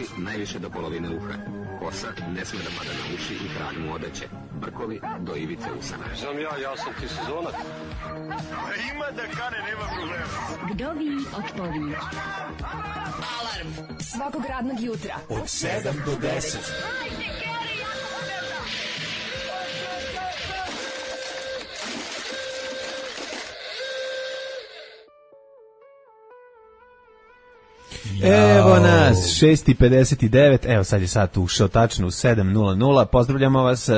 Uši najviše do polovine uha. Kosa ne sme da pada na uši i trag mu odeće. Brkovi do ivice usana. Znam ja sam ti sezonac. Ima da kane, nema problema. Vdovi otpovi. Alarm svakog radnog jutra od 7 do 10. Evo nas, 6:59, evo sad je sat ušao tačno u 7:00, pozdravljamo vas,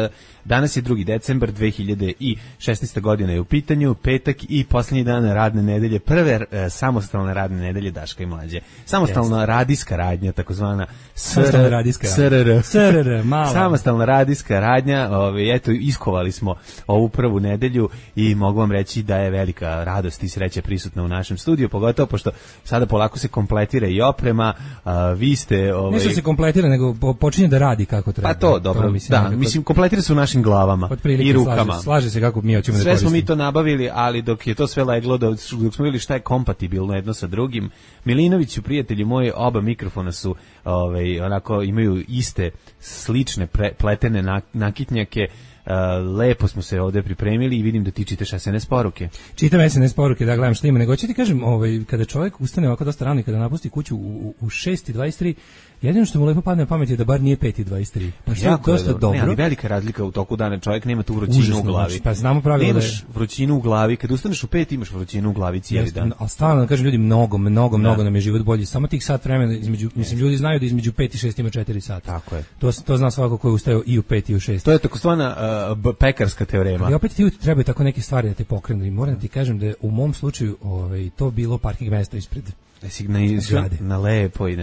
danas je 2. decembar 2016. godine je u pitanju, petak i posljednji dan radne nedelje, prve samostalne radne nedelje Daška i Mlađe. Samostalna radijska radnja, takozvana SRR, samostalna radijska radnja, eto, iskovali smo ovu prvu nedelju i mogu vam reći da je velika radost i sreća prisutna u našem studiju, pogotovo pošto sada polako se kompletira i oprema, vi ste... Nešto se kompletira, nego počinje da radi kako treba. Pa to, dobro, mislim, kompletira se u našim glavama i rukama. Slaže se kako mi hoćemo da koristimo. Sve smo mi to nabavili, ali dok je to sve leglo, dok smo vidjeli šta je kompatibilno jedno sa drugim, Milinović, prijatelji moji, oba mikrofona su, onako, imaju iste, slične, pletene nakitnjake, lepo smo se ovdje pripremili i vidim da ti čitaš SNS poruke. Čitam SNS poruke, da gledam šta ima, nego ću ti kažem, kada čovjek ustane ovako dosta rano i kada napusti kuću u 6:23, jedino što mu lepo padne na pamet je da bar nije 5:23. Pa što je dosta dobro. Ne, ali velika razlika u toku dana, čovjek nema tu vrućinu u glavi. Pa znamo pravilo da imaš vrućinu u glavi, kad ustaneš u 5 imaš vrućinu u glavi cijeli dan. A stalno kažem ljudi, mnogo nam je život bolji. Samo tih sat vremena između, mislim ljudi znaju da između 5 i 6 ima 4 sata. Tako je. To zna svako ko je ustao i u 5 i u 6. To je takozvana pekarska teorema. I opet ti trebaju tako neke stvari da te pokrenu i moram ti kažem da je u mom slučaju to bilo parking mjesto ispred na lepo i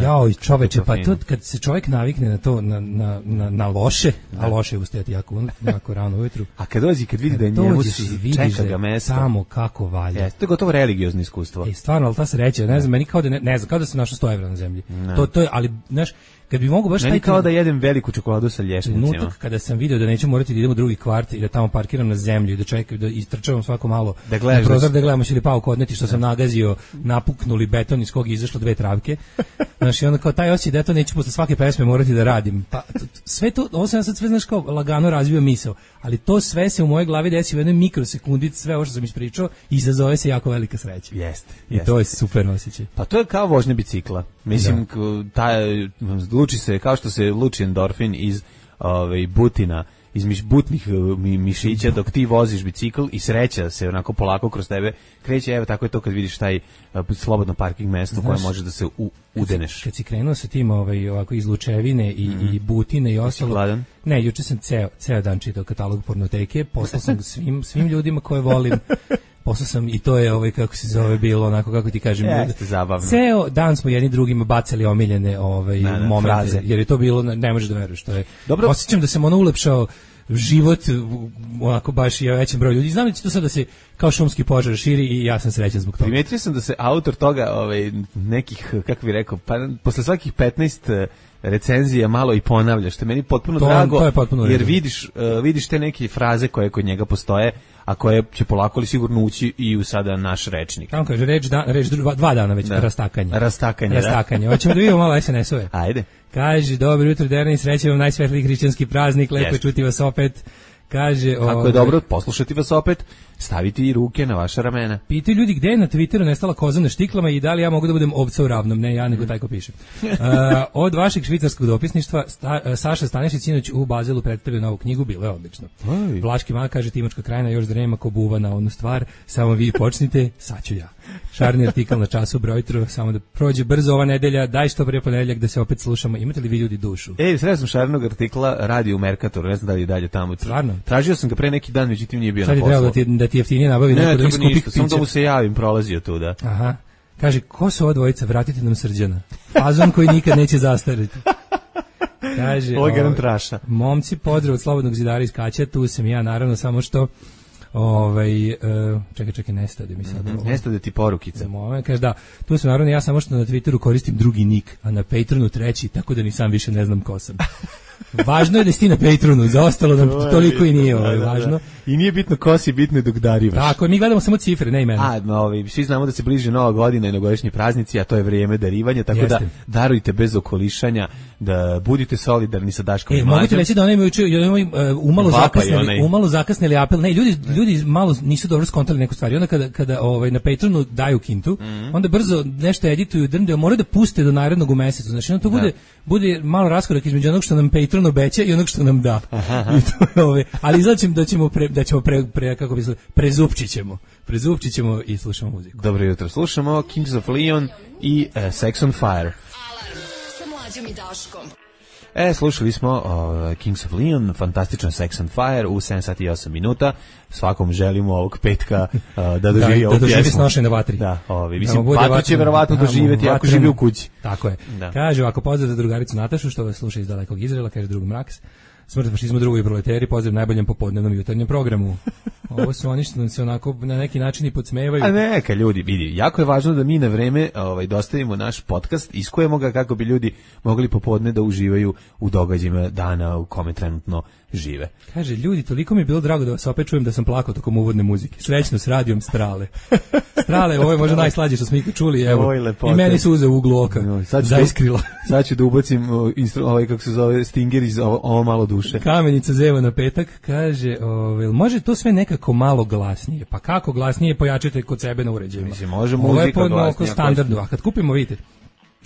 jao čoveče, pa to kad se čovjek navikne na to, na loše, a loše je ustajati jako rano ujutru, a kad dođi, kad vidi da je njemu čeka ga mesto samo kako valja, to je gotovo religiozno iskustvo. Stvarno, ali ta sreća, ne znam, meni kao da ne znam, kao da sam našao 100 evra na zemlji, to je, ali znaš, kad bi mogu baš meni kao da jedem veliku čokoladu sa lješnicima. Trenutak kada sam video da neću morati da idem u drugi kvart i da tamo parkiram na zemlju i da čekam, da istrčavam svako malo na prozor da gledamo će li pauku odneti što sam nagazio, napuknuli beton iz kog je izašlo 2 travke. Znaš, i onda kao taj osjećaj da to neću posle svake pesme morati da radim. Pa sve to, ovo sam sad sve, znaš, kao lagano razvio misao, ali to sve se u mojoj glavi desi u jednoj mikrosekundi, sve ovo što sam ispričao, izazove se jako velika sreća. Jeste. I to je super osjećaj. Pa to je kao vožnja bicikla. Mislim, luči se, kao što se luči endorfin iz butina, iz butnih mišića dok ti voziš bicikl i sreća se onako polako kroz tebe kreće, evo tako je to kad vidiš taj slobodno parking mesto koje može da se udeneš. Kad si krenuo sa tim ovako iz Lučevine i Butine i ostalo. Gladan? Ne, juče sam ceo dan čitao katalog pornoteke, poslao sam svim ljudima koje volim. Poslao sam i to je kako se zove bilo onako kako ti kažem. Jeste zabavno. Ceo dan smo jedni drugima bacali omiljene momente, fraze. Jer je to bilo, ne možeš da veruješ, to je. Dobro. Osjećam da sam ulepšao život onako baš i većem broju ljudi. Znam da će to sad da se kao šumski požar širi i ja sam srećan zbog toga. Primetio sam da se autor toga nekih, kako bih rekao, pa posle svakih 15 recenzija malo i ponavlja, što je meni potpuno drago, to je potpuno jer vidiš te neke fraze koje kod njega postoje, a koje će polako li sigurno ući i u sada naš rečnik. Tamo kaže, reč 2 dana već, rastakanje. Rastakanje. Hoćemo da vidimo malo SNS-ove. Ajde. Kaže, dobro jutro, Derni, sreće vam najsvetliji hrišćanski praznik, lepo je čuti vas opet. Kaže, kako je dobro poslušati vas opet, staviti ruke na vaša ramena. Pitaju ljudi gde je na Twitteru nestala koza na štiklama i da li ja mogu da budem ovca u ravnom. Ne, ja nego taj ko piše. Od vašeg švicarskog dopisništva Saša Stanišić sinoć u Bazelu predstavio novu knjigu, bilo je odlično. Vlaški mak kaže, Timočka krajina još da nema ko buva na onu stvar, samo vi počnite, sad ću ja. Šarni artikal na času brojtru, samo da prođe brzo ova nedelja, daj što prije ponedeljak da se opet slušamo. Imate li vi ljudi dušu? Sreo sam Šarnog artikla, radi u Merkatoru, ne znam da li je dalje tamo. Stvarno? Tražio sam ga pre neki dan, međutim nije bio na poslu. Sad je trebalo da ti jeftinije nabavi neko da iskupi piće. Samo da mu se javim, prolazio tu, da. Aha. Kaže, ko su ova dvojica, vratite nam Srđana. Fazon koji nikad neće zastariti. Kaže, ovo je garant traša. Momci, pozdrav od Slobodnog zidara iz Kaća, tu sam ja, naravno, samo što čekaj, nestade mi sad. Nestade ti porukice. Kaže, da, tu sam naravno, ja samo što na Twitteru koristim drugi nik, a na Patreonu treći, tako da ni sam više ne znam ko sam. Važno je da si ti na Patronu, za ostalo nam toliko i nije važno. I nije bitno ko si, bitno je dok darivaš. Tako, mi gledamo samo cifre, ne imena. Svi znamo da se bliže Nova godina i novogodišnji praznici, a to je vrijeme darivanja, tako da darujte bez okolišanja, da budite solidarni sa Daškom i Mlađom. Mogu ti reći da oni imaju umalo zakasnili apel. Ne, ljudi malo nisu dobro skontali neku stvar. I onda kada na Patronu daju kintu, onda brzo nešto edituju, drnde, moraju da puste do narednog u mesecu. Znači, onda to bude malo raskorak između onog što nam Patron obeća i onog što nam da. I to je ali izlačim da ćemo kako bi se prezupčit ćemo i slušamo muziku. Dobro jutro, slušamo Kings of Leon i Sex on Fire. Alarm sa Mlađom i Daškom. Slušali smo Kings of Leon, fantastičan Sex on Fire u 7 sati i 8 minuta. Svakom želimo ovog petka da doživi ovu pjesmu. Da doživi snošaj na vatri. Da, mislim, vatru će verovatno doživjeti ako živi u kući. Tako je. Da. Kaže, ako pozdrav za drugaricu Natašu, što vas sluša iz dalekog Izraela, kaže drug Mraks. Smrt fašizmu, drugi proleteri, pozdrav najboljem popodnevnom jutarnjem programu. Ovo su oni što se onako na neki način i podsmevaju. A neka ljudi, vidi, jako je važno da mi na vreme dostavimo naš podcast, iskujemo ga kako bi ljudi mogli popodne da uživaju u događajima dana u kome trenutno žive. Kaže, ljudi, toliko mi je bilo drago da vas opet čujem da sam plakao tokom uvodne muzike. Srećno s radijom Strale. Strale, ovo je možda najslađe što smo ikad čuli, evo. I meni suze u uglu oka. Zaiskrila. Sad ću da ubacim kako se zove, Stinger iz ovo malo duše. Kamenica zeva na petak, kaže, može to sve nekako malo glasnije? Pa kako glasnije, pojačite kod sebe na uređajima. Mislim, može muzika glasnije. Standardu, a kad kupimo, vidite,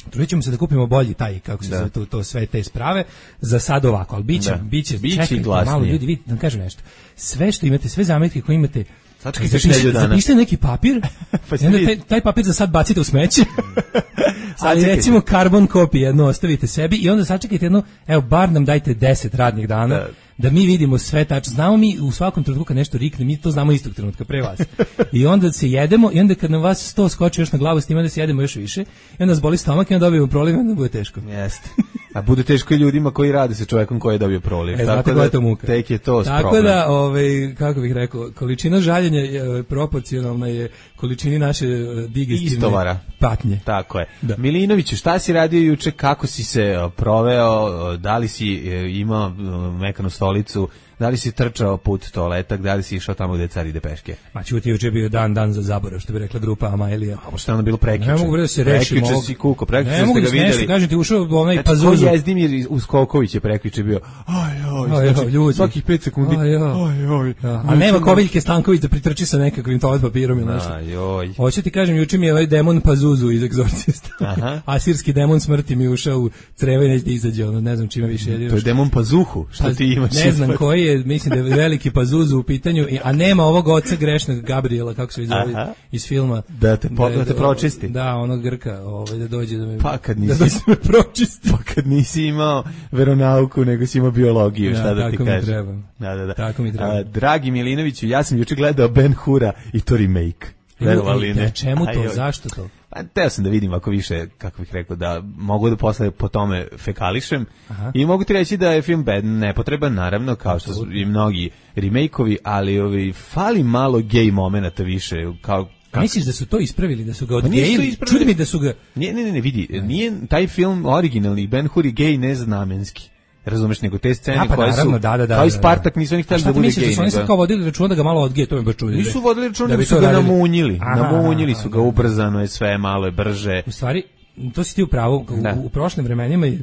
trudit ćemo se da kupimo bolji taj, kako se zove, to sve te sprave, za sad ovako, ali biće čekajte malo, ljudi, vidite, da vam kažem nešto, sve što imate, sve zametke koje imate, zapišite neki papir, i onda taj papir za sad bacite u smeće, ali recimo carbon copy jedno ostavite sebi i onda sačekajte jedno, evo, bar nam dajte 10 radnih dana, da mi vidimo sve tačno. Znamo mi u svakom trenutku kad nešto rikne, mi to znamo istog trenutka pre vas. I onda se jedemo i onda kad nam vas 100 skoči još na glavu, s tim onda se jedemo još više i onda nas boli stomak i onda dobijemo proliv i onda bude teško. Jeste. A bude teško i ljudima koji rade sa čovjekom koji je dobio proliv. Znate koja je to muka. Tek je to tako problem. Da, kako bih rekao, količina žaljenja je proporcionalna je količini naše digestivne patnje. Tako je. Da. Milinoviću, šta si radio juče, kako si se proveo, da li si imao mekanu stolicu, da li si trčao put toaletak, da li si išao tamo gde car ide peške? Ma čuti, juče je bio dan za zaborav, što bi rekla grupa Amaelija. A što je ono bilo prekjuče? Ne mogu da se rešim ovog. Si kuko, prekjuče ste ga vidjeli. Ne kažem ti, ušao onaj Pazuzu. Ko Jezdimir Uskoković je prekjuče bio, ljudi, svakih 5 sekundi, a nema Koviljke Stanković da pritrči sa nekakvim toalet papirom ili nešto. Hoću ti kažem, juče mi je ovaj demon Pazuzu iz Egzorcista. Asirski demon smrti mi ušao u creva i neće da izađe, ne znam čime više. To je demon Pazuhu, što ti imaš. Ne znam koji je, mislim da je veliki Pazuzu u pitanju, a nema ovog oca grešnog Gabriela, kako se zove iz filma. Da te pročisti. Da, onog Grka, da dođe da me pročisti. Pa kad nisi imao veronauku, nego si imao biologiju, šta da ti kažem. Tako mi treba. Dragi Milinoviću, ja sam juče gledao Ben Hura i to remake. Verovali ne. Čemu to? Zašto to? Pa teo sam da vidim ako više, kako bih rekao, da mogu da posle po tome fekališem. I mogu ti reći da je film nepotreban, naravno, kao što su i mnogi remake-ovi, ali fali malo gej momenata više, kao misliš da su to ispravili, da su ga odgejili? Čudi mi da su ga... Ne, vidi, nije taj film originalni, Ben Hur i gej neznamenski. Razumeš, nego te scene koje su kao i Spartak nisu oni htjeli da bude gej. Šta ti misliš da su oni sad kao vodili računa da ga malo odgeje, to me baš čudi. Nisu vodili računa da su ga namunjili su ga, ubrzano je sve, malo je brže. U stvari, to si ti u pravu, u prošlim vremenima je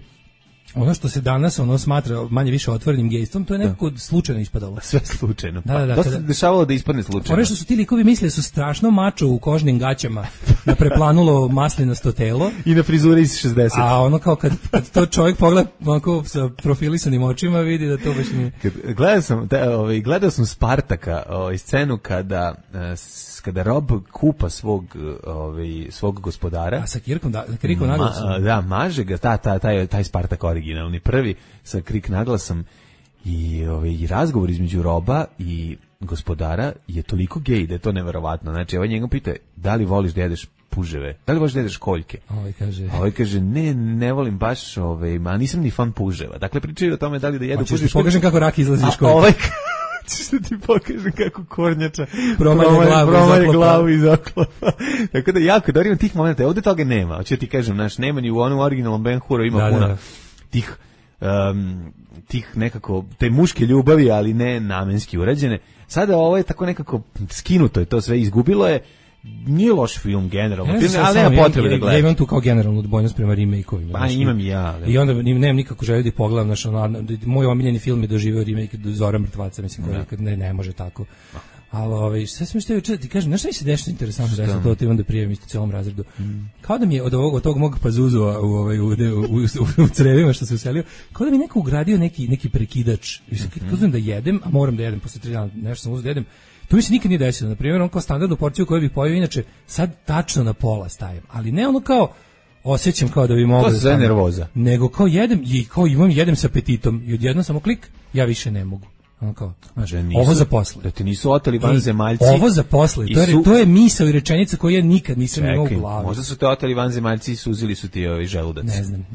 ono što se danas smatra manje više otvorenim gejstvom, to je nekako slučajno ispadalo. Sve slučajno. To se dešavalo da ispadne slučajno. Ono što su ti likovi mislili su strašno mačo u kožnim gaćama, da preplanulo maslinasto telo. I na frizure iz 60. A ono kao kad to čovjek pogleda onako sa profilisanim očima, vidi da to baš nije. Gledao sam Spartaka, scenu kada Rob kupa svog gospodara. A sa krikom naglasom. Da, maže ga, taj Spartak originalni prvi, sa krik naglasom i razgovor između Roba i gospodara je toliko gej da je to neverovatno. Znači, ovaj njega pita, da li voliš da jedeš puževe? Da li voliš da jedeš koljke? Ovaj kaže, ne volim baš, ma nisam ni fan puževa. Dakle, pričaju o tome da li da jedu puževe. Hoćeš ti pokažem kako rak izlazi iz koljke. Što ti pokažem kako kornjača promaje glavu iz oklopa. Tako da jako dobro, ima tih momenta. Ovdje toga nema. Hoće ti kažem, nema ni u onom originalnom Ben Huru ima puno tih tih nekako, te muške ljubavi, ali ne namenski urađene. Sada ovo je tako nekako skinuto je to sve, izgubilo je. Nije loš film generalno, ali nema potrebe da gledam. Ja imam tu kao generalnu odbojnost prema remake-ovima. Pa imam i ja. Ali. I onda nemam nikako želju da pogledam, moj omiljeni film je doživeo remake Zora mrtvaca, mislim, koji ne može tako. Ali sve sam što ti kažem, znaš šta mi se dešava interesantno da sam to ti onda prijavim isto celom razredu. Kao da mi je od tog mog pazuzova u crevima što se uselio, kao da mi neko ugradio neki prekidač. Kad uzmem da jedem, a moram da jedem posle 3 dana, nešto sam uzeo da jedem. To mi se nikad nije desilo. Na primjer, on kao standardnu porciju koju bih pojeo, inače sad tačno na pola stavim. Ali ne ono kao osjećam kao da bi mogao. To se zove nervoza. Nego kao jedem i kao jedem sa apetitom i odjednom samo klik, ja više ne mogu. Ono kao, znaš, ovo za posle. Da ti nisu oteli vanzemaljci. Ovo za posle, to je misao i rečenica koju ja nikad nisam imao u glavi. Možda su te oteli vanzemaljci i suzili su ti želudac. Ne znam,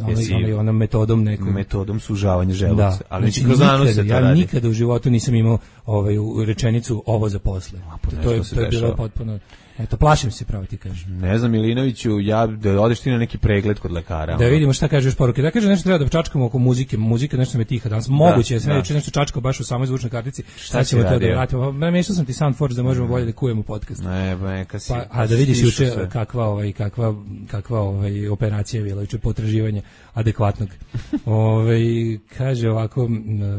onom metodom nekom. Metodom sužavanja želudaca. Da, ali znači, kroz anus se to radi. Ja nikada u životu nisam imao rečenicu ovo za posle. To je bilo potpuno... Eto, plašim se, pravo ti kažem. Ne znam, Milinoviću, da odeš ti na neki pregled kod lekara. Da vidimo šta kažeš poruke. Da kaže nešto treba da čačkamo oko muzike. Muzika nešto me tiha danas. Moguće je sve nešto čačkao baš u samoj zvučnoj kartici. Šta ćemo to da vratimo? Namještao sam ti Soundforce da možemo bolje da kujemo podcast. Ne, neka si. A da vidiš juče kakva operacija je bila, juče potraživanje adekvatnog. Kaže ovako,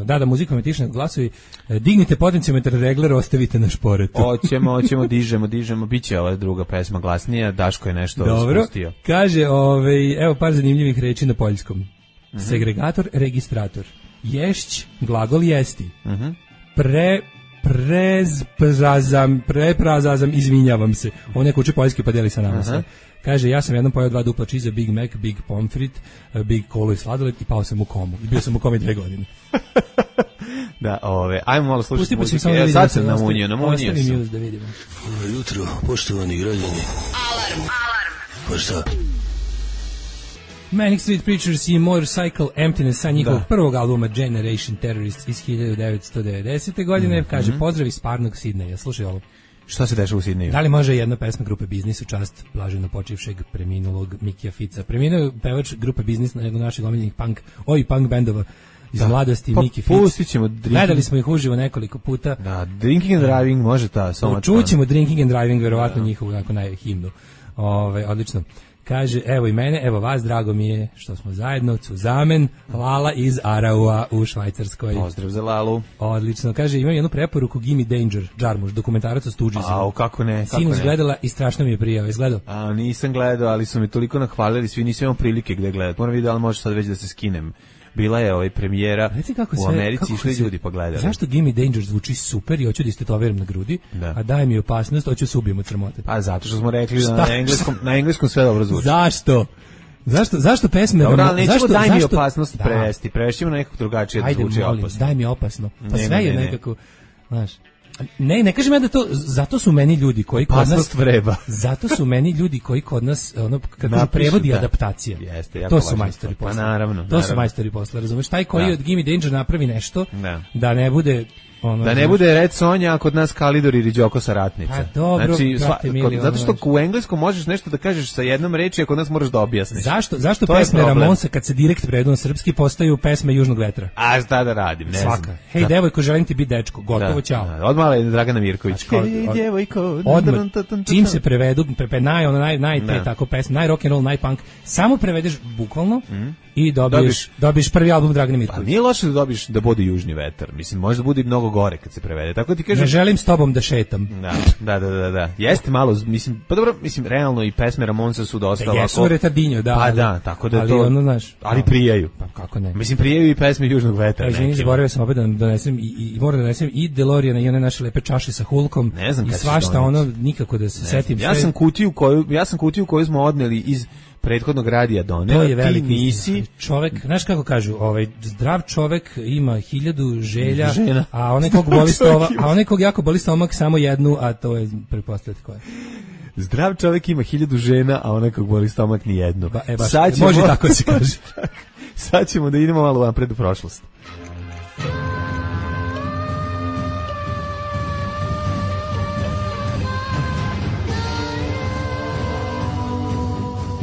da muzikom je tišne glasovi. Dignite potenciometar regler, ostavite na šporetu. Hoćemo, dižemo. Biće ova druga pesma glasnija, Daško je nešto spustio. Kaže, evo par zanimljivih reči na poljskom. Segregator, registrator. Ješć, glagol jesti. Preprazazam, izvinjavam se. On neko uči poljski pa deli sa nama sve. Kaže, ja sam jednom pojao 2 dupla čiza, Big Mac, Big Pomfrit, Big Kolo i sladoled i pao sam u komu. I bio sam u komi 2 godine. Da, ajmo malo slušati muziku. Ja sad sam namunio sam. Da vidimo. Dobro jutro, poštovani građani. Alarm. Pa šta? Manic Street Preachers i Motorcycle Emptiness sa njihovog prvog albuma Generation Terrorists iz 1990. godine. Kaže, pozdrav iz parnog Sidneja. Slušaj ovo. Šta se dešava u Sidneju? Da li može jedna pesma grupe Biznis u čast blaženo počivšeg preminulog Mikija Fica? Preminuo je pevač grupe Biznis na jednog naših omiljenih punk bendova iz mladosti, Miki Fic. Pustit ćemo Gledali smo ih uživo nekoliko puta. Da, Drinking and Driving može ta. Čućemo Drinking and Driving, verovatno njihovu himnu. Odlično. Kaže, evo i mene, evo vas, drago mi je što smo zajedno, Cuzamen, Lala iz Araua u Švajcarskoj. Pozdrav za Lalu. Odlično. Kaže, imam jednu preporuku, Gimme Danger, Džarmuš, dokumentarac o Stoogesima. Kako ne. Sinoć gledala i strašno mi je prijao. Izgledao? Nisam gledao, ali su mi toliko nahvalili, svi nisam imao prilike gde gledati. Moram vidjeti da li može sad već da se skinem. Bila je premijera u Americi, išli ljudi pa gledali. Zašto Gimme Danger zvuči super i hoću da istetoviram na grudi, a daj mi opasnost, hoću se ubijem od sramote. Pa zato što smo rekli da na engleskom sve dobro zvuči. Zašto pesme... Dobro, ali nećemo daj mi opasnost prevesti. Prevešćemo na nekog drugačije da zvuči opasno. Daj mi opasno. Pa sve je nekako... Znaš... Ne kažem ja da to, zato su meni ljudi koji kod nas vreba. Zato su meni ljudi koji kod nas kako prevodi adaptacija. To su majstori posla. Pa naravno. To su majstori posla, razumeš? Taj koji od Gimme Danger napravi nešto da ne bude da ne bude Red Sonja, a kod nas Kalidor ili Đoko sa Ratnica. Pa dobro, zato što u engleskom možeš nešto da kažeš sa jednom reči, a kod nas moraš da objasniš. Zašto pesme Ramonsa kad se direkt prevedu na srpski postaju pesme Južnog vetra? A šta da radim, ne znam. Hej devojko, želim ti biti dečko, gotovo, ćao. Odmah je Dragana Mirković. Hej devojko. Odmah, čim se prevedu, tako pesme, naj rock and roll, naj punk, samo prevedeš bukvalno i dobiješ prvi album Dragane Mirković. Pa nije loše da dobiješ da bude Južni vetar. Mislim, može da bude mnogo gore kad se prevede. Tako ti kažem, ne želim s tobom da šetam. Da. Jeste malo, mislim, pa dobro, mislim, realno i pesme Ramonsa su dosta ovako. Jesu retardinjo, da. Pa da, tako da ali to. Ono, znaš, ali prijaju. Pa kako ne? Mislim, prijaju i pesme Južnog vetra. Izvini, zaboravio sam opet da donesem i moram da donesem i DeLoreana i one naše lepe čaše sa Hulkom. Ne znam i svašta ono, nikako da se setim. Ja sam kutiju koju smo odneli iz prethodnog radija doneo. To je veliki nisi čovjek, znaš kako kažu, zdrav čovjek ima 1000 želja, a onaj kog jako boli stomak samo jednu, a to je pretpostavljati koja. Zdrav čovjek ima 1000 žena, a onaj kog boli stomak ni jednu. Može tako se kaže. Sad ćemo da idemo malo napred u prošlost.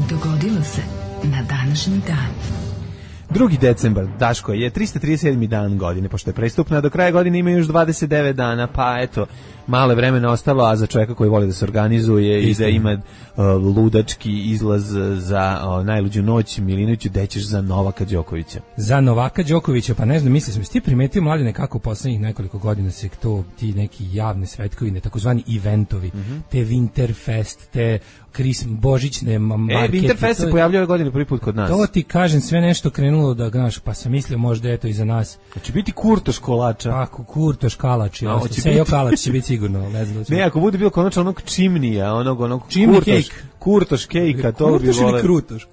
Dogodilo se na današnji dan. 2. decembar, Daško, je 337. dan godine, pošto je prestupna, do kraja godine ima još 29 dana, pa eto, male vremena ostalo, a za čovjeka koji voli da se organizuje i da ima ludački izlaz za najluđu noć, Milinoviću, dećeš za Novaka Đokovića. Za Novaka Đokovića, pa ne znam, mislim, ti primetio, Mladine, kako u poslednjih nekoliko godina se to, ti neki javne svetkovine, takozvani eventovi, te Winterfest, te božićne markete. Winterfest se pojavljao ove godine prvi put kod nas. To ti kažem, sve nešto krenulo da, znaš, pa sam mislio možda eto i za nas. Znači biti Kurtoš kolača. Pa, Kurtoš kalač, Sejo kalač će biti sigurno, ne znam. Ne, ako bude bilo konačno onog čimnija, onog Kurtoš kejka, to bi Kurtoš ili Krutoš?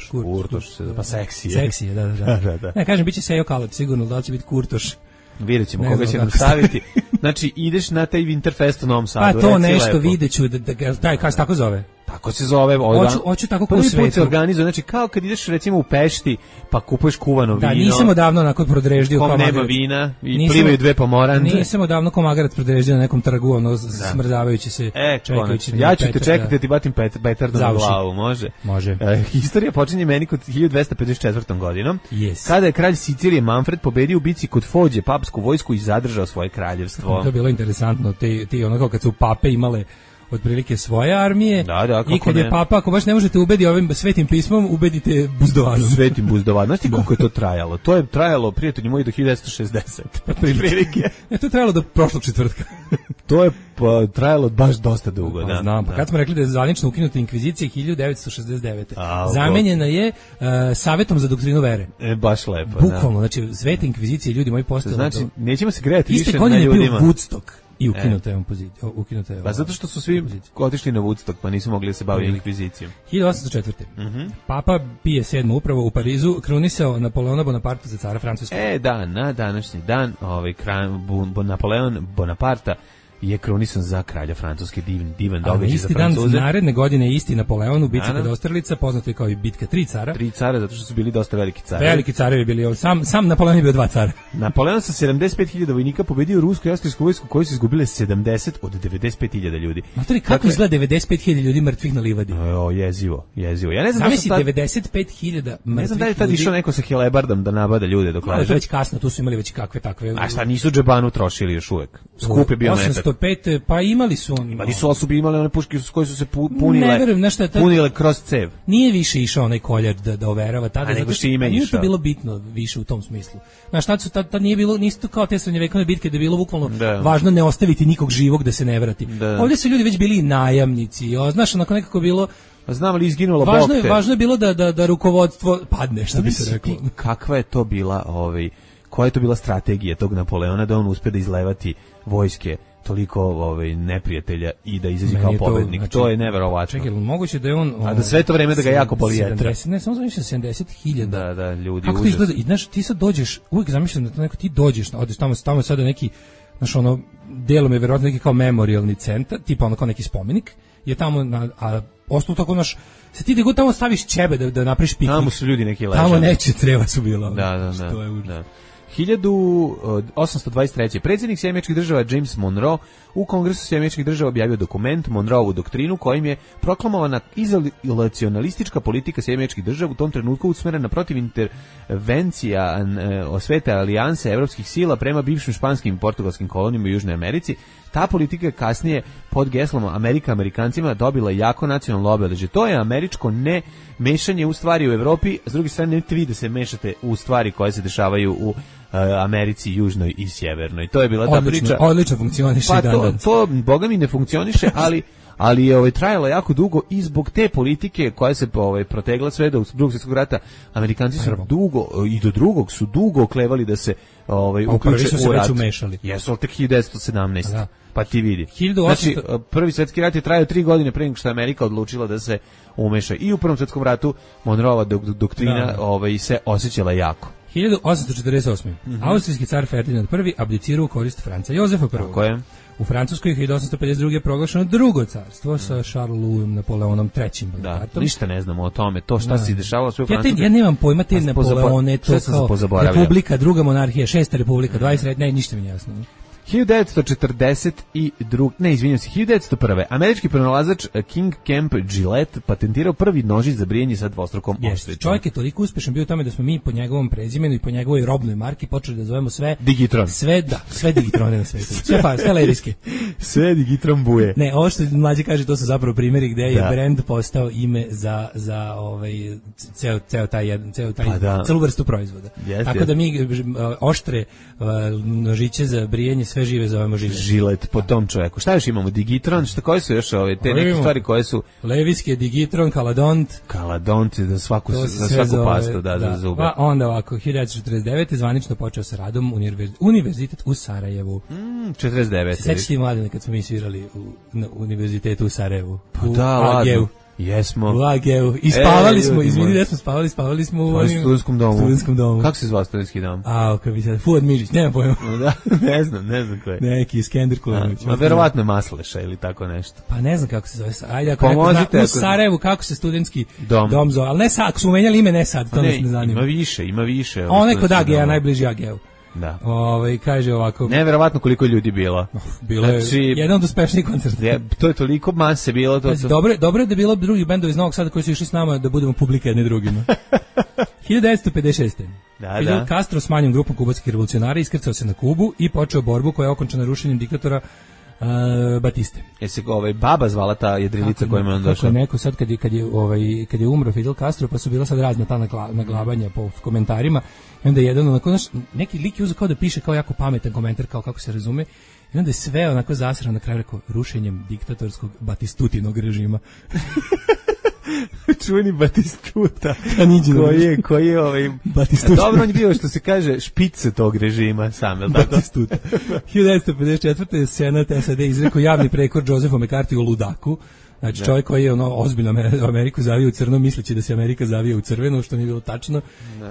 Kurtoš, pa seksije. Seksije, da. Ne, kažem, bit će Sejo kalač, sigurno, da li će biti Kurtoš. Vidjet ćemo koga će nam staviti. Znači, ideš na taj Winterfest u Novom Sadu. Pa to nešto videću, kako se tako zove? Tako se zove. Hoću tako kao u svetu. Prvi put se organizuje, znači kao kad ideš recimo u Pešti, pa kupuješ kuvano vino. Da, nisam odavno onako prodreždio kao magarac. Nema vina i plivaju dve pomoranđe. Nisam odavno kao magarac prodreždio na nekom trgu, smrzavajući se, čekajući. Ja ću te čekati da ti batim petardom na glavu, može? Može. Historija počinje meni kod 1254. godinom, kada je kralj Sicilije Manfred pobedio u bici kod Fođe papsku vojsku i zadržao svoje kraljevstvo. To je bilo interesantno, ti ono kao kad su pape imale otprilike svoje armije. Da, i kad je papa, ako baš ne možete ubediti ovim svetim pismom, ubedite buzdovanom. Svetim buzdovanom. Znaš ti koliko je to trajalo? To je trajalo, prijatelji moji, do 1960. Prilike. To je trajalo do prošlog četvrtka. To je trajalo baš dosta dugo. Da, znam. Kad smo rekli da je zvanično ukinuta inkvizicija 1969. Zamenjena je Savetom za doktrinu vere. Baš lepo. Bukvalno, znači sveta inkvizicija, ljudi moji postali. Znači, nećemo se grejati više na ljudima. Iste godine je bio Woodstock. I ukinuta je pa zato što su svi otišli na Woodstock, pa nisu mogli da se baviti inkvizicijom. 1804. Papa Pije VII upravo u Parizu krunisao Napoleona Bonaparta za cara Francuske. Na današnji dan Napoleon Bonaparta je krunisan za kralja Francuske, divan događaj za Francuze. Isti dan naredne godine isti Napoleon u bitci kod Austerlica, poznato je kao i bitka 3 cara. 3 cara, zato što su bili dosta veliki carevi. Veliki carevi bili, sam Napoleon je bio 2 cara. Napoleon sa 75.000 vojnika pobedio rusku i austrijsku vojsku koji su izgubile 70 od 95.000 ljudi. Matori, kako izgleda 95.000 ljudi mrtvih na livadi? Jezivo. Ja ne znam da su 95.000 mrtvih. Ne znam da je tad išao neko sa helebardom da nabada ljude dok leže. Već kasno, tu su imali već kakve takve. A šta, nisu džebanu trošili još uvek? Skup je bio metak. 805, pa imali su oni. Imali su osobi, imali one puške koje su se punile kroz cev. Nije više išao onaj koljar da overava tada. Nego što ime išao. Nije to bilo bitno više u tom smislu. Znaš, tad nije bilo, nisu kao te srednjevekovne bitke da je bilo bukvalno važno ne ostaviti nikog živog da se ne vrati. Ovdje su ljudi već bili najamnici. Znaš, onako nekako bilo... Znam li izginulo bokte. Važno je bilo da rukovodstvo padne, što bi se reklo. Kakva je to bila, koja je to bila strategija tog Napoleona da on uspe da izlevati vojske toliko neprijatelja i da izađe kao pobednik. Znači, to je neverovatno. Čekaj, moguće da je on... A da sve to vreme da ga jako boli jetra. Ne, samo zamišljam 70.000. Da, ljudi, kako to izgleda? I znaš, ti sad dođeš, uvijek zamišljam da to neko, ti dođeš, odeš tamo sada neki, znaš, delom je verovatno neki kao memorialni centar, tipa ono kao neki spomenik, je tamo, a ostalo tako, znaš, se ti god tamo staviš ćebe da napriš piknik. Tamo su ljudi neki ležali. Tamo neće treba su bila. Da. 1823. Predsjednik Sjedinjenih Američkih Država James Monroe u Kongresu Sjedinjenih Američkih Država objavio dokument Monroeovu doktrinu kojim je proklamovana izolacionalistička politika Sjedinjenih Američkih Država u tom trenutku usmerena protiv intervencija osvete alijanse evropskih sila prema bivšim španskim i portugalskim kolonijama u Južnoj Americi. Ta politika je kasnije pod geslom Amerikancima dobila jako nacionalno obeležje. To je američko ne mešanje u stvari u Evropi, s druge strane nemojte vi da se mešate u stvari koje se dešavaju u Americi južnoj i sjevernoj. To je bila ta priča. Odlično funkcioniše. Pa to boga mi ne funkcioniše, ali je trajalo jako dugo i zbog te politike koja se protegla sve do Drugog svjetskog rata. Amerikanci su dugo i do drugog su dugo oklevali da se uključe u rat. Jesu, ali tek 1917. Pa ti vidi. Znači, prvi svjetski rat je trajao 3 godine prije nego što je Amerika odlučila da se umeša. I u Prvom svjetskom ratu Monroeova doktrina se osjećala jako. 1848. Austrijski car Ferdinand I abdicirao u korist Franca Jozefa I. Tako je. U Francuskoj 1852. je proglašeno drugo carstvo sa Charles Louisom Napoleonom III. Da, ništa ne znamo o tome. To šta se dešavalo sve u Francuskoj. Ja nemam pojma te Napoleone, to kao Republika, druga monarhija, 6. republika, 20. ne, ništa mi nije jasno. 1942. Ne, izvinjam se, 1901. Američki pronalazač King Camp Gillette patentirao prvi nožić za brijanje sa dvostrukom osvećom. Čovjek je toliko uspešan bio u tome da smo mi po njegovom prezimenu i po njegovoj robnoj marki počeli da zovemo sve Digitron. Sve Digitrone na svetu. Sve lerijske. Sve Digitron buje. Ne, ovo što mlađi kaže, to su zapravo primjeri gde je brend postao ime za celu vrstu proizvoda. Tako da mi oštre nožiće za brijanje sve žive zovemo Žilet po tom čovjeku. Šta još imamo? Digitron, koje su još te neke stvari koje su... Leviske, Digitron, Kaladont. Kaladont za svaku pastu, za zube. Pa onda ovako, 1949. zvanično počeo sa radom Univerzitet u Sarajevu. 49. Sećaš ti mladine kad smo mi svirali na Univerzitetu u Sarajevu? Pa da, ladno. Jesmo. U AG-u. I spavali smo, izvini da smo spavali smo u studentskom domu. Kako se zvao studentski dom? Kako bi se, Fuad Mižić, nema pojma. Da, ne znam ko je. Neki Iskender Kulanović. Verovatno Masleša ili tako nešto. Pa ne znam kako se zove. Ajde, ako u Sarajevu, kako se studentski dom zove. Ali ne sad, ako smo menjali ime, ne sad, to nas ne zanima. Ima više. Onaj kod AG-a, najbliži AG-u. Da. Kaže ovako. Neverovatno koliko ljudi bilo. Bilo je jedan od uspešnijih koncerta. To je toliko mase bilo. Dobro je da bilo drugi bendovi iz Novog Sada koji su išli s nama da budemo publika jedni drugima. 1956. Fidel Castro s manjom grupom kubanskih revolucionara iskrcao se na Kubu i počeo borbu koja je okončana rušenjem diktatora Batiste. Se baba zvala ta jedrilica kojima je on došao? Kako je neko sad kad je umro Fidel Castro, pa su bila sad razna ta naglabanja po komentarima, i onda je jedan onako, neki lik je uzeo kao da piše kao jako pametan komentar, kao kako se razume, i onda je sve onako zasrano na kraju rekao rušenjem diktatorskog Batistutinog režima. Čuveni Batistuta. Koji je Batistuta. Dobro, on je bio, što se kaže, špice tog režima sam, je li tako? Batistuta. 1954. Senat SAD izrekao javni prekor Josephu McCarthy u ludaku. Znači čovjek koji je ozbiljno Ameriku zavio u crno, misleći da se Amerika zavija u crveno, što nije bilo tačno.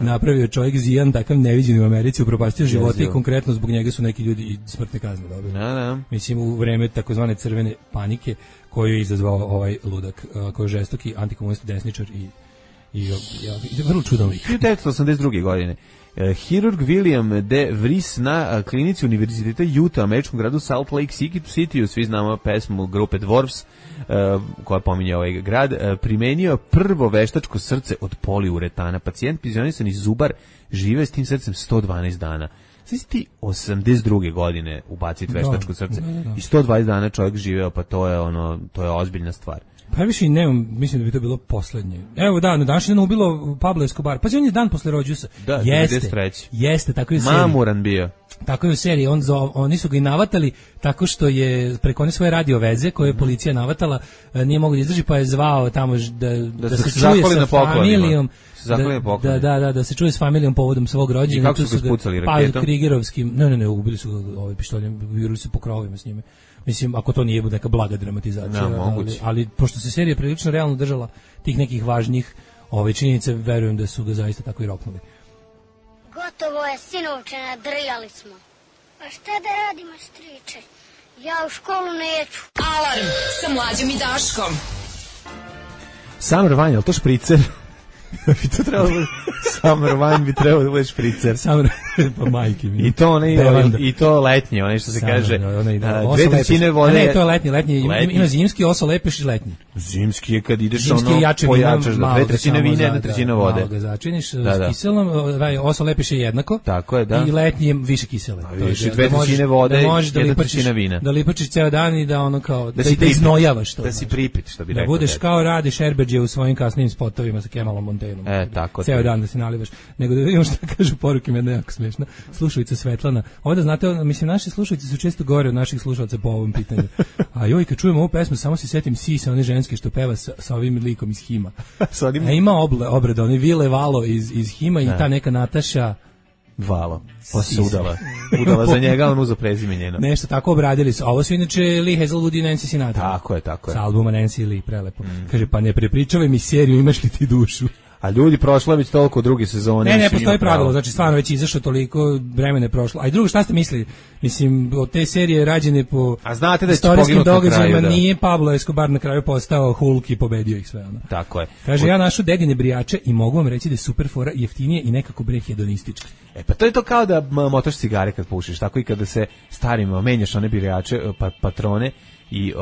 Napravio čovjek zijan, takav neviđen u Americi, upropastio živote i konkretno zbog njega su neki ljudi i smrtne kazne dobili. Mislim, u vreme takozvane crvene panike koju je izazvao ovaj ludak, koji je žestoki antikomunist desničar i vrlo čudan lik. 1982. godine. Hirurg William D. Vries na klinici Univerziteta Utah, američkom gradu Salt Lake City, svi znamo pesmu grupe Dwarfs, koja pominje ovaj grad, primenio prvo veštačko srce od poliuretana. Pacijent penzionisani zubar žive s tim srcem 112 dana. Sve si ti 82. godine ubaciti veštačko srce i 120 dana čovjek živeo, pa to je ozbiljna stvar. Pa više i nemam, mislim da bi to bilo poslednje. Evo na današnji dan ubilo Pablo Escobar. Pa on je dan posle rođusa. Da, jeste, tako je u seriji. Mamuran bio. Tako je u seriji, oni su ga i navatali tako što je preko one svoje radio veze koje je policija navatala, nije mogu da izdrži, pa je zvao tamo da se čuje sa familijom. Da se čuje s familijom povodom svog rođenja. I kako su ga spucali raketom? Pa krigerovskim, ne, ubili su ga pištoljem, viruli se po krovima s njime. Mislim, ako to nije neka blaga dramatizacija, ali pošto se serija prilično realno držala tih nekih važnjih činjenica, verujem da su ga zaista tako i roknuli. Gotovo je, sinovče, nadrljali smo. A šta da radimo, striče? Ja u školu neću. Alarm sa Mlađom i Daškom. Summer Wine, ali to špricer? bi to trebalo Summer Wine bi trebalo da bude špricer. Pa majke mi. I to letnje, onaj što se kaže. 2/3 vode. Ne, to je letnji. Ima zimski, oso lepeš i letnji. Zimski je kad ideš pojačaš da 2/3 vina, 1/3 vode. Malo ga začiniš s kiselom, oso lepeš je jednako. Tako je, da. I letnji je više kisele. Više 2/3 vode, 1/3 vina. Da lipačiš ceo dan i da ono kao da iznojavaš to. Da si pripit, što bi rekao. Da budeš kao Rade Šerbeđe u svojim kasnim spotovima sa Kemalom Montenom. Tako. Ceo dan da se nalivaš. Nego da vidimo šta kažu poruke, meni je jako smiješno. Slušalica Svetlana. Ovdje, znate, mislim, naši slušalice su često gore od naših slušalaca po ovom pitanju. A joj, kad čujem ovu pesmu, samo se setim Sisa, one ženske što peva sa ovim likom iz Hima. A ima obrada, oni Vile Valo iz Hima i ta neka Nataša Valo. Pa se udala za njega, on uzo prezime njeno. Nešto tako obradili su. Ovo su inače Lee Hazelwood i Nancy Sinatra. Tako je. Sa albuma Nancy Lee, prelepo. Kaže, pa ne prepričavaj mi seriju, imaš li ti dušu? A ljudi, prošlo je već toliko druge sezone. Ne postoji pravilo, znači stvarno već izašlo toliko, vremena je prošlo. A i drugo, šta ste mislili? Mislim, od te serije rađene po istorijskim događajima, nije Pablo Escobar na kraju postao Hulk i pobedio ih sve. Ono. Tako je. Kaže, ja našao dedine brijače i mogu vam reći da je super fora, jeftinije i nekako bre hedonistički. Pa to je to kao da motaš cigare kad pušiš, tako i kada se starima menjaš one brijače, patrone, i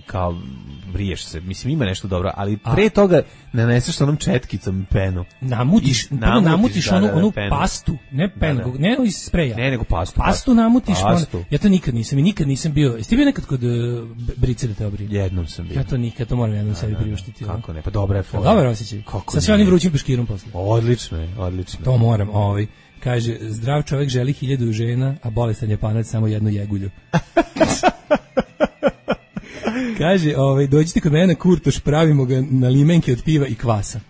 kao briješ se. Mislim, ima nešto dobro, ali pre toga naneseš onom četkicom penu. Namutiš onu pastu, ne penu, ne iz spreja. Ne, nego pastu. Pastu namutiš. Ja to nikad nisam bio. Jesi ti bio nekad kod brice da te obrije? Jednom sam bio. Ja to nikad, to moram jednom sebi priuštiti. Kako ne, pa dobra je fora. Dobar osjećaj. Sa sve onim vrućim peškirom posle. Odlično je. To moram, kaže, zdrav čovjek želi 1000 žena, a bolestan Japanac samo jednu jegulju. Kaže, dođite kod mene na Kurtoš, pravimo ga na limenke od piva i kvasa.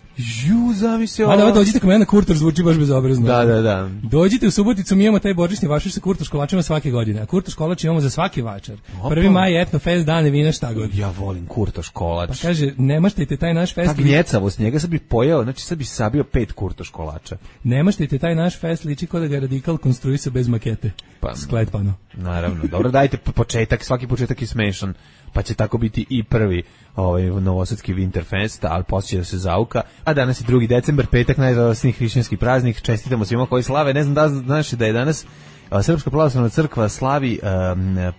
Zamisli ovo. A da, dođite kod mene na Kurtoš, zvuči baš bezobrazno. Da. Dođite u Suboticu, mi imamo taj božićni vašar sa Kurtoš kolačima svake godine, a Kurtoš kolač imamo za svaki vačar. 1. maj je etnofest, dane vina, šta god. Ja volim Kurtoš kolač. Pa kaže, ne maštajte taj naš fest. Ta gnjecavost njega sad bi pojeo, znači sad bi sabio 5 Kurtoš kolača. Ne maštajte taj naš fest, liči kao da ga Radikal konstruisao bez makete. Skletpano. Naravno, dobro, dajte početak, svaki početak je smešan, pa će tako biti i prvi novosadski Winterfest, ali poslije će da se zauka. A danas je 2. decembar, petak, najradosniji hrišćanski praznik. Čestitamo svima koji slave. Ne znam da znaš da je danas Srpska pravoslavna crkva slavi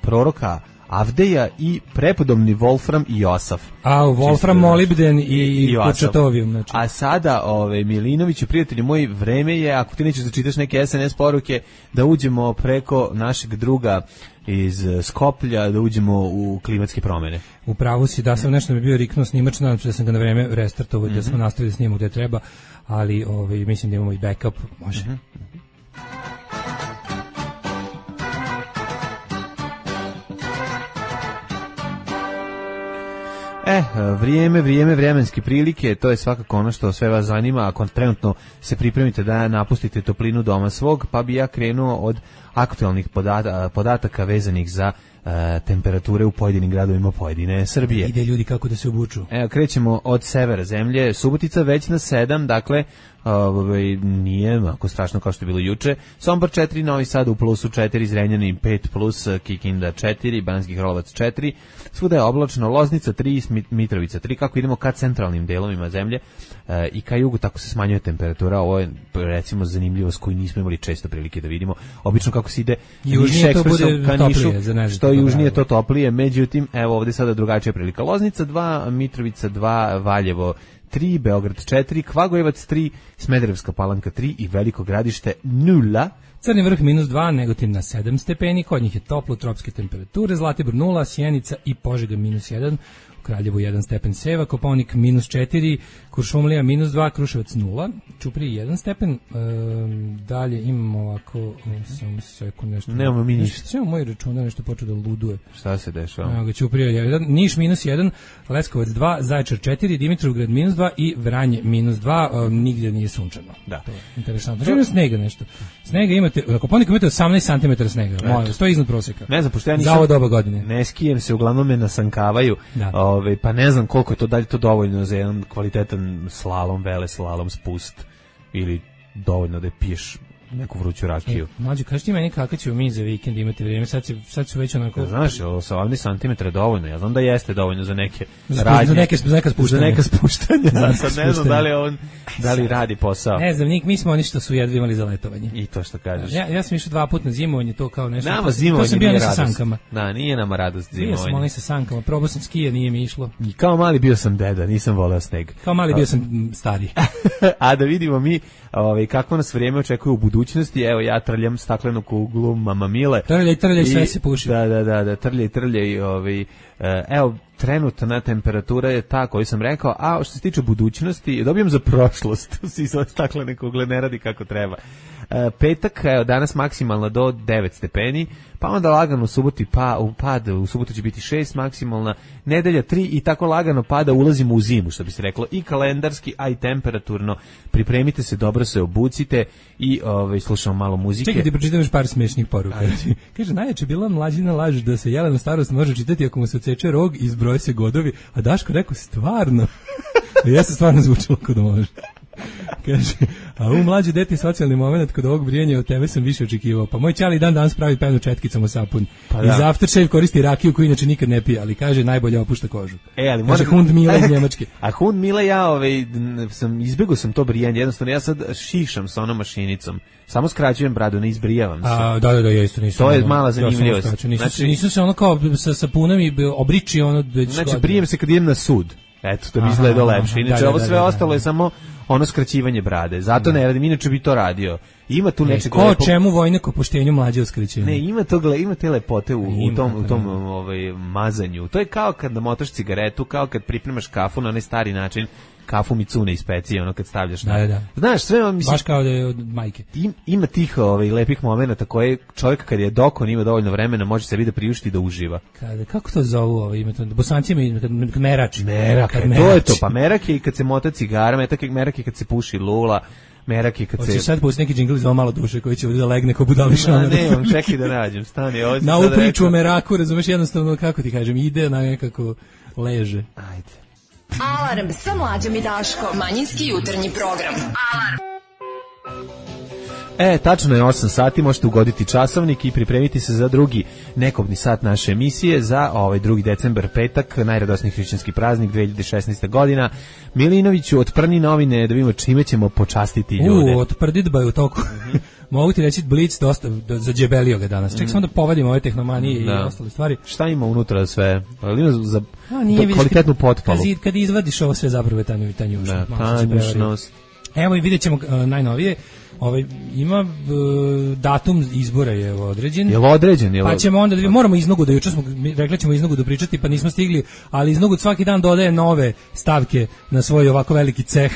proroka Avdeja i prepodobni Wolfram i Josaf. Wolfram, molibden i Kurčatovijum. Znači. A sada, Milinoviću, prijatelji moji, vreme je, ako ti nećeš da čitaš neke SNS poruke, da uđemo preko našeg druga iz Skoplja, da uđemo u klimatske promene. U pravu si, da sam nešto mi bio riknuo snimač, nadam se da sam ga na vreme restartovao, da smo nastavili da snimamo gde treba, ali mislim da imamo i backup, može. Vremenske prilike, to je svakako ono što sve vas zanima, ako trenutno se pripremite da napustite toplinu doma svog, pa bi ja krenuo od aktualnih podataka vezanih za temperature u pojedinim gradovima pojedine Srbije. Ide ljudi kako da se obuču. Evo, krećemo od severa zemlje, Subotica već na 7, dakle, nije ako strašno kao što je bilo juče. Sombor 4, Novi Sad u plusu 4, Zrenjanin 5 plus, Kikinda 4, Banski Karlovac 4, svuda je oblačno, Loznica 3, Mitrovica 3, kako idemo ka centralnim delovima zemlje i ka jugu, tako se smanjuje temperatura. Ovo je recimo zanimljivost koju nismo imali često prilike da vidimo. Obično kako se ide južnije to bude toplije, što južnije to toplije, međutim, evo ovdje sada drugačija prilika. Loznica 2, Mitrovica 2, Valjevo 3, Beograd 4, Kvagojevac 3, Smederevska Palanka 3 i Veliko Gradište 0. Crni vrh -2, Negotin na 7 stepeni, kod njih je toplo, tropske temperature, Zlatibor 0, Sjenica i Požega -1, u Kraljevu 1 stepen seva, Kopaonik -4, Kuršumlija -2, Kruševac 0, Ćuprija 1 stepen, dalje imamo ovako, samo sekund nešto. Nemamo mi ništa. Sve moj računar nešto počeo da luduje. Šta se dešava? Evo ga, Ćuprija 1, Niš -1, Leskovac 2, Zaječar 4, Dimitrovgrad -2 i Vranje -2, nigdje nije sunčano. Da. To je interesantno. Znači ima snega nešto. Snega imate, na Kopaoniku imate 18 cm snega, molim, to je iznad prosjeka. Ne znam, pošto ja nisam, za ovo doba godine. Ne skijem se, uglavnom me nasankavaju, pa ne znam koliko je to, da li to dovoljno za jedan kvalitetan slalom, veleslalom, spust, ili dovoljno da piješ neku vruću rakiju. Mlađe, kaži ti meni kako ćemo mi za vikend imati vrijeme, sad su već onako... Znaš, 18 cm je dovoljno, ja znam da jeste dovoljno za neke radnje. Za neka spuštanja. Sad ne znam da li radi posao. Ne znam, mi smo oni što su jedva imali za letovanje. I to što kažeš. Ja sam išao 2 puta na zimovanje, to kao nešto... Nama zimovanje to sam bio sa sankama. Da, nije nama radost zimovanje. Bio sam onaj sa sankama, probao sam skije, nije mi išlo. I kao mali bio sam deda, nisam voleo sneg. Kao mali bio sam stari. A da vidimo mi kako nas vrijeme očekuje u budućnosti. Evo, ja trljam staklenu kuglu Mama Mile. Trljaj, sve se puši. Da, trljaj. Evo, trenutna temperatura je ta koju sam rekao, a što se tiče budućnosti, dobijam za prošlost. Svi svoje staklene kugle ne radi kako treba. Petak, evo, danas maksimalna do 9 stepeni, pa onda lagano u suboti u subotu će biti 6 maksimalna, nedelja 3 i tako lagano pada, ulazimo u zimu, što bi se reklo, i kalendarski, a i temperaturno. Pripremite se, dobro se obucite i slušamo malo muzike. Čekaj, ti pročitam još par smešnih poruka. Kaže, najjače bila mlađina laž da se Jelenu starost može čitati ako mu se odseče rog i izbroje se godovi, a Daško rekao, stvarno. Ja sam stvarno zvučilo kod može. Kaže, a u mlađe dete socijalni moment kod ovog brijanja od tebe sam više očekivao. Pa moj ćali dan danas pravi penu četkicom u sapun. Pa iz aftershave koristi rakiju koju inače nikad ne pije, ali kaže najbolje opušta kožu. Ali kaže Hund Mile iz Njemačke. A Hund Mile izbegao sam to brijanje, jednostavno ja sad šišam sa onom mašinicom. Samo skraćujem bradu, ne izbrijavam se. Da, ja isto nisam. To je mala zanimljivost. Znači, nisu se ono kao sa sapunom i obriči ono. Znači, brijem se kad idem na sud. Eto, da bi izgledao lepše. Inače, ovo sve ostalo je samo ono skraćivanje brade. Zato ne radim, inače bi to radio. Ima tu nečeg lepo. Ko čemu vojnik o poštenju mlađe uskraćenje? Ne, ima te lepote u tom mazanju. To je kao kad namotaš cigaretu, kao kad pripremaš kafu na onaj stari način, kafu Mitsune iz pecije, ono kad stavljaš na. Da. Znaš, sve vam mislim. Baš kao da je od majke. Ima tih lepih momenata koje čovjek kad je dokon ima dovoljno vremena može sebi da priušti da uživa. Kako to zovu Bosanci ima merač. To je to, pa merak je i kad se mota cigara, merak je kad se puši lula. Merak je kad se... Hoće sad pustiti neki džingl iz ovo malo duše koji će ovdje da legne ko budališana. Ne, čekaj da nađem, stani. Na ovu priču o meraku, razumeš, jednostavno, kako ti kažem, ide na nekako leže. Ajde. Alarm sa Mlađom i Daškom. Manjinski jutarnji program. Alarm. Tačno je 8 sati, možete ugoditi časovnik i pripremiti se za drugi nekobni sat naše emisije za 2. decembar, petak, najradosniji hrišćanski praznik 2016. godina. Milinoviću, otprni novine da vidimo čime ćemo počastiti ljude. Otprdit ba je u toku. Mogu ti reći Blic dosta zađebelio ga danas. Ček samo da povedimo ove tehnomanije i ostale stvari. Šta ima unutra sve? Ima za kvalitetnu potpalu. Kad izvadiš ovo sve zapravo je tanjušnost. Evo i vidjet ćemo najnovije. Ima datum izbora je određen. Je određen? Pa ćemo onda moramo iznogu da juče smo rekli ćemo iznogu da pričati pa nismo stigli, ali iznogu svaki dan dodaje nove stavke na svoj ovako veliki ceh.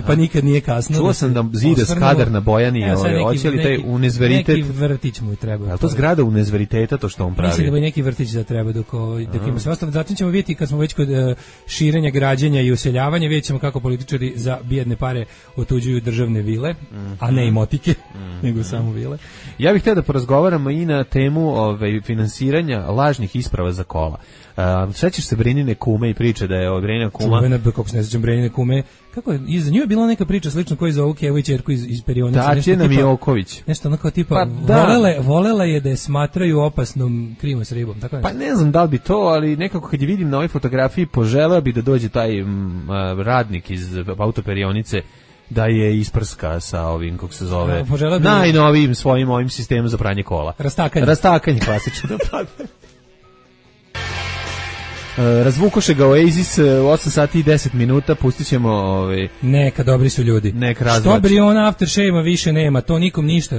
Pa nikad nije kasno. Čuo sam da zide Skadar na Bojani, hoće li taj univerzitet... Neki vrtić mu treba. Je li to zgrada univerziteta to što on pravi? Mislim da bi neki vrtić da treba dok ima sve ostalo. Zatim ćemo vidjeti kad smo već kod širenja, građenja i useljavanja, vidjet ćemo kako političari za bijedne pare otuđuju državne vile, a ne i motike, nego samo vile. Ja bih htio da porazgovaramo i na temu finansiranja lažnih isprava za kola. Sećaš se Brenine kume i priče da je Brenina kuma... Čuvena, kako se ne sećam Brenine kume, kako je, iza nju je bila neka priča slično koji za ovu Kevu i čerku iz Perionice. Tatjana Mijoković. Nešto onako tipa, volela je da je smatraju opasnom krivom s ribom, tako je. Pa ne znam da li bi to, ali nekako kad je vidim na ovoj fotografiji, poželeo bi da dođe taj radnik iz Autoperionice da je isprska sa ovim, kako se zove, najnovijim svojim ovim sistemom za pranje kola. Rastakanje klasično da padne. Razvukoše ga Oasis 8 sati i 10 minuta, pustit ćemo neka dobri su ljudi. Što Briona Aftershave-a više nema, to nikom ništa.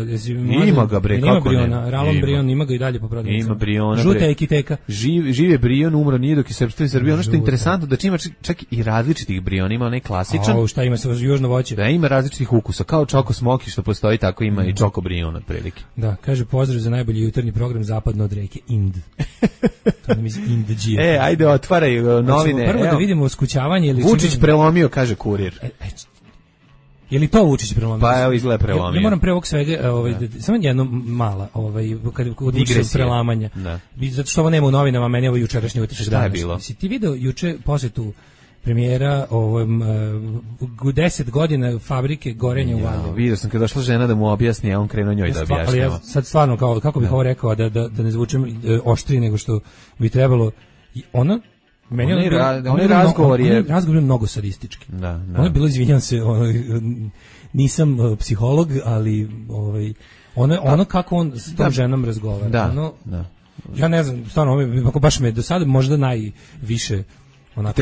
Ima ga bre, kako nema? Ralon Brion ima ga i dalje po prodavnicama. Ima Briona. Žuta ekiteka. Živ je Brion, umro nije dok je srpstvo i Srbija. Ono što je interesantno da ima čak i različitih Briona, ima onaj klasičan. Šta ima sa južno voće? Da, ima različitih ukusa, kao Čoko Smoki što postoji, tako ima i Čoko Brion otprilike. Da, kaže pozdrav za najbolji jutarnji program zapadno od reke Ind. To nam iz Indđija. Ajde, otvaraju novine. Prvo da vidimo skućavanje ili Vučić prelomio, kaže Kurir. Je li to Vučić prelomio? Pa evo izgleda prelomio. Ja moram pre ovog svega, samo jedno mala, kad odličio prelamanja. Zato što ovo nema u novinama, meni ovo jučerašnji utisak. Šta je bilo? Si ti video juče posjetu premijera 10 godina fabrike gorenja u Valjevu. Vidio sam kad došla žena da mu objasni, a on krenuo njoj da objašnjava. Ali ja sad stvarno, kako bih ovo rekao, da ne zvučem oštrije nego što bi trebalo. Ona razgovor je mnogo sadistički. Ono je bilo, izvinjam se, nisam psiholog, ali ono kako on s tom ženom razgovara. Ja ne znam, stvarno, baš me do sada možda najviše onako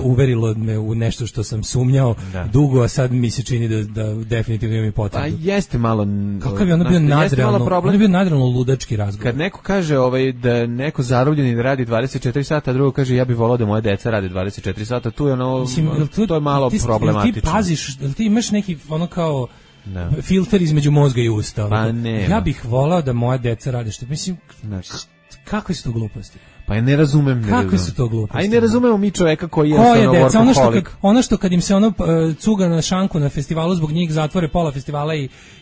uverilo me u nešto što sam sumnjao dugo, a sad mi se čini da definitivno imam i potrebu. A jeste malo... Kakav je ono bio nadrealno, ono je bio nadrealno ludački razgovor. Kad neko kaže da neko zarobljeni radi 24 sata, a drugo kaže ja bih volao da moje deca rade 24 sata, tu je ono, to je malo problematično. Ti paziš, ti imaš neki ono kao filter između mozga i usta. Pa ne. Ja bih volao da moja deca rade što, mislim... Kakve su to gluposti? Pa ja ne razumem. Kakve su to gluposti? A i ne razumemo mi čoveka koji je deca, ono što kad im se cuga na šanku na festivalu, zbog njih zatvore pola festivala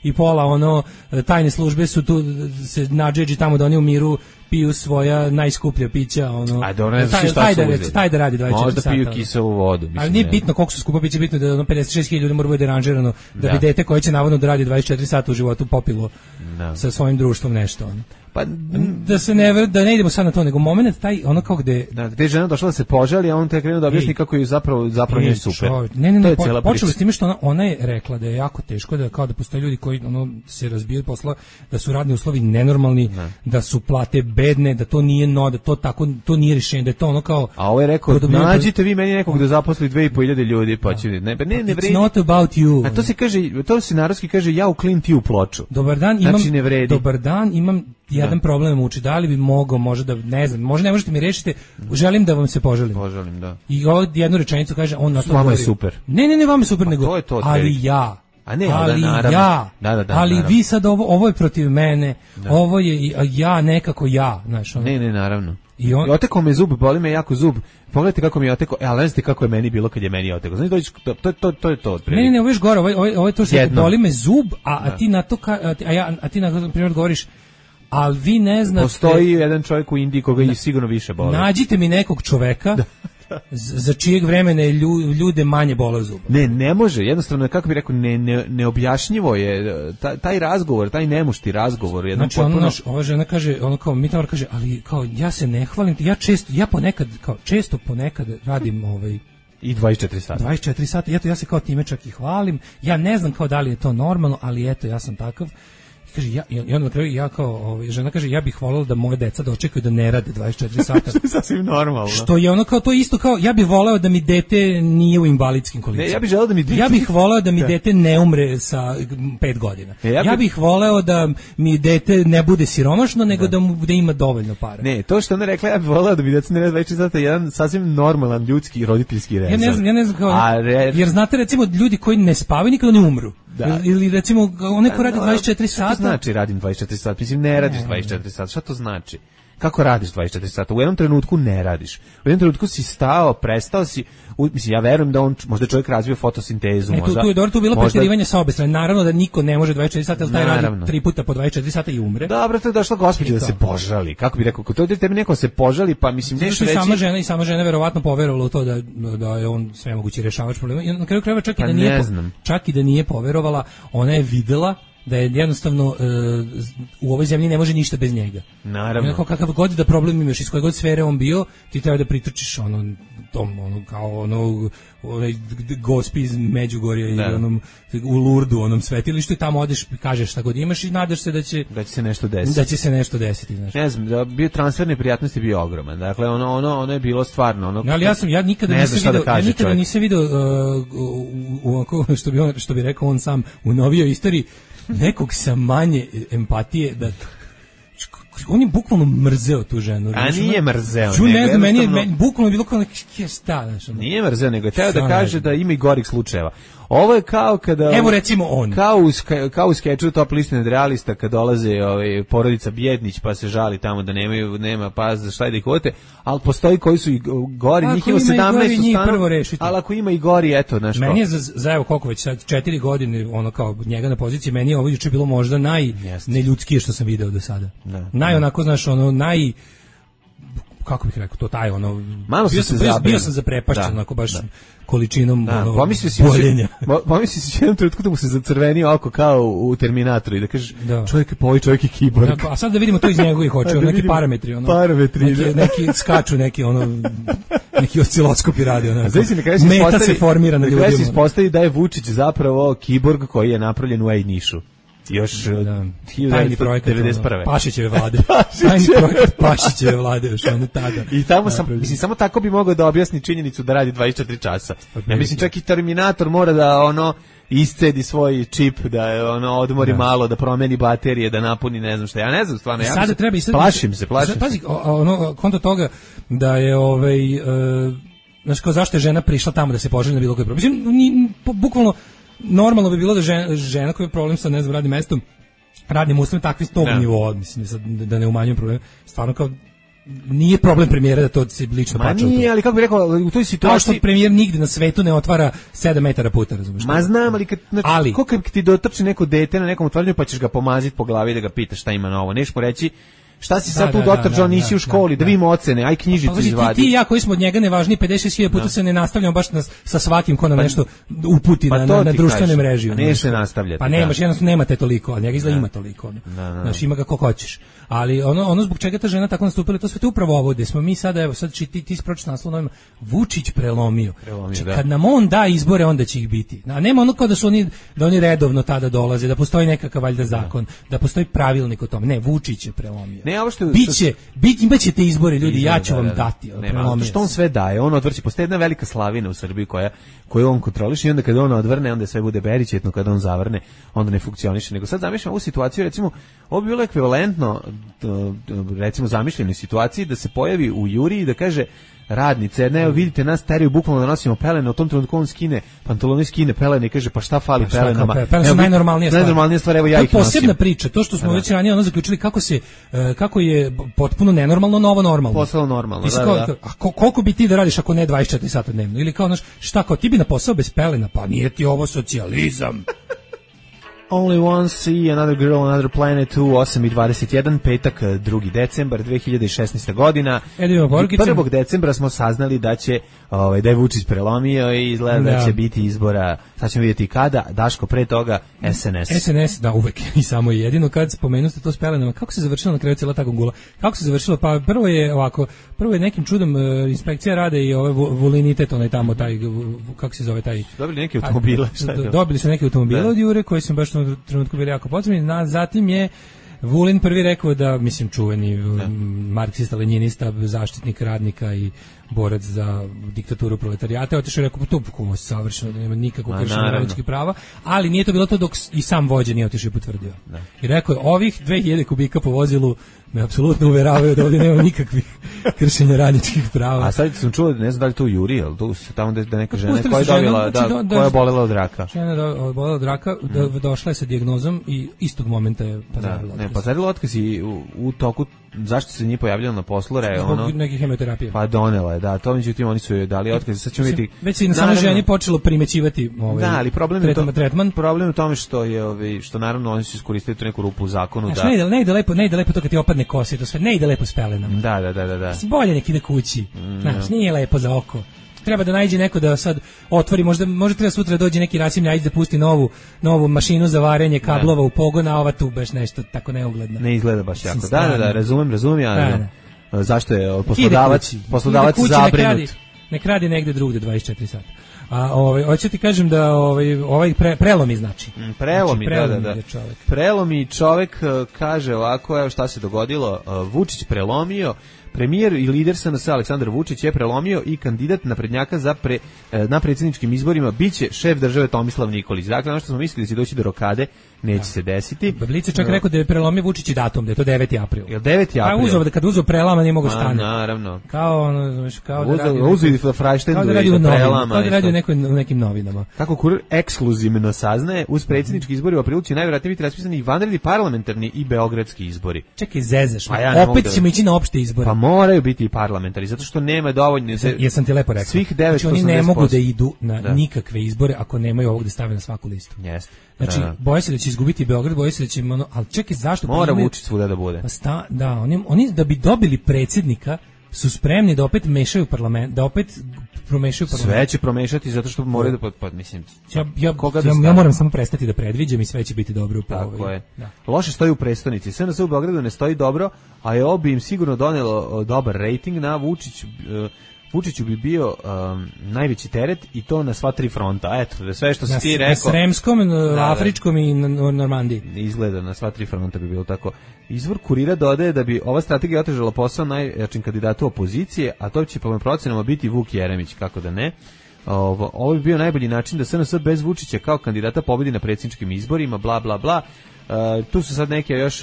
i pola tajne službe su tu se nadžeđi tamo da oni u miru piju svoja najskuplja pića, A dobro, ne znaš šta su uzeli. Taj da radi 24 sata. Možda piju kiselu vodu. Ali nije bitno koliko su skupa piće, bitno da 56.000 ljudi mora bude deranžirano da bi dete koje će navodno da radi 24 sata u životu popilo sa svojim društvom nešto. Pa da ne idemo sad na to, nego moment taj kao gde je žena došla da se požali, a on te krenuo da objasni kako je zapravo njoj super. Ne, počelo s time što ona je rekla da je jako teško, da kao da postoje ljudi koji se razbijaju posla, da su radni uslovi nenormalni, da su plate bedne, da to nije da to nije rješenje, da je to kao. A ovo je rekao, nađite vi meni nekog da zaposli 2.500 ljudi, pa će ne vredi. It's not about you. A to se kaže, to se narodski kaže, ja u klinti u ploču. Dobar dan, imam jedan problem muči, da li bi mogao možda da, ne znam, možda ne možete mi rešiti, želim da vam se poželim. Poželim, da. I jednu rečenicu kaže, on na to vama je super. Ne, vama je super, nego, to ali ja. A ne, ali vi sad ovo je protiv mene, ovo je ja nekako ja, znaš. Ne, naravno. I otekao me zub, boli me jako zub. Pogledajte kako mi je otekao, ali ne znate kako je meni bilo kad je meni otekao. Znači, to je to. Ne, ovo je gore, ovo je to što boli me zub, a ti na to, a ti na primjer govoriš, ali vi ne znate. Postoji jedan čovjek u Indiji koga je sigurno više boli. Nađite mi nekog čoveka za čijeg vremena je ljude manje bole zub. Ne može, jednostavno, kako bih rekao, neobjašnjivo je taj razgovor, taj nemušti razgovor. Znači, ova žena kaže, mi tamo kaže, ali kao, ja se ne hvalim, često ponekad radim i 24 sata. 24 sata, eto, ja se kao time čak i hvalim, ja ne znam kao da li je to normalno, ali eto, ja sam takav. Kaže, i onda na kraju žena kaže, ja bih voljela da moje deca dočekaju da ne rade 24 sata. Što je sasvim normalno. Što je to isto kao, ja bih voleo da mi dete nije u invalidskim kolicima. Ne, ja bih želeo da mi dete... Ja bih voleo da mi dete ne umre sa 5 godina. Ja bih voleo da mi dete ne bude siromašno, nego da ima dovoljno para. Ne, to što ona rekla, ja bih voleo da mi dete ne rade 24 sata, jedan sasvim normalan ljudski roditeljski rezon. Ja ne znam kao, jer znate recimo ljudi koji ne spavaju nikada ne umru. Ili recimo onaj ko radi 24 sata. Šta znači radim 24 sata? Mislim, ne radiš 24 sata. Šta to znači? Kako radiš 24 sata? U jednom trenutku ne radiš. U jednom trenutku si stao, prestao si. Mislim, ja verujem da on, možda čovjek razvio fotosintezu. Tu je bilo preterivanje sa obe strane. Naravno da niko ne može 24 sata, ali taj radi 3 puta po 24 sata i umre. Dobro, to je došla gospođa da se požali. Kako bi rekao, to je tebi neko se požali, pa mislim nešto reći. Sama žena verovatno poverovala u to da je on sve mogući rešavač problema. I na kraju krajeva čak i da nije poverovala, ona je videla da je jednostavno u ovoj zemlji ne može ništa bez njega. Naravno. Kakav god da problem imaš, iz koje god sfere on bio, ti treba da pritrčiš onaj gospi iz Međugorja i u Lurdu, onom svetilištu, i tamo odeš, kažeš šta god imaš i nadaš se da će se nešto desiti. Da će se nešto desiti, znaš. Ne znam, da bio transfer neprijatnosti bio ogroman. Dakle, ono je bilo stvarno ali ja nikada nisam video što bi rekao on sam u novijoj istoriji nekog sa manje empatije da on je bukvalno mrzeo tu ženu. A nije mrzeo. Ne znam, meni bukvalno bilo kao nije mrzeo, nego je teo da kaže da ima i gorih slučajeva. Ovo je kao kada... Evo recimo on. Kao u skeču Top liste nadrealista kad dolaze porodica Bjednić pa se žali tamo da nema za šta da ih uvete, ali postoji koji su i gori, njih ima 17 stanova, ali ako ima i gori, eto, znaš. Meni je za evo koliko već sad 4 godine ono kao njega na poziciji, meni je ovo juče bilo možda najneljudskije što sam video do sada. Onako, znaš, kako bih rekao, to taj bio sam zaprepašćen, onako baš količinom boljenja. Pomisli si jednom trenutku da mu se zacrveni oko kao u Terminatoru i da kažeš čovjek je poj, čovjek je kiborg. A sad da vidimo to iz njegovih očiju, neki parametri. Neki skaču, neki osciloskopi radi. Meta se formira na ljudima. Kada se ispostavi da je Vučić zapravo kiborg koji je napravljen u Ejnišu. Još tajni projekat 91. Pašićeve vlade. Tajni projekat Pašićeve vlade još tada. I tamo samo tako bi mogao da objasni činjenicu da radi 24 časa. Ja mislim čak i Terminator mora da iscedi svoj čip, da odmori malo, da promeni baterije, da napuni ne znam šta. Ja ne znam stvarno. Plašim se. Pazi, konto toga da je znaš kao zašto je žena prišla tamo da se poželi na bilo koji problem. Mislim, bukvalno normalno bi bilo da žena koja je problem sa, ne znam, radnim mestom radnim uslovima takvi s tog nivoa, mislim da ne umanjujem problem. Stvarno kao nije problem premijera da to se lično plaća. Ma nije, ali kako bih rekao, u toj situaciji... Kao što premijer nigde na svetu ne otvara 7 metara puta, razumiješ? Ma znam, ali kako ti dotrči neko dete na nekom otvaranju pa ćeš ga pomaziti po glavi da ga pitaš šta ima novo. Neš mu reći šta si sad tu dotrčao, nisi u školi, da vidimo ocene, aj knjižicu izvadi. Ti i ja koji smo od njega nevažniji 56.000 puta se ne nastavljamo baš sa svakim ko nam nešto uputi na društvene mreže. Ne se nastavljati. Pa nemaš, jednostavno nemate toliko, a njega izgleda ima toliko. Znači ima ga kako hoćeš. Ali ono zbog čega ta žena tako nastupila, to sve te upravo ovo, gde smo mi sada, evo sad ti spročiti naslov novima, Vučić prelomio. Kad nam on da izbore, onda će ih biti. A nema ono kao da oni redovno tada dolaze, da postoji nekakav valjda zakon, da postoji pravilnik o tome. Ne, Vučić je prelomio. Imaćete izbore, ljudi, ja ću vam dati. Što on sve daje, on odvrći, postoji jedna velika slavina u Srbiji koju on kontroliše i onda kada on odvrne, onda sve bude beričetno, kada on zavrne, onda ne funkcioniše. Nego sad zamišljam ovu situaciju, recimo, ovo bi bilo ekvivalentno, recimo zamišljenoj situaciji da se pojavi u Juriji i da kaže radnice, ne, vidite nas teraju bukvalno da nosimo pelene, u tom trenutku on skine pantalone, skine pelene i kaže pa šta fali pelenama. Pelene su najnormalnija stvar, evo ja ih nosim. To je posebna priča, to što smo već ranije zaključili kako je potpuno nenormalno novo normalno. Postalo normalno, da. A koliko bi ti da radiš ako ne 24 sata dnevno? Ili kao, šta, kao ti bi na posao bez pelena? Pa nije ti ovo socijalizam. Only One Sea, Another Girl, Another Planet u 8:21, petak, 2. decembar 2016. godina. 1. decembra smo saznali da će da je Vučić prelomio i izgleda da će biti izbora. Sad ćemo vidjeti kada. Daško, pre toga SNS, da, uvek i samo i jedino kad spomenu ste to s pelenama. Kako se završilo na kraju cijela ta gungula? Kako se završilo? Pa prvo je nekim čudom inspekcija rade i volinitet, onaj tamo taj, kako se zove taj... Dobili neke automobile. Dobili su neke automobile od Jure koji su baš u trenutku bili jako potrebni. Zatim je Vulin prvi rekao da, mislim, čuveni marksista, lenjinista, zaštitnik radnika i borac za diktaturu proletarijata, otišao i rekao, to je savršeno, da nema nikakvog kršenja radničkih prava, ali nije to bilo to dok i sam vođa nije otišao i potvrdio. I rekao je, ovih 2000 kubika po vozilu me apsolutno uveravaju da ovdje nema nikakvih kršenja radničkih prava. A sad sam čuo, ne znam da li to u Juri, ali tu se tamo da neka žena koja je dobila, koja je bolela od raka. Žena je bolela od raka, došla je sa dijagnozom i istog momenta je pazarila otkaz. Ne, pazarila otkaz i u toku, zašto se nije pojavljala na poslu, zbog neke hemoterapije. Pa donela je, da, to međutim oni su joj dali otkaz, sad ćemo vidjeti. Već se i na samoj ženi počelo primećivati ali tretman. Problem je u tome što naravno oni su iskoristili tu neku rupu u zakonu. Ne ide lepo to kad ti opadne kosa, to sve ne ide lepo s pelenama. Da. Bolje nek ide kući. Znaš, nije lepo za oko. Treba da nađe neko da sad otvori, možda treba sutra dođe neki Rasim Ljajić da pusti novu mašinu za varenje kablova u pogon, a ova tu baš nešto tako neugledno. Ne izgleda baš jako. Da, razumem ja. Zašto je poslodavac zabrinut? Nek radi negde drugde 24 sata. A hoću ti kažem da prelomi znači. Prelomi čovek kaže ovako, evo šta se dogodilo, Vučić prelomio. Premijer i lider SNS Aleksandar Vučić je prelomio i kandidat naprednjaka na predsjedničkim izborima biće šef države Tomislav Nikolić. Dakle, ono što smo mislili da će doći do rokade, neće se desiti. Blic je čak rekao da je prelomio Vučić i datum, da je to 9. april. Jel 9. april? Pa kad uzeo prelama nije mogo stane. Naravno. Kao da radi... Uzeo Frajštendu i prelama. Kao da radi u nekim novinama. Kako kurir ekskluzivno saznaje, uz predsjednički izbori u aprilu će najvjerojatnije biti raspisani i vanredni parlamentarni i beogradski izbori. Čekaj, zezaš. Opet ćemo ići na opšte izbore. Pa moraju biti i parlamentarni, zato što nema dovoljno... Jesam ti lepo rekao. Svih 980%. Znači oni ne mogu da idu na nikakve izbore ako nemaju ovog da stave na svaku listu. Jeste. Znači, boje se da će izgubiti Beograd, boje se da će... Ali čekaj, zašto? Mora Vučić svuda da bude. Oni da bi dobili predsjednika su spremni da opet mešaju parlament, da opet promešaju parlament. Sve će promešati zato što moraju da mislim. Ja moram samo prestati da predviđam i sve će biti dobro. Tako je. Loše stoji u prestonici. SNS u Beogradu ne stoji dobro, a je ovo bi im sigurno donelo dobar rating na Vučiću bi bio najveći teret i to na sva tri fronta. Eto, sve što si ti rekao. Na Sremskom, Afričkom i na Normandiji. Izgleda, na sva tri fronta bi bilo tako. Izvor Kurira dodaje da bi ova strategija otežala posao najjačim kandidatu opozicije, a to će po mojim procenama biti Vuk Jeremić, kako da ne. ovo bi bio najbolji način da SNS bez Vučića kao kandidata pobedi na predsjedničkim izborima, bla, bla, bla. Tu su sad neke još,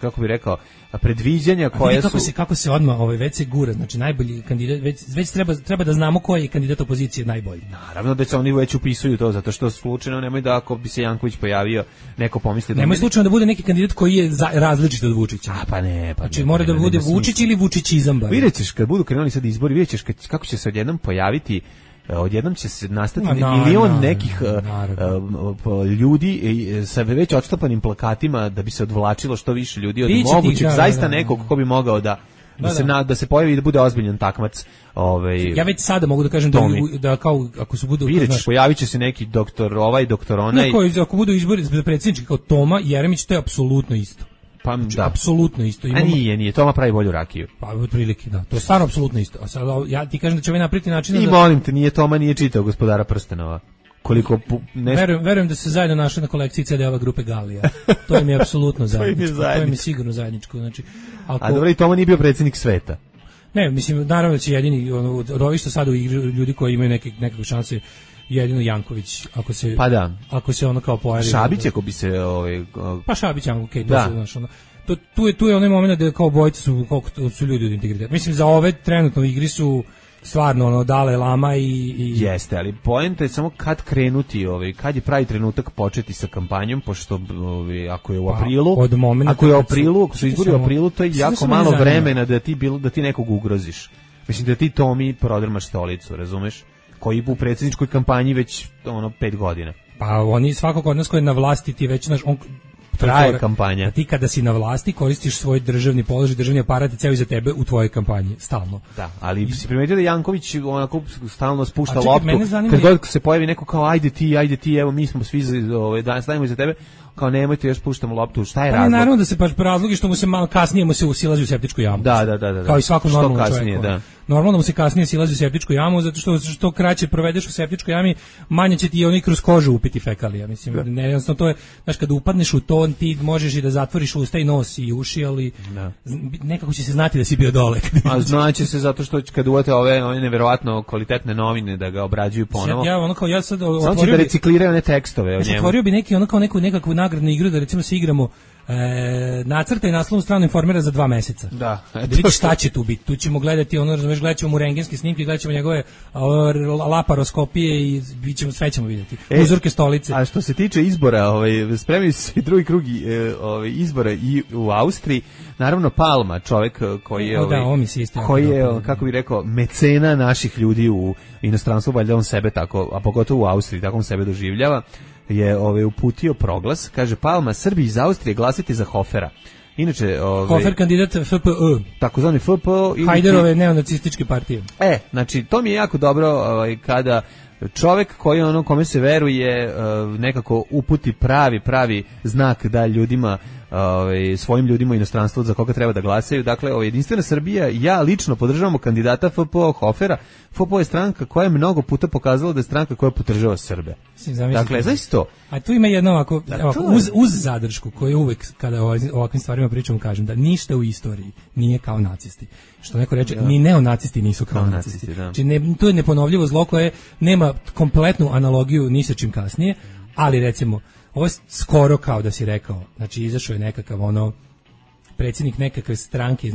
kako bih rekao, predviđanja koje su... Kako se odmah već se gura, znači najbolji kandidat, već treba da znamo koji je kandidat opozicije najbolji. Naravno da se oni već upisuju to, zato što slučajno nemoj da ako bi se Janković pojavio, neko pomisli da... Nemoj slučajno da bude neki kandidat koji je različit od Vučića. Znači mora da bude Vučić ili Vučićizam. Vidjet ćeš kad budu krenuli sad izbori, vidjet ćeš kako će se odjednom pojaviti, odjednom će se nastati milion nekih ljudi sa već odštampanim plakatima da bi se odvlačilo što više ljudi od mogućeg, zaista nekog ko bi mogao da se pojavi i da bude ozbiljan takmac. Ja već sada mogu da kažem da kao ako se budu pojavit će se neki doktor onaj. Ako budu izbori za predsjednički kao Toma Jeremić, to je apsolutno isto. Pa znači, da. Apsolutno isto. Nije, Toma pravi bolju rakiju. Pa otprilike da. To je stvarno apsolutno isto. A sad ja ti kažem da će ovaj napraviti način I molim te, Toma nije čitao Gospodara prstenova. Koliko verujem da se zajedno našli na kolekciji CD-ova grupe Galija. To im je apsolutno zajedničko. To im je sigurno zajedničko. Znači, a dobro, i Toma nije bio predsjednik sveta. Ne, mislim, naravno da će jedini od ovih što sada ljudi koji imaju nekakve šanse, jedino Janković, ako se ono kao pojavi. Šabić ako bi se pa Šabić, okej, to se znaš ono. Tu je onaj moment da kao bojice su koliko su ljudi od integriteta. Mislim za ove trenutno u igri su stvarno Dalaj Lama i jeste, ali poenta je samo kad krenuti, kad je pravi trenutak početi sa kampanjom, pošto ako je u aprilu, ako su izbori u aprilu, to je jako malo vremena da ti nekog ugroziš. Mislim da ti Tomi prodrmaš stolicu, razumeš? Koji u predsjedničkoj kampanji već 5 godina. Pa oni svakog od nas koji je na vlasti ti već traje kampanja. Ti kada si na vlasti koristiš svoj državni položaj, državni aparat i ceo iza tebe u tvojoj kampanji, stalno. Da, ali si primetio da Janković onako stalno spušta loptu. Kad god se pojavi neko kao ajde ti, evo mi smo svi stavimo iza tebe, kao nemojte još puštamo loptu, šta je razlog? Naravno da se razlogi što mu se malo kasnije usilazi u septičku jamu. Da. Kao i svakom normalnom čovjeku. Da. Normalno mu se kasnije silazi u septičku jamu, zato što kraće provedeš u septičkoj jami, manje će ti i oni kroz kožu upiti fekalija. Mislim, jednostavno to je, znaš, kada upadneš u to, ti možeš i da zatvoriš usta i nos i uši, ali nekako će se znati da si bio dole. A znaće se zato što kad uvate ove neverovatno kvalitetne novine da ga obrađuju ponovo. Ja sad samo će da recikliraju one tekstove o njemu. Otvorio bi neki nekakvu nagradnu igru da recimo se igramo nacrta i naslovnu stranu Informera za 2 meseca. Da vidiš šta će tu biti. Tu ćemo gledati razumeš, gledat ćemo mu rentgenske snimke, gledat ćemo njegove laparoskopije i sve ćemo vidjeti. Uzorke stolice. A što se tiče izbora, spremaju se i drugi krug izbora i u Austriji. Naravno Palma, čovjek koji je kako bih rekao, mecena naših ljudi u inostranstvu, valjda on sebe tako, a pogotovo u Austriji, tako on sebe doživljava, je uputio proglas, kaže Palma, Srbi iz Austrije glasite za Hofera. Inače, Hofer kandidat FPÖ. Takozvani FPÖ Hajderove neonacističke partije. Znači to mi je jako dobro kada čovjek koji kome se veruje nekako uputi pravi znak da ljudima svojim ljudima u inostranstvu za koga treba da glasaju. Dakle, Jedinstvena Srbija, ja lično podržavamo kandidata FPÖ Hofera. FPÖ je stranka koja je mnogo puta pokazala da je stranka koja podržava Srbe. Dakle, znaš to. A tu ima jedno ovako uz zadršku koju uvek kada o ovakvim stvarima pričamo kažem da ništa u istoriji nije kao nacisti. Što neko reče, ni neonacisti nisu kao nacisti. Znači, to je neponovljivo zlo koje nema kompletnu analogiju ni sa čim kasnije, ali recimo ovo je skoro kao da si rekao, znači izašao je nekakav predsjednik nekakve stranke,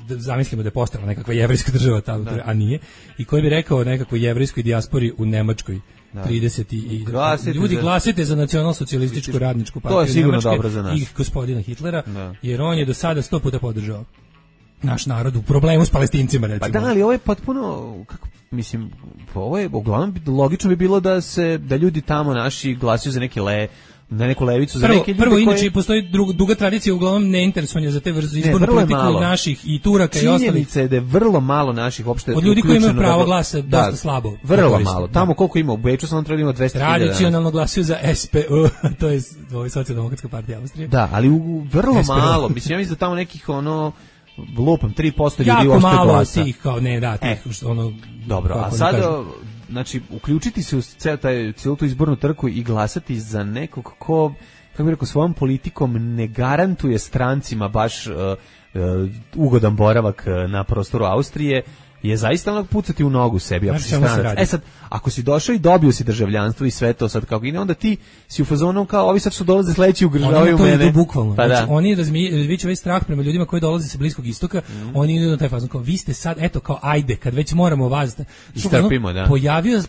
zamislimo da je postala nekakva jevrejska država tamo, a nije, i koji bi rekao nekakvoj jevrejskoj dijaspori u Nemačkoj 30 i ljudi glasite za nacionalsocijalističku radničku partiju. To je sigurno dobro za nas. I gospodina Hitlera, jer on je do sada 100 puta podržao naš narod u problemu s Palestincima, recimo. Pa da, ali ovo je potpuno, mislim, ovo je uglavnom logično bi bilo da ljudi tamo naši glasuju za na neku levicu, za neke ljude prvo, inače, postoji duga tradicija uglavnom neinteresovanja za te vrste izbornu politiku naših i Turaka i ostalih. Činjenica je da je vrlo malo naših uopšte od ljudi koji imaju pravo glasa dosta slabo. Vrlo malo. Tamo koliko ima u Beču, samo treba ima 200.000. Tradicionalno glasuju za SPÖ, to je Socijaldemokratska partija Austrije. Da, ali vrlo malo. Mislim, ja mislim da tamo nekih lupam 3% ljudi uopšte glasa. Jako malo tih, kao tih, dobro, a sad znači, uključiti se u cijelu tu izbornu trku i glasati za nekog ko, kako bih rekao, svojom politikom ne garantuje strancima baš ugodan boravak na prostoru Austrije, je zaista onog pucati u nogu sebi. Ako Znaš si čemu se stranac. radi? Sad, ako si došao i dobio si državljanstvo i sve to sad kako ide, onda ti si u fazonu kao ovi sad što dolaze sledeći ugrožavaju Oni mene. to idu bukvalno. Pa Znači, da. oni razviću ovaj strah prema ljudima koji dolaze sa Bliskog istoka, oni idu na taj fazon kao vi ste sad, eto kao ajde, kad već moramo vas istrpimo, da.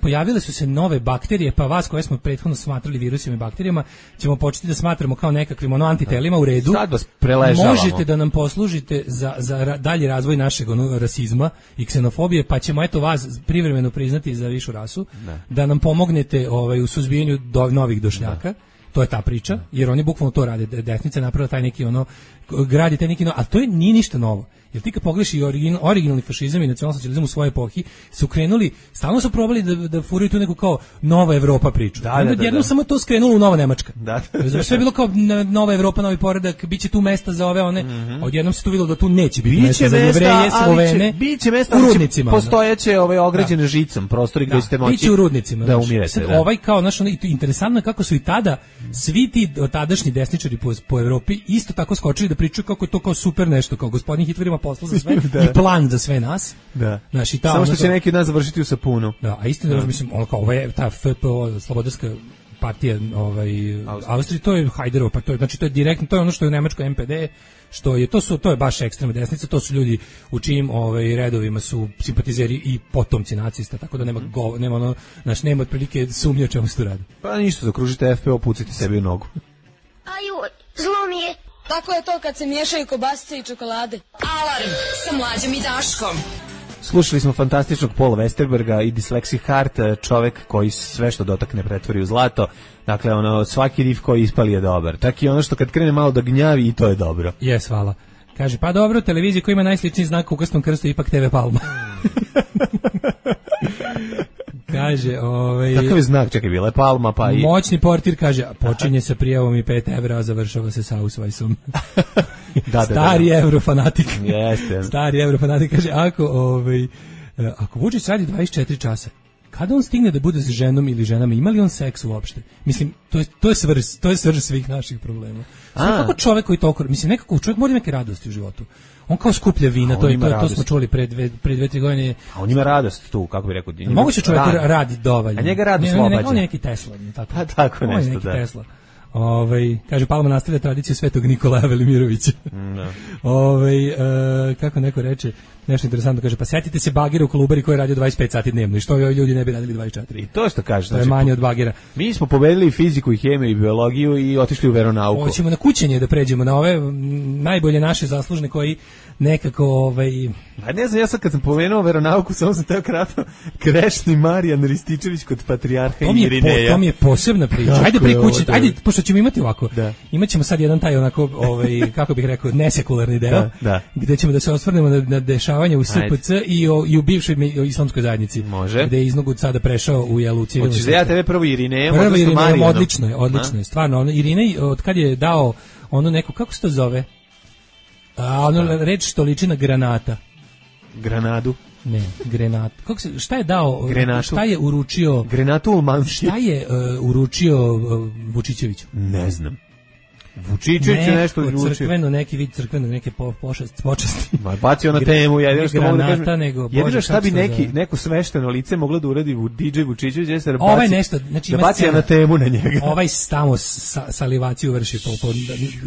Pojavile su se nove bakterije, pa vas koje smo prethodno smatrali virusima i bakterijama, ćemo početi da smatramo kao nekakvim antitelima u redu. Sad vas preležavamo. Možete da nam poslužite za dalji razvoj našeg rasizma i ksenofobije, pa ćemo eto vas privremeno priznati za višu rasu, da nam pomognete u suzbijanju novih došljaka. To je ta priča, jer oni bukvalno to rade. Desnica je napravila taj neki gradi taj neki a to nije ništa novo. Jer ti kad pogledaš i originalni fašizam i nacionalsocijalizam u svojoj epohi su krenuli, stalno su probali da furaju tu neku kao nova Evropa priču. Jednom samo to skrenulo u Nova Nemačka. Sve je bilo kao nova Evropa, novi poredak, biće tu mesta za ove one. Odjednom se tu videlo da tu neće biti mesta za Jevreje, Slovene. Biće mesta u rudnicima. Postojeće ograđene žicom, prostori gdje ćete moći. Biće u rudnicima. Da umirete. Sad, kao interesantno kako su i tada svi ti tadašnji desničari po Evropi isto tako skočili da pričaju kako je to kao super nešto, kao gospodin Hitler ima posla za sve i plan za sve nas. Da. Znači, samo što će neki od nas završiti u sapunu. Da, a istina, mislim, ovo je ta FPO, Slobodarska partija Austrije, to je Hajderova, pa to je, znači to je direktno, to je ono što je u Nemačkoj MPD, to je baš ekstremna desnica, to su ljudi u čijim redovima su simpatizeri i potomci nacista, tako da nema otprilike sumnje o čemu se tu radi. Pa ništa, zakružite FPO, pucite sebi u nogu. Aju, zlo mi je. Tako je to kad se miješaju kobasice i čokolade. Alarm sa Mlađom i Daškom. Slušali smo fantastičnog Paula Westerberga i Dyslexic Heart, čovek koji sve što dotakne pretvori u zlato. Dakle, svaki riff koji ispali je dobar. Čak i ono što kad krene malo da gnjavi i to je dobro. Jes, hvala. Kaže, pa dobro, televizija koja ima najsličniji znak u krstom krstu ipak TV Palma. Kaže, Kakav je znak, čekaj, bila je Palma, pa i... Moćni portir kaže, počinje sa prijavom i 5 evra, a završava se sa Ausweisom. Stari eurofanatik. Jeste. Stari eurofanatik kaže, ako Vučić radi 24 časa, kada on stigne da bude s ženom ili ženama, ima li on seks uopšte? Mislim, to je svrž svih naših problema. Kako čovek koji toliko, mislim, nekako čovjek mora imati radosti u životu. On kao skuplja vina, to smo čuli pre 2-3 godine. A on ima radost tu, kako bi rekao. Moguće čovjek radi dovoljno. A njega rad oslobađa. On je neki Tesla. Pa tako nešto, on je neki Tesla. Kaže, Palma nastavlja tradiciju Svetog Nikolaja Velimirovića. Kako neko reče, nešto interesantno, kaže, pa setite se bagera u Kolubari koji je radio 25 sati dnevno i što ovi ljudi ne bi radili 24. I to što kaže. To je manje od bagera. Mi smo pobedili fiziku i hemiju i biologiju i otišli u veronauku. Hoćemo na kućenje da pređemo, na ove najbolje naše zaslužne koji nekako... Pa ne znam, ja sad kad sam pomenuo veronauku, samo sam teo kratko Krešni Marijan Rističević kod patrijarha Irineja. To mi je posebna priča. Ajde pri kući, ajde, pošto ćemo imati ovako. Imat ćemo sad jedan taj onako, kako bih rekao, nesekularni deo, gde ćemo da se osvrnemo na dešavanje u SPC i u bivšoj islamskoj zajednici. Može. Gde je Iznogud sada prešao u civilnu. Hoćeš da ja tebe prvo Irinejem, odnosno Marijanom? Odlično je, stvarno. Irinej, od kad je dao ono neko, kako se to zove? Reč što liči na granata. Granadu? Ne, granat. Šta je dao? Grenatu. Šta je uručio? Grenatu Ulmanski. Šta je uručio Vučićeviću? Ne znam. Vučićević je nešto uručio. Crkveno, neki vid crkveno, neke počasti. Bacio na temu, jedino što mogu da kažem. Jedino šta bi neko svešteno lice moglo da uradi DJ Vučićević, jeste da baci na temu na njega. Ovaj tamo salivaciju vrši,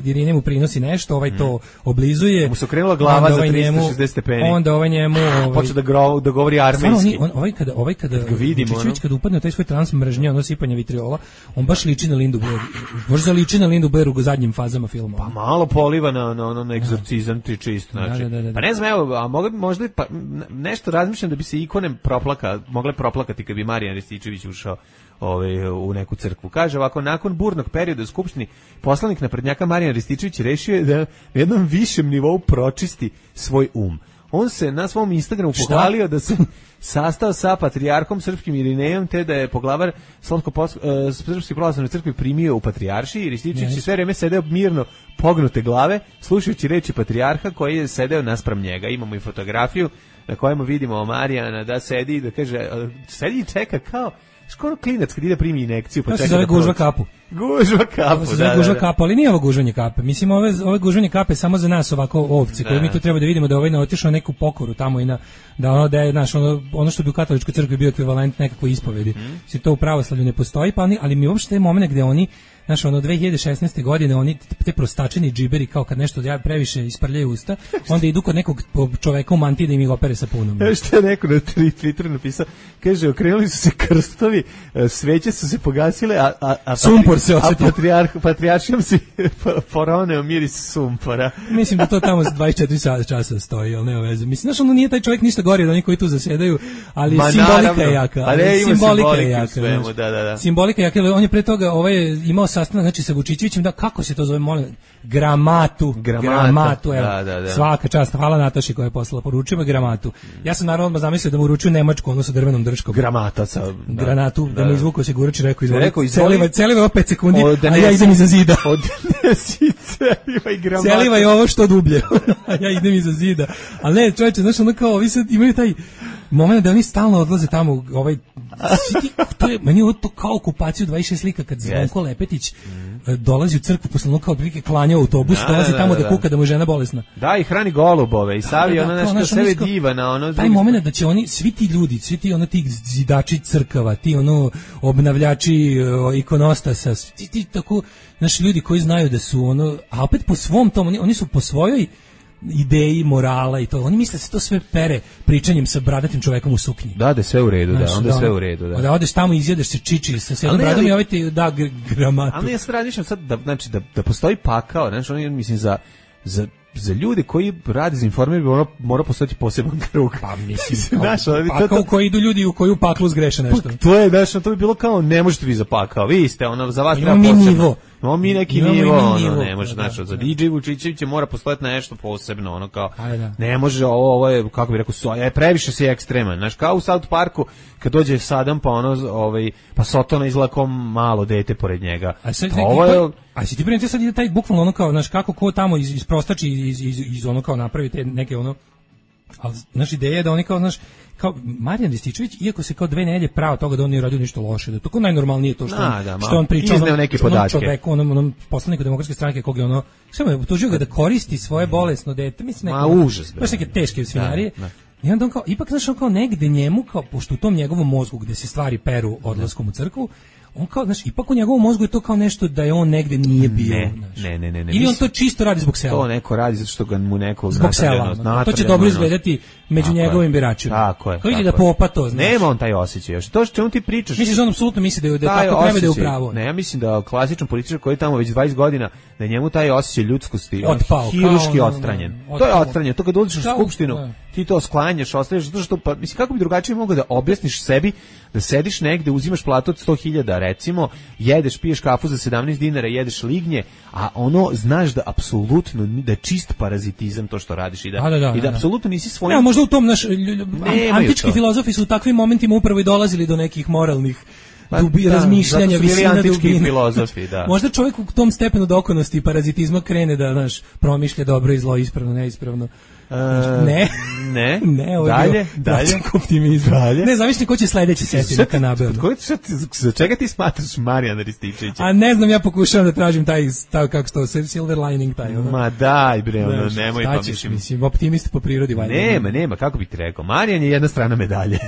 Irine mu prinosi nešto, ovaj to oblizuje. Mu se okrenula glava za 360 stepeni. Onda ovaj njemu... Počeo da govori armenski. Ovaj kada Vučićević kada upadne u taj svoj trans mržnje, ono sipanje vitriola, on baš liči na Lindu Blair. Baš zaliči na Lindu Blair u zadnjim fazama filma. Pa malo poliva na egzorcizam čisto, znači. Pa ne znam, evo, a možda pa nešto razmišljam da bi se ikone mogle proplakati kad bi Marijan Rističević ušao u neku crkvu. Kaže ovako, nakon burnog perioda u Skupštini, poslanik naprednjaka Marijan Rističević rešio je da na jednom višem nivou pročisti svoj On se na svom Instagramu pohvalio da se sastao sa patrijarhom srpskim Irinejom, te da je poglavar Srpske pravoslavne crkve primio u patrijaršiji i Rističević je sve vreme sedeo mirno pognute glave, slušajući reči patrijarha koji je sedeo naspram njega. Imamo i fotografiju na kojemu vidimo Marijana da sedi, da kaže, sedi i čeka kao skoro klinac kad ide primi injekciju. Pa se zove gužva kapu. Gužva kapu, Ovo se zove gužva kapa, ali nije ovo gužvanje kape. Mislim, ove gužvanje kape samo za nas ovako ovce, koje mi tu treba da vidimo da ovaj ne otišao neku pokoru tamo i da je naš ono što bi u katoličkoj crkvi bio ekvivalent nekakvoj ispovedi. To u pravoslavlju ne postoji, pa ali mi uopšte je moment gde oni, znaš, 2016. godine oni te prostačeni džiberi, kao kad nešto previše isprljaju usta, onda idu kod nekog čoveka u mantiji da im ih opere sa punom. Što je neko na Twitteru napisao, kaže, okrenuli su se krstovi, sveće su se pogasile, a sumpor se osjetio. Patrijaršijom si poroneo miris sumpora. Mislim da to tamo 24 časa stoji, ali nema veze. Mislim, znaš, nije taj čovjek ništa gori od onih koji tu zasedaju, ali simbolika je jaka. Simbolika je jaka. Svemu, da. Simbolika je jaka, on je pre toga imao sastanak, znači, sa Vučićevićem, da, kako se to zove, molim, Gramatu, evo, svaka čast, hvala Nataši koja je poslala, poručujemo Gramatu. Ja sam naravno zamislio da mu uručuju nemačku, ono sa drvenom drčkom. Gramata sa... Granatu, da mu izvukao se Gurač i rekao, celiva 5 sekundi, a ja idem iza zida. Odnesi celiva i Gramata. Celiva je ovo što dublje, a ja idem iza zida. Ali ne, čovječe, znaš, ono kao, ovi sad imaju taj moment da oni stalno odlaze tamo, meni je to kao okupaciju 26 slika kad Zvonko Lepetić dolazi u crkvu posle kao otprilike klanja u autobus, dolazi tamo da kuka da mu je žena bolesna. Da, i hrani golubove i savi ono nešto sebe diva na ono. Taj moment da će oni, svi ti ljudi, svi ti ono ti zidači crkava, ti ono obnavljači ikonostasa, ti tako, znaš, ljudi koji znaju da su ono, a opet po svom tom, oni su po svojoj ideji, morala i to. Oni misle da se to sve pere pričanjem sa bradatim čovekom u suknji. Da je sve u redu, onda sve u redu, da odeš tamo i izjedeš se čiči sa sedom bradom i ovaj ti da Gramatu. Ali ja sad razmišljam sad da postoji pakao, znači oni mislim za ljude koji rade za informer mora postojati poseban krug. Pa mislim, pakao koji idu ljudi u koju paklu zgreše nešto. To je, znači, to bi bilo kao, ne možete vi za pakao, vi ste, za vas treba posebno. Imamo mi neki nivo, ne može, znači, za DJ Vučićevića mora postojati nešto posebno, kao, ne može, ovo je, kako bi rekao, previše si ekstreman, znači, kao u South Parku, kad dođe Sadam, pa Sotona izlako malo dete pored njega. A si ti primiti sad ide taj bukvalno ono kao, znaš, kako ko tamo isprostači iz ono kao napravi te neke ono, ali znaš, ideja je da oni kao, znaš, kao Marijan Rističević, iako se kao 2 nedelje pravo toga da on nije radio ništa loše, da to kao najnormalnije to što on priča onom čoveku, onom poslaniku Demokratske stranke kog je ono, samo je utužio ga da koristi svoje bolesno dete, mislim baš neke teške svinjarije. I onda on kao, ipak znaš, on kao negde njemu, kao, pošto u tom njegovom mozgu gde se stvari peru odlaskom u crkvu, on kao, znaš, ipak u njegovom mozgu je to kao nešto da je on negde nije bio. Ne. Ili on to čisto radi zbog sela. To neko radi zato što ga mu neko zbog sela. To će dobro izgledati među njegovim biračima. Tako je. Kao ide da popa to, znaš. Nema on taj osjećaj još. To što on ti pričaš. Misliš da on apsolutno misli da tako treba da je u pravu. Ne, ja mislim da klasičan političar koji je tamo već 20 godina, da njemu taj osjećaj ljudskosti hiruški odstranjen. To je odstranjeno. To kad dođeš u skupštinu, ti to sklanjaš, ostaviš zato što, pa mislim, kako bi drugačije mogao da objasniš sebi da sediš negde, uzimaš platu od 100.000 recimo, jedeš, piješ kafu za 17 dinara, jedeš lignje, a ono znaš da apsolutno da je čist parazitizam to što radiš i da apsolutno nisi svojim. Ja, možda u tom antički filozofi su u takvim momentima upravo i dolazili do nekih moralnih razmišljanja, visina dubine. Filozofi, da. Možda čovjek u tom stepenu dokonosti i parazitizma krene da, znaš, promišlja dobro i zlo, ispravno, neispravno. Ne, ovo je dalje. Optimizam. Ne, zamisli ko će sledeći seti na kanabe. Za čega ti smatraš Marijana Rističevića? A ne znam, ja pokušavam da tražim taj kako što silver lining taj. Ma daj bre, nemoj pa mislim optimist po prirodi valjda. Nema, kako bih ti rekao? Marijan je jedna strana medalje.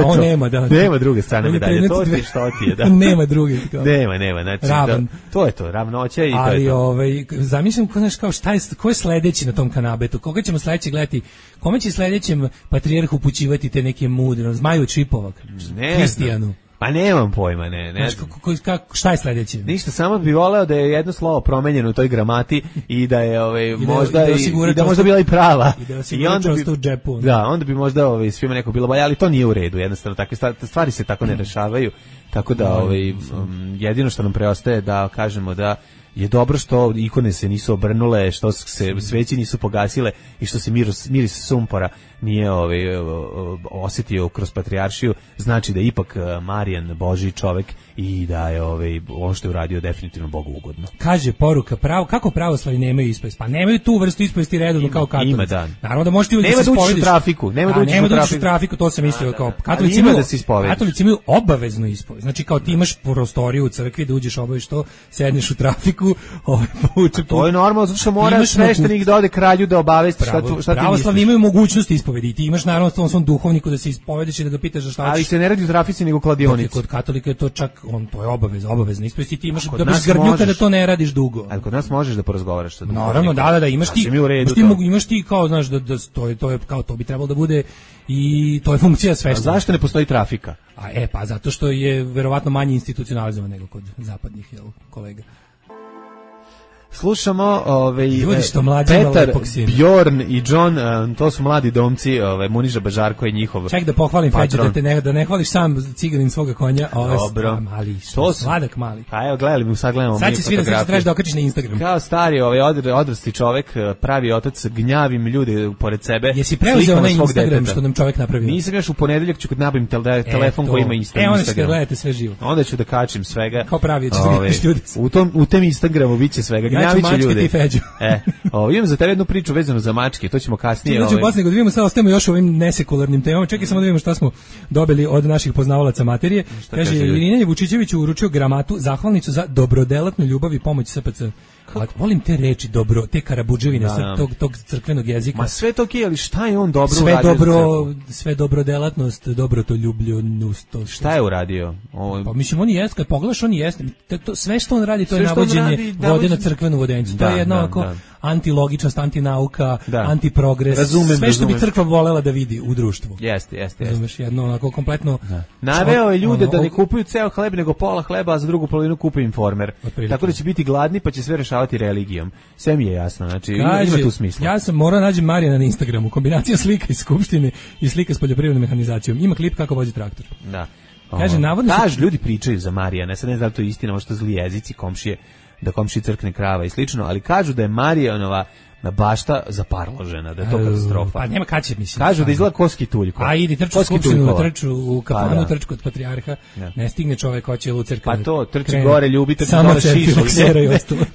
On nema, nema druge strane medalje. To ti što ti je, da. Nema druge. Nema, znači to je to, ravnoća i to je to. Ali zamislim kao šta je, ko je sledeći na tom kanabetu? Koga ćemo sledeći gledati? Kome će sledećem patrijarh upućivati te neke mudre, Zmaju Čipova, Kristijanu? Pa nemam pojma, ne. Šta je sledeće? Ništa, samo bih voleo da je jedno slovo promenjeno u toj gramati i da je možda bila i prava. I onda bi u džepu. Da, onda bi možda svima neko bilo bolje, ali to nije u redu, jednostavno takve stvari se tako ne rešavaju. Tako da jedino što nam preostaje da kažemo da je dobro što ikone se nisu obrnule, što se sveći nisu pogasile i što se miris sumpora nije osjetio kroz patrijaršiju, znači da je ipak Marijan Božji čovek i da je on što je uradio definitivno Bogu ugodno. Kaže poruka, kako pravoslavni nemaju ispovest? Pa nemaju tu vrstu ispovesti redovno kao katolici. Ima dan. Naravno da možete nema da učiš u trafiku. Nema da učiš u trafiku, to sam mislio kao katolici imaju obaveznu ispovest. Znači kao ti imaš prostoriju u crkvi da uđeš obaviš to, sedneš u trafiku, to je normalno, zato što mora sveštenik da ode kralju da obavesti šta ti misliš. Pravoslavni imaju mogućnost ispovedi. Ti imaš naravno tom svom duhovniku da se ispovediš i da ga pitaš za šta hoćeš. Ali se ne radi u trafici nego u kladionici. Kod katolika je to čak to je obavezna ispovest i ti imaš da bez grdnjuka da to ne radiš dugo. Ali kod nas možeš da porazgovaraš sa duhovnikom. Naravno, da, imaš ti kao znaš da to je kao to bi trebalo da bude i to je funkcija sveštenika. A zašto ne postoji trafika? Pa zato što je verovatno manje institucionalizovan nego kod zapadnih kolega. Slušamo Petar, Bjorn i John, to su mladi domci, Muniža Bažarko je njihov. Ček da pohvalim Feđu da ne hvališ sam ciganin svoga konja, mali, sladak mali. Pa evo gledali, sad gledamo sad će svi da trebaš da okačiš na Instagram. Kao stari odrasli čovek, pravi otac, gnjavim ljude pored sebe. Jesi preuzeo na Instagram što nam čovek napravio? Nisam još u ponedeljak ću kad nabavim telefon koji ima Instagram. Onda ćete gledate sve živo. Onda ću da kačim svega. Kao pravi ćeš da gledaš ljudi. U tom Instagramu biće svega. Mačke Feđu. Imam za tebe jednu priču vezanu za mačke, to ćemo kasnije. Znači, da vidimo, sad ostajemo još ovim nesekularnim temama. Čekaj samo da vidimo šta smo dobili od naših poznavalaca materije. Kaže, Irina Vučićević uručio gramatu, zahvalnicu za dobrodelatnu ljubav i pomoć SPC. Volim te reči dobro, te karabudževine tog crkvenog jezika. Ma sve to okej, ali šta je on dobro uradio? Sve dobrodelatnost, dobrotoljubljenost. Šta je uradio? Pa mislim, on jeste, kad pogledaš, on jeste. Sve što on radi, to je navođenje vode na crkvenu vodencu. To je jedno ovako antilogičnost, antinauka, antiprogres. Sve što bi crkva volela da vidi u društvu. Jeste. Razumeš, jedno onako kompletno... Naveo je ljude da ne kupuju ceo hleb, nego pola hleba, a za drugu polovinu kupuju Informer. Tako da će biti gladni, pa će sve rešavati religijom. Sve mi je jasno, znači ima tu smisla. Ja sam morao naći Marijana na Instagramu, kombinacija slika iz Skupštine i slika s poljoprivrednom mehanizacijom. Ima klip kako vozi traktor. Da. Kaže, navodno ljudi pričaju za Marijana, sad ne znam da to je istina, možda zli jezici komšije, da komšiji crkne krava i slično, ali kažu da je Marijanova bašta zaparložena, da je to katastrofa. Pa nema kad će, mislim. Kažu da izgleda koski tuljko. A idi trču u Skupštinu, trču u kafanu, trču kod patrijarha, ne stigne čovek, hoće u crkvu. Pa to, trči gore, ljubi, trči dole šišo.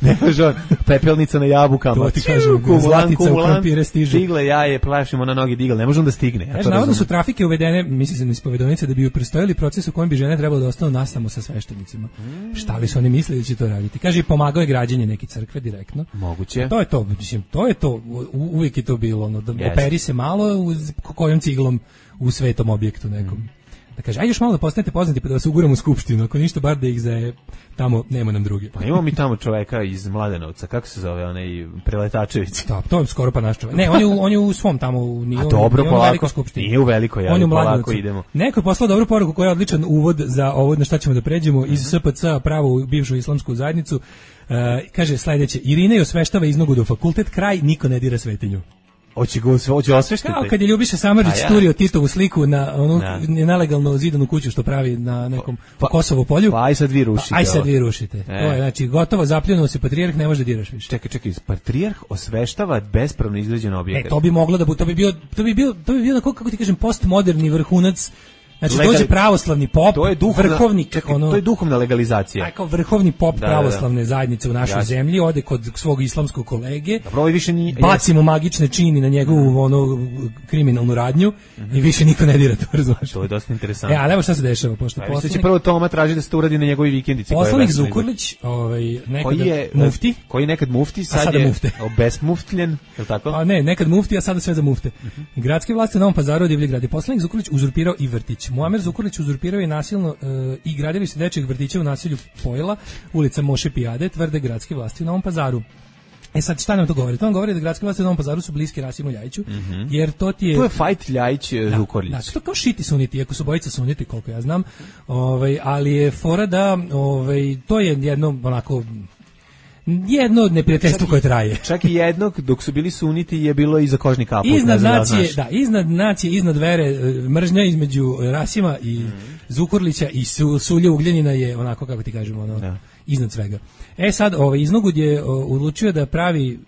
Ne može on, pepelnica na jabukama. To ti kažem, zlatica u krompire stižu. Stigle jaje, plašimo na nogi digle, ne može on da stigne. Navodno su trafike uvedene, misli se na ispovedonice, da bi prestojali proces u kojem bi žene trebalo da ostanu nasamo sa sveštenicima. Šta li su oni mislili da će to raditi? Kaže, pomagao je građenje neke crkve direktno. Moguće. To je to, mislim, to je to, uvijek je to bilo, operi se malo kojom ciglom u svetom objektu nekom. Da kaže, ajde još malo da postanete poznati pa da vas uguramo u skupštinu, ako ništa bar da ih tamo nema nam druge. Pa imamo mi tamo čoveka iz Mladenovca, kako se zove, onaj Preletačević. Da, to je skoro pa naš čovek. Ne, on je u svom tamo, a dobro, polako, nije u velikoj, ali polako idemo. Neko je poslao dobru poruku koja je odličan uvod za ovo na šta ćemo da pređemo iz SPC pravo u bivšu islamsku zajednicu. Kaže sledeće, Irina je osveštava iznogu do fakultet, kraj, niko ne dira svetinju. Hoće osveštiti. Kao kad je Ljubiša Samardžić turio Titovu sliku na onu nelegalno zidanu kuću što pravi na nekom Kosovo polju. Pa aj sad vi rušite. Aj sad vi rušite. To je, znači, gotovo zapljunuo se patrijarh, ne može da diraš više. Čekaj, patrijarh osveštava bespravno izgrađen objekat. To bi moglo da bude, to bi bio kako ti kažem, postmoderni vrhunac. Znači, dođe pravoslavni pop, vrhovnik. To je duhovna legalizacija. Kao vrhovni pop pravoslavne zajednice u našoj zemlji, ode kod svog islamskog kolege, bacimo magične čini na njegovu kriminalnu radnju i više niko ne dira to, razumiješ. To je dosta interesantno. Ali evo šta se dešava, pošto poslanik... će prvo Toma traži da se to uradi na njegovi vikendici. Poslanik Zukorlić, koji je nekad mufti, sad je obesmuftljen, je li tako? Pa ne, nekad mufti, a sada sve za mufte. Gradske vlasti u Novom Pazaru divlji gradi. Poslanik Zukorlić uzurpirao i vrtić. Muamer Zukorlić uzurpirao je nasilno i gradilište dečjeg vrtića u naselju Pojela, ulica Moše Pijade, tvrde gradske vlasti u Novom Pazaru. Sad šta nam to govori? To nam govori da gradske vlasti u Novom Pazaru su bliski Rasimu Ljajiću, jer to ti je... To je fight Ljajić Zukorlić. Da, to kao šiti suniti, iako su bojica suniti, koliko ja znam, ali je fora da to je jedno onako... jedno neprijateljstvo koje traje. Čak i jednog, dok su bili suniti, je bilo iza kožni kaput. Iznad nacije, iznad vere, mržnja između Rasima i Zukorlića i Sulje Ugljanina je onako, kako ti kažemo, iznad svega. Sad Iznogud je odlučio da pravi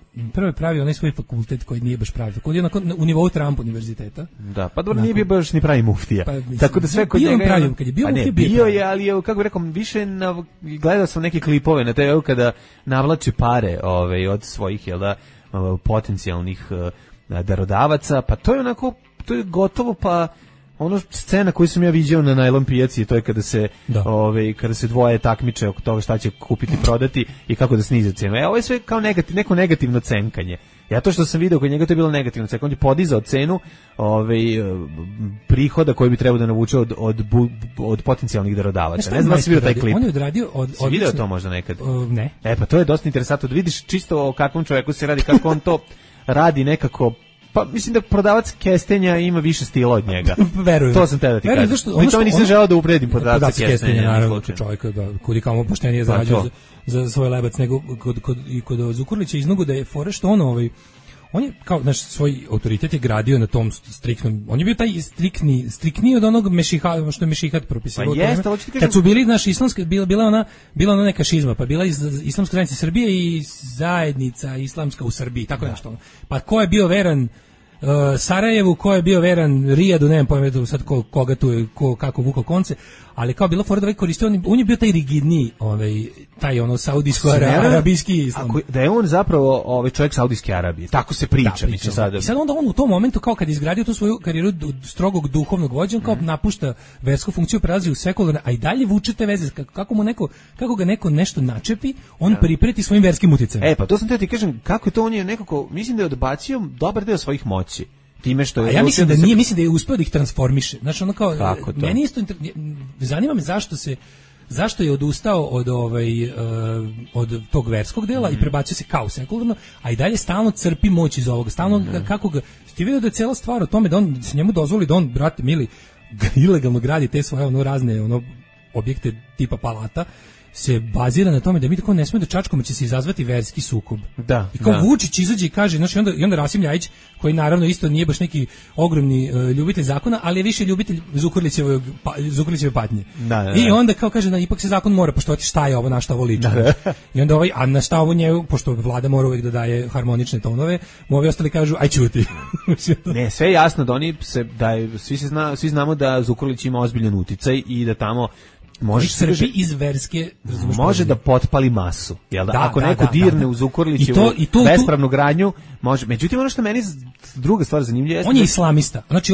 onaj svoj fakultet koji nije baš pravi. Koji je u nivou Trump univerziteta. Da, pa dobro nije bio baš ni pravi muftija. Tako da sve kod njega pravi, kad je bio muftija bio je, ali je, kako bih rekao, više gledao sam neke klipove na TV kada navlači pare od svojih potencijalnih darodavaca, pa to je onako, to je gotovo pa ono scena koju sam ja viđao na najlon pijaci, to je kada se dvoje takmiče oko toga šta će kupiti, prodati i kako da snize cenu. Ovo je sve kao neko negativno cenkanje. Ja to što sam video kod njega, to je bilo negativno cenkanje. On je podizao cenu prihoda koji bi trebao da navuče od potencijalnih darodavaca. Ne znam da si vidio taj klip. On je odradio si video to možda nekad? Ne. Pa to je dosta interesantno da vidiš čisto o kakvom čoveku se radi, kako on to radi nekako. Pa mislim da prodavac kestenja ima više stila od njega. Verujem. To sam te da ti kažem. Pri tome nisam želeo da uvredim prodavca kestenja. Naravno, čovjeka kudi kamo poštenije zarađuje za svoj lebac nego kod Zukorlića Iznogu da je fore što on je kao naš svoj autoritet je gradio na tom striktnom. On je bio taj striktniji od onog što je Mešihat propisivao. Pa kad su bili naš islamska bila ona neka šizma, pa bila iz Islamske zajednice Srbije i zajednica islamska u Srbiji, tako nešto. Pa ko je bio veran Sarajevu, ko je bio veran Rijadu, ne znam pojma sad koga tu je, kako vukao konce, ali kao bilo fora da koristio, on je bio taj rigidniji, taj saudijsko-arabijski islam. Da je on zapravo čovjek Saudijske Arabije, tako se priča. I sad onda on u tom momentu, kao kad je izgradio tu svoju karijeru strogog duhovnog vođa, on kao napušta versku funkciju, prelazi u sekularne, a i dalje vuče te veze, kako ga neko nešto načepi, on pripreti svojim verskim uticajem. Pa to sam te ti kažem, kako je to, on je nekako, mislim da je odbacio dobar deo svojih moći. Time što je ja mislim da nije, mislim da je uspeo da ih transformiše. Znači ono kao meni isto zanima me zašto je odustao od tog verskog dela i prebacio se kao sekularno, a i dalje stalno crpi moć iz ovoga. Stalno kako ga ti vidio da je cela stvar o tome da on se njemu dozvoli da on, brate mili, ilegalno gradi te svoje razne objekte tipa palata, se bazira na tome da mi tako ne smemo da čačkamo, će se izazvati verski sukob. Da. I kao Vučić izađe i kaže, znači onda Rasim Ljajić, koji naravno isto nije baš neki ogromni ljubitelj zakona, ali je više ljubitelj Zukorlićeve patnje. Da. I onda kao kaže da ipak se zakon mora poštovati, šta je ovo, na šta ovo liči. I onda a na šta ovo njegu, pošto vlada mora uvijek da daje harmonične tonove, ovi ostali kažu aj ćuti. Ne, sve je jasno da svi znamo da Zukorlić ima ozbiljan uticaj i da tamo može da potpali masu, jel da? Ako neko dirne u Zukorlićevu bespravnu gradnju, može. Međutim, ono što meni druga stvar zanimljiva je... On je islamista. Znači,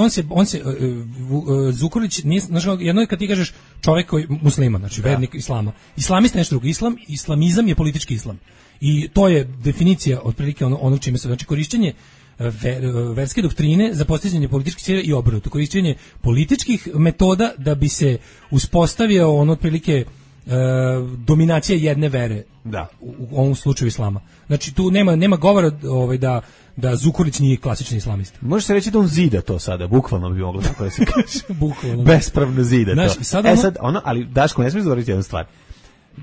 Zukorlić nije, znači, jedno je kad ti kažeš čovjek koji musliman, znači vernik islama. Islamista je nešto drugo. Islamizam je politički islam. I to je definicija otprilike ono čime se, znači korišćenje verske doktrine za postizanje političkih ciljeva i obrnuto. Korišćenje političkih metoda da bi se uspostavio otprilike dominacija jedne vere. Da. U ovom slučaju islama. Znači tu nema govora da Zukorlić nije klasični islamista. Može se reći da on zida to sada, bukvalno bi moglo tako da se kaže. Bukvalno. Bespravno zida to. Ali Daško, ne smiješ zaboraviti jednu stvar.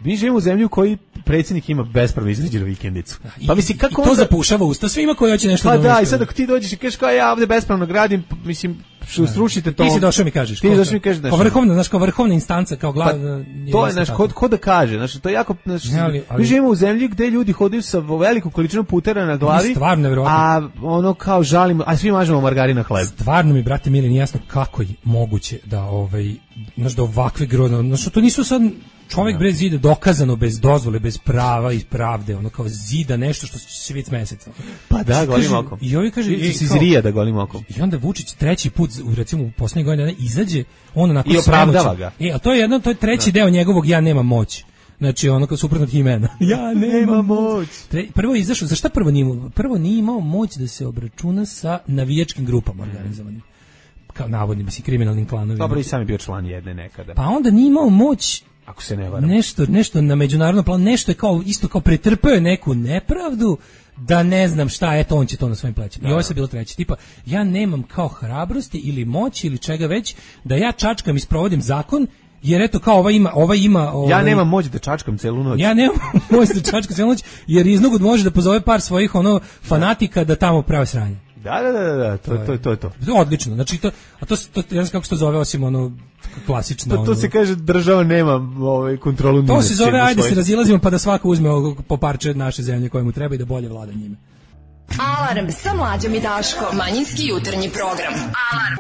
Mi živimo u zemlji u kojoj predsjednik ima bespravno izrađenu vikendicu. Pa mislim kako to zapušava usta svima koji hoće nešto da. Pa da, i sad ako ti dođeš i kažeš kao ja ovdje bespravno gradim, mislim srušite to. Ti si došao mi kažeš. Ti došao mi kažeš da. Kao vrhovna instanca, kao glavna. To je ko da kaže, znači to je jako mi živimo u zemlji gdje ljudi hodaju sa velikom količinom putera na glavi. Stvarno nevjerovatno. A ono kao žalimo, a svi mažemo margarin na hleb. Stvarno mi, brate mili, nije jasno kako je moguće da da ovakve grozne, znači to nisu sad čovjek bez zida, dokazano bez dozvole, bez prava i pravde, ono kao zida nešto što će vidjeti meseca. Pa da, golim okom. I ovi kaže iz Rija da golim okom. I onda Vučić treći put, recimo u posljednjih godina, izađe, on onako i opravdava ga. A to je treći deo njegovog ja nemam moć. Znači ono kao suprotno imena. Ja nemam moć. Prvo je izašao, zašto prvo nije imao moć da se obračuna sa navijačkim grupama organizovanim. Kao navodnim, kriminalnim klanovima. Dobro, i sam je bio član jedne nekada. Pa onda nije imao moć, ako se ne varam, nešto na međunarodnom planu, nešto je isto kao pretrpeo je neku nepravdu, da ne znam šta, eto on će to na svojim plećima. I ovo je bilo treći, tipa, ja nemam kao hrabrosti ili moći ili čega već, da ja čačkam i sprovodim zakon, jer eto kao ova ima ja nemam moć da čačkam celu noć. Ja nemam moć da čačkam celu noć, jer Iznogud može da pozove par svojih fanatika da tamo prave sranje. Da, to je to. Odlično, znači to, a to ja znam kako se to zove, osim ono klasično. To se kaže država nema kontrolu. To se zove, ajde se razilazimo pa da svako uzme po parče naše zemlje koje mu treba i da bolje vlada njime. Alarm sa Mlađom i Daškom. Manjinski jutarnji program. Alarm.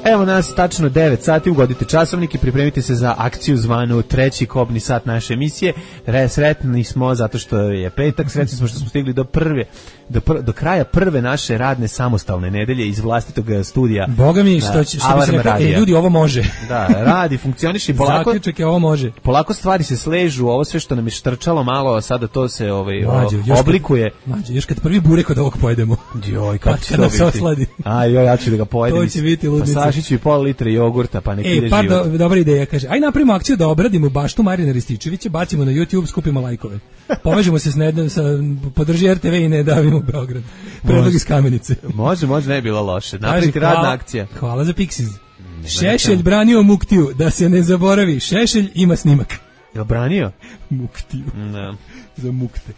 Evo nas tačno 9 sati, ugodite časovnik i pripremite se za akciju zvanu treći kobni sat naše emisije. Sretni smo zato što je petak, sretni smo što smo stigli do kraja prve naše radne samostalne nedelje iz vlastitog studija. Boga mi, što bi se rekao, ljudi, ovo može. Da, radi, funkcioniše polako. Zaključak je, ovo može. Polako stvari se sležu, ovo sve što nam je štrčalo malo, sada to se oblikuje. Mađo, još kad prvi burek od ovog pojedemo. Joj, kako će to biti? Osladi. Ja ću da ga pojedem. To će biti ludnica. Pa sašiću i pol litre jogurta, pa nek ide život. Dobra ideja, kaže. Aj napravimo akciju da obradimo baštu Marijana Rističevića, bacimo na YouTube, skupimo lajkove. Povežemo se sa podrži RTV i ne davimo Beograd. Predlog iz Kamenice. Može, ne je bila loše. Napraviti radna akcija. Hvala za Pixiz. Šešelj branio Muktiju, da se ne zaboravi. Šešelj ima snimak. Jel branio? Muktiju. Ne. Za mukte.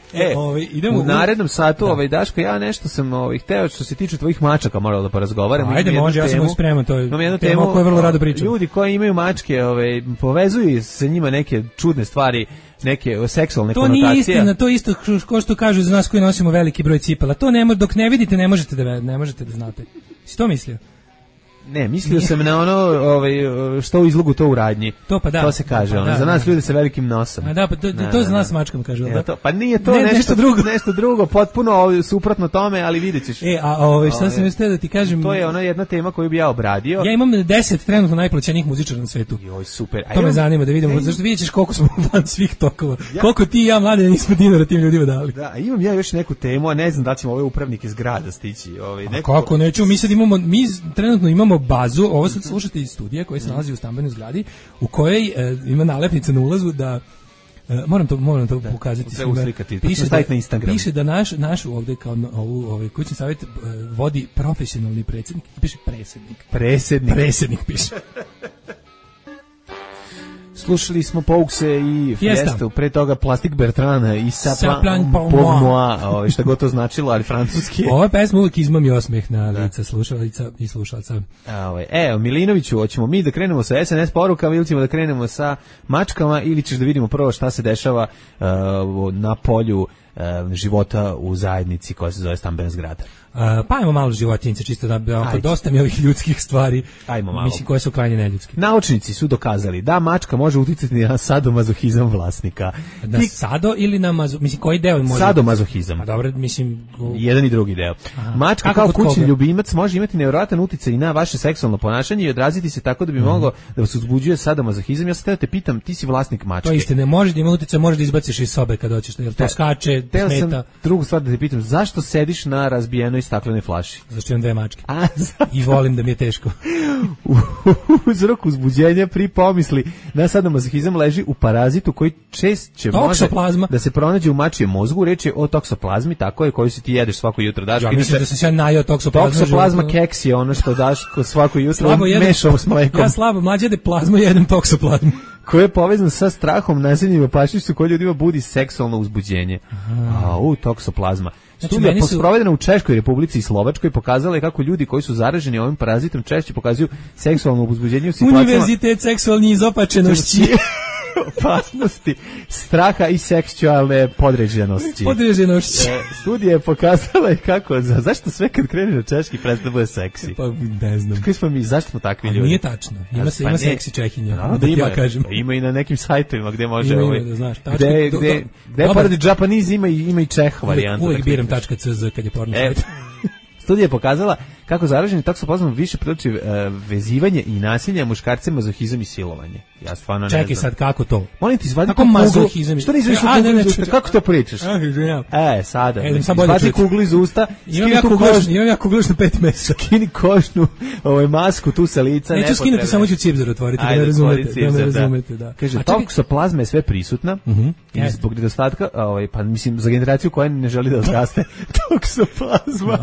Idemo u narednom satu, Daško, ja nešto sam hteo što se tiče tvojih mačaka moralo da porazgovaram. Ajde, može, ja sam spreman, to je tema o kojoj vrlo rado pričam. Ljudi koji imaju mačke, povezuju sa njima neke čudne stvari, neke seksualne konotacije. To nije istina, to isto kao što kažu za nas koji nosimo veliki broj cipela. To dok ne vidite, ne možete da znate. Si to mislio? Ne, mislio sam na ono što u izlogu to u radnji. To pa da. To se kaže, za nas ljudi sa velikim nosom. A da, pa to za nas mačkama kažu, da. Pa nije to nešto drugo, potpuno suprotno tome, ali videćeš. Šta sam mislio da ti kažem? To je ona jedna tema koju bi ja obradio. Ja imam 10 trenutno najplaćenijih muzičara na svetu. Joj, super. To me zanima da vidimo, zašto vidjet ćeš koliko smo van svih tokova. Koliko ti i ja, mlade, nismo dinara tim ljudima dali. Da, imam ja još neku temu, a ne znam da ćemo ove upravnike zgrada stići. Kako neću, mi trenutno imamo bazu, ovo sad slušate iz studija koji se nalazi u stambenoj zgradi, u kojoj ima nalepnica na ulazu da moram to pokazati. Piše da naš ovde kao kućni savjet vodi profesionalni predsjednik, piše predsjednik piše. Slušali smo Poukse i Fiestu, pre toga Plastik Bertrana i Saplan Pomnoa, šta god to značilo, ali francuski. Ova pesma uvijek izmami osmeh na lica slušalica i slušalca. Milinoviću, hoćemo mi da krenemo sa SNS porukama ili ćemo da krenemo sa mačkama ili ćeš da vidimo prvo šta se dešava na polju života u zajednici koja se zove stambena zgrada. Pa ajmo malo životinjice, čisto da dosta mi ovih ljudskih stvari, mislim, koje su krajnje neljudske. Naučnici su dokazali da mačka može uticati na sadomazohizam vlasnika. Na sado ili na mislim, koji deo može? Sadomazohizam. A dobro, mislim... Jedan i drugi deo. Mačka kao kućni ljubimac može imati nevjerojatan uticaj i na vaše seksualno ponašanje i odraziti se tako da bi moglo da vas uzbuđuje sadomazohizam. Ja sad te pitam, ti si vlasnik mačke. To isto, ne može da ima uticaj, može da izbaciš iz sobe kad hoćeš, jer to skače, smeta. Drugu stvar da te pitam, zašto sediš na razbijenoj staklenoj flaši? Zašto imam 2 mačke. I volim da mi je teško. Uzrok uzbuđenja pri pomisli na sadomazohizam leži u parazitu koji češće može da se pronađe u mačijem mozgu. Reč je o toksoplazmi, tako je, koju si ti jedeš svako jutro. Ja mislim da sam se najao toksoplazma. Toksoplazma keks je ono što daš svako jutro mešao s mlekom. Ja slabo, mlađe jede plazmu, jedem toksoplazmu. Koji je povezan sa strahom, nasiljem i opasnošću koji ljudima budi seksualno uzbuđenje. Toksoplazma. Studija sprovedena u Češkoj Republici i Slovačkoj pokazala je kako ljudi koji su zaraženi ovim parazitom češće pokazuju seksualno uzbuđenje u situacijama... Univerzitet seksualni izopačenosti. Opasnosti, straha i seksualne podređenosti. Studija je pokazala i kako, zašto sve kad kreneš na češki prestaje bude seksi? Pa ne znam. Zašto smo takvi ljudi? Nije tačno, ima seksi Čehinja. Ima i na nekim sajtovima gde može... Gde pored Japanese ima i Čeh varijantu. Uvijek biram .cz kad je porno sajt. Studija je pokazala kako zaraženi toksoplazmom više priliči vezivanje i nasilje, muškarce, mazohizam i silovanje. Ja stvarno ne znam. Čekaj sad, kako to? Molim ti, izvadi kako mazohizam? Što ne izvadiš kuglu iz usta? Kako to pričaš? Sada. Izvadi kuglu iz usta. Imam ja kugluš na 5 mesa. Skini košnu masku tu sa lica. Neću skinuti, samo ću cipzar otvoriti, da me razumete. Kaže, toksoplazma je sve prisutna i zbog nedostatka, pa mislim, za generaciju koja ne želi da odraste, toksoplazma.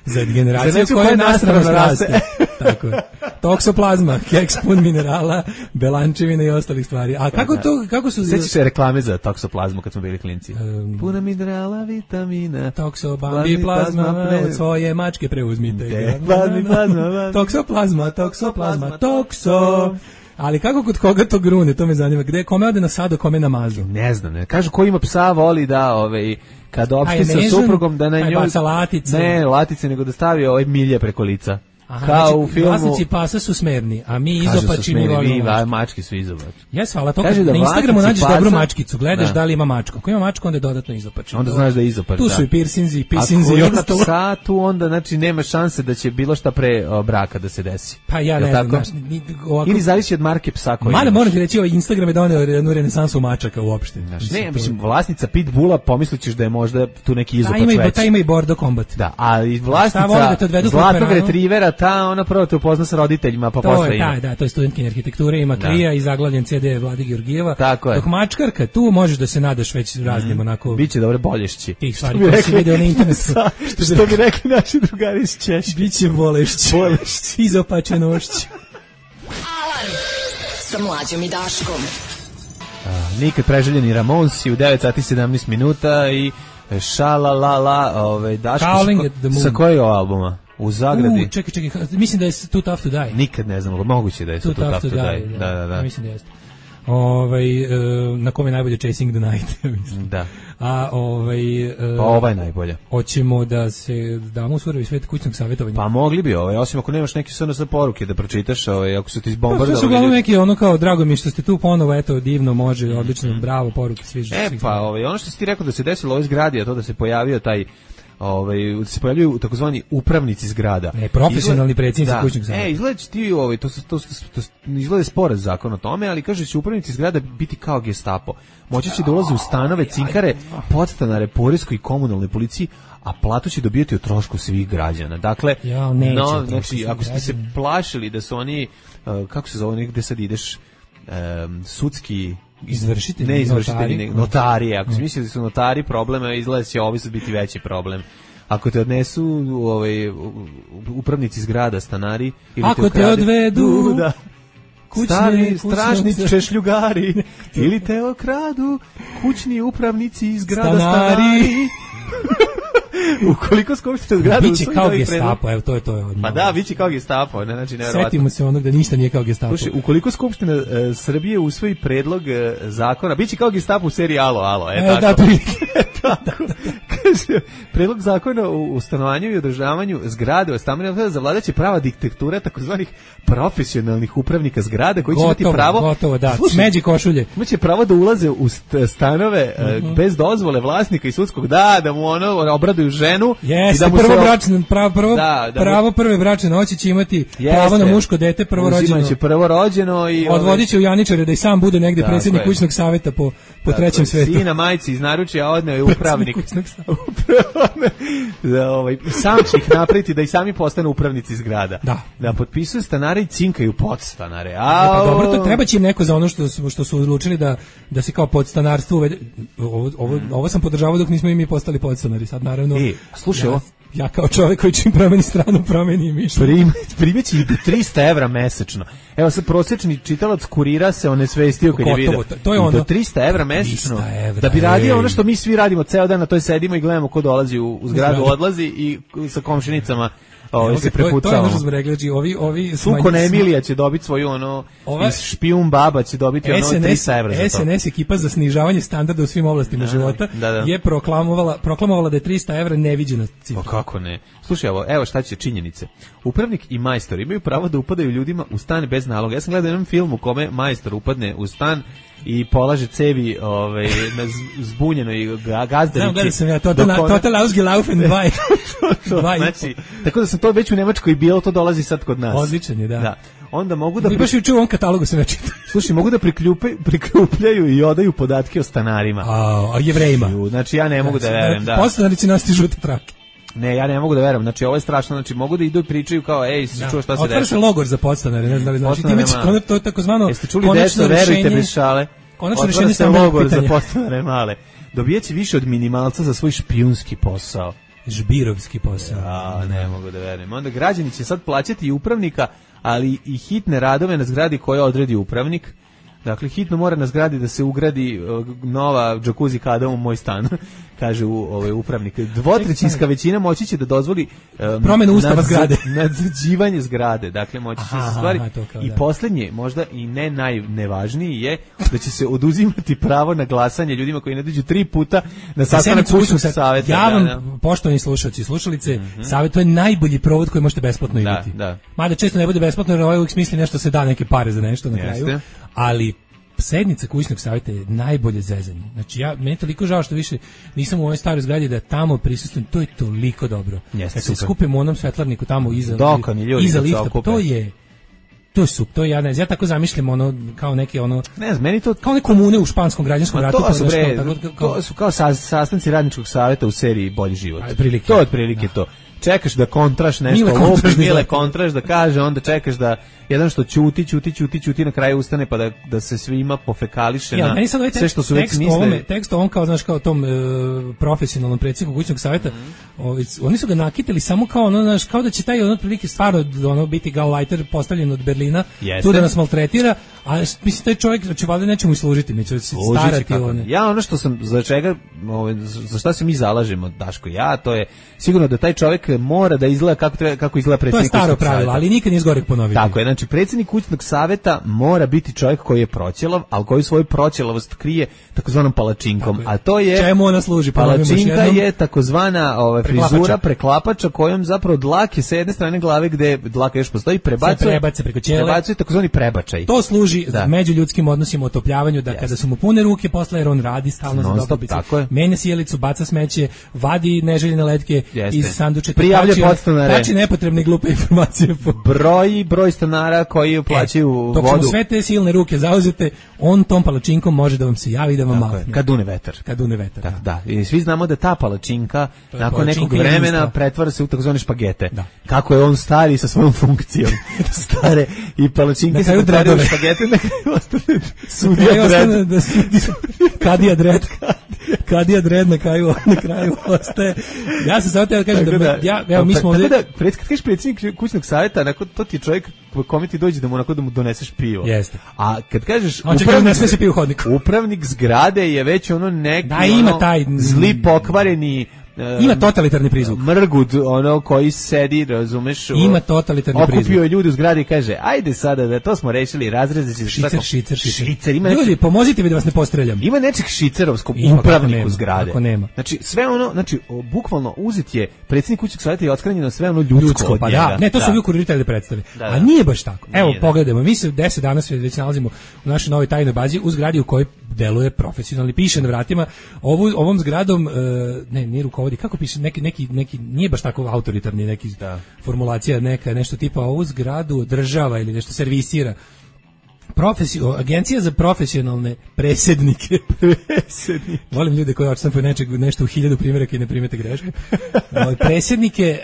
Za generaciju koja nastrano raste. Tako je. toksoplazma, keks pun minerala, belančevina i ostalih stvari. A kako su... Sećaš se reklame za toksoplazmu kad smo bili klinci? Puna minerala, vitamina. Toksobambi plazma, od svoje mačke preuzmite ga. Toksoplazma, tokso. Ali kako kod koga to grune, to me zanima. Gde, kome ode na sado, kome na mazu? Ne znam, ne. Kažu ko ima psa voli da, kad opšti sa suprugom da na njoj... baca latice. Ne, latice, nego da stavi milje preko lica. Aha, kao znači, u filmu... vlasnici pasa su smerni, a mi izopači mi volimo mačke. Mački su izopači. Jes, hvala, to kad na Instagramu nađeš dobru mačkicu, gledaš da li ima mačku. Ako ima mačku, onda je dodatno izopači. Onda znaš da je izopač, tu su i piercinzi, pisinzi i ostalo. Ako ima psa, tu onda, znači, nema šanse da će bilo šta pre braka da se desi. Pa ja ne znam, znaš, ovako... Ili zavisi od marke psa koji imaš. Moram ti reći, ovaj Instagram je doneo jednu renesansu mačaka uopšte. Ne, mislim, vlasnica pitbulla pomislićeš da je možda tu neki izopač veći. Ta ima i border combat. Da, a i vlasnica zlatnog retrivera, ta ona prvo te upozna sa roditeljima, pa posle ima. Da, to je studentkinja arhitekture, ima klija i zaglavljen CD Vlade Georgijeva. Tako je. Dok mačkarka, tu možeš da se nadaš već raznim onako... Biće dobre bolješći. Tih stvari koje si video na internetu. Što bi rekli naši drugari iz Češke. Biće bolešći. Izopačenošći. Alarm sa Mlađom i Daškom. Nikad preželjeni Ramonsi u 9:17 minuta i šalalala, Daško, sa kojeg albuma? U zagradi. Čekaj, mislim da je Too Tough to Die. Nikad ne znam, moguće da je Too Tough to Die. Da. Mislim da jeste. Na kome je najbolje Chasing the Night, mislim. Da. A pa ova je najbolja. Hoćemo da se damo u surovi svet kućnog savjetovanja. Pa mogli bi, osim ako nemaš neke SNS poruke da pročitaš, ako su ti izbombardovali. Pa su uglavnom neki ono kao, drago mi što ste tu ponovo, eto, divno, može, odlično, bravo, poruke, sviđa. Pa ono što si ti rekao da se desilo u ovoj zgradi, a to da se pojavio taj se pojavljuju takozvani upravnici zgrada. Profesionalni predsjednici kućnog savjeta. Izgleda će ti to izgleda sporaz zakon o tome, ali kaže će upravnici zgrada biti kao Gestapo. Moći će da ulaze u stanove, cinkare, podstanare, poreskoj i komunalnoj policiji, a platu će dobijati o trošku svih građana. Dakle, znači, ako ste se plašili da su oni, kako se zove, gde sad ideš, sudski... Izvršitelji, notari. Ako si mislili da su notari problema, izgleda će ovo biti veći problem. Ako te odnesu upravnici zgrada, stanari, ili ako te odvedu stari stražni češljugari ili te okradu kućni upravnici iz grada stanari. Ukoliko skupština zgrada biće kao Gestapo, evo to je pa da, biće kao Gestapo, znači nevjerovatno. Setimo se onog da ništa nije kao Gestapo. Slušaj, ukoliko skupština Srbije usvoji predlog zakona, biće kao Gestapo u seriji Alo, tako. Tako. Kaže, predlog zakona o stanovanju i održavanju zgrade, o stambenom zavladaće prava diktatura takozvanih profesionalnih upravnika zgrada koji će imati pravo. Gotovo, da. Smeđi košulje. Imaće pravo da ulaze u stanove bez dozvole vlasnika i sudskog, da mu obraduju ženu. Jeste, pravo prve bračne noći će imati pravo na muško dete prvorođeno. Uzimaće prvorođeno i odvodit će u Janičare da i sam bude negde predsjednik kućnog savjeta po trećem svetu. Sina majci iz naručja odneo je upravnik. Sam će ih napraviti da i sami postanu upravnici zgrada. Da potpisuju stanare i cinkaju podstanare. Pa dobro, to treba će im neko za ono što su odlučili da se kao podstanarstvo uvede. Ovo sam podržavao dok nismo i mi postali podstanari. Sad naravno, slušaj ovo. Ja kao čovjek koji čim promeni stranu promeni mišljenje. Primeći i do 300 evra mesečno. Evo sad prosječni čitalac Kurira se onesvestio kad je vidio. To je ono. Do 300 evra mesečno. Da bi radio ono što mi svi radimo ceo dan, na toj sedimo i gledamo ko dolazi u zgradu, odlazi i sa komšinicama se prepucavamo. To je ono što smo rekli, ovi Sukon Emilija će dobiti svoju iz Špijun baba će dobiti 300 evra za to. SNS ekipa za snižavanje standarda u svim oblastima života je proklamovala da je 300 evra neviđena cifra. Pa kako ne? Slušaj, evo šta će činjenice. Upravnik i majstor imaju pravo da upadaju ljudima u stan bez naloga. Ja sam gledao jedan film u kome majstor upadne u stan i polaže cevi na zbunjenoj gazdarici. Znam, gledam sam ja, total ausgelaufen bei. Znači, tako da sam to već u Nemačkoj bilo, to dolazi sad kod nas. Odličan je, da. Onda mogu da... Mi baš u ovom katalogu sam ja čitao. Slušaj, mogu da priklupljaju i odaju podatke o stanarima. A Jevrejima. Znači, ja ne mogu da verujem, da. Podstanari će nositi žute trake. Ne, ja ne mogu da verujem. Znači, ovo je strašno. Znači, mogu da idu i pričaju kao, si čuo šta se otvara se logor za podstanare, ne znam da li znači. Time će to je takozvano jeste čuli deco, verujte bez šale. Konačno rešenje stambenog logor za podstanare male. Dobijaće više od minimalca za svoj špijunski posao. žbirovski posao. A, ne mogu da verujem. Onda građani će sad plaćati i upravnika, ali i hitne radove na zgradi koje odredi upravnik. Dakle, hitno mora na zgradi da se ugradi nova džakuzi kada u moj stan, kaže upravnik. Dvotrećinska većina moći će da dozvoli promenu ustava zgrade. Nadzrađivanje zgrade. Dakle, moći će se stvari. I da. Poslednje, možda i ne najnevažniji je da će se oduzimati pravo na glasanje ljudima koji ne dođu 3 puta na sastanak kućnog saveta. Ja vam, poštovani slušalci i slušalice, savjet, to je najbolji provod koji možete besplatno imati. Da. Mada često ne bude besplatno, jer ovaj uvijek smisli nešto se da, neke pare za nešto na kraju. Ali sednica kućnog savjeta je najbolje zezanje. Znači meni je toliko žao što više nisam u ovoj staroj zgradi da tamo prisustvujem, to je toliko dobro. Kad se skupimo u onom svetlarniku tamo iza lifta, to je super, to ja tako zamišljam ono kao neke ono ne znam, meni to kao neke komune u španskom građanskom ratu, to su kao sastanci radničkog savjeta u seriji Bolji život. To je otprilike to. Čekaš da kontraš nešto, Mile kontraš da kaže, onda čekaš da jedan što ćuti na kraju ustane pa da se svima pofekališe na sve što su već mislili. Tekst on kao, znaš, kao tom profesionalnom predsjedniku kućnog savjeta, oni su ga nakitili samo kao ono, znaš, kao da će taj ono otprilike stvarno ono biti Gauleiter postavljen od Berlina, tu da nas maltretira, a mislim taj čovjek će valjda nečemu i služiti, neće se starati one. Ja ono što sam, za šta se mi zalažemo, Daško, to je sigurno da taj čovjek mora da izgleda kako izgleda predsjednik kućnog savjeta. To je staro pravilo, ali nikad nije zgoreg ponoviti. Tako je, znači predsjednik kućnog savjeta mora biti čovjek koji je proćelav, ali koji svoju proćelavost krije takozvanom palačinkom. A to je čemu ona služi? Palačinka je takozvana frizura preklapača kojom zapravo dlake sa jedne strane glave gde dlaka još postoji prebacuje preko ćele. Prebacuje takozvani prebačaj. To služi među ljudskim odnosima, otopljavanju, da kada su mu pune ruke posle, jer on radi stalno za dobrobit. Menja sjelicu, baca smeće, vadi neželjene letke iz sandučeta, tači nepotrebne glupe informacije. Broj stanara koji plaćaju vodu. Dok su sve te silne ruke zauzete, on tom palačinkom može da vam se javi i da vam mahne. Kad dune vetar. Da. I svi znamo da ta palačinka nakon nekog vremena pretvara se u takozvane špagete. Da. Kako je on stari sa svojom funkcijom. Stare i palačinke se pretvaraju u špagete, na kraju ostane sudija dred. Kadija dred na kraju ostaje. Ja se samo teo kažem da mi smo ovdje... Kad kažeš predsjednik kućnog savjeta, to ti je čovjek kome ti dođe da mu doneseš pivo. Jeste. A kad kažeš upravnik zgrade je već ono neki ima taj zli pokvareni ima totalitarni prizvuk. Mrgud, ono koji sedi, razumeš? Ima totalitarni prizvuk. Okupio je ljudi u zgradi i kaže, ajde sada da to smo rešili, razrezati se. Šicer. Ljudi, pomozite mi da vas ne postreljam. Ima nečeg šicerovskog upravniku zgrade. Ako nema. Znači, sve ono, bukvalno uzet je predsjednik kućnog savjeta i otkranjeno sve ono ljudsko od njega. Ne, to su vi kuriritelji predstave. A nije baš tako. Evo, pogledajmo, mi se 10 dana već nalazimo u našoj novoj tajnoj bazi u zgradi u kojoj deluje profesionalni, piše na vratima. Ovom zgradom, nije rukovodi, kako piše, neki nije baš tako autoritarni, neki formulacija, nešto tipa ovu zgradu održava ili nešto servisira. Agencija za profesionalne predsjednike. Volim ljude koji odštampaju nešto u 1000 primjeraka i ne primete greške. Predsjednike,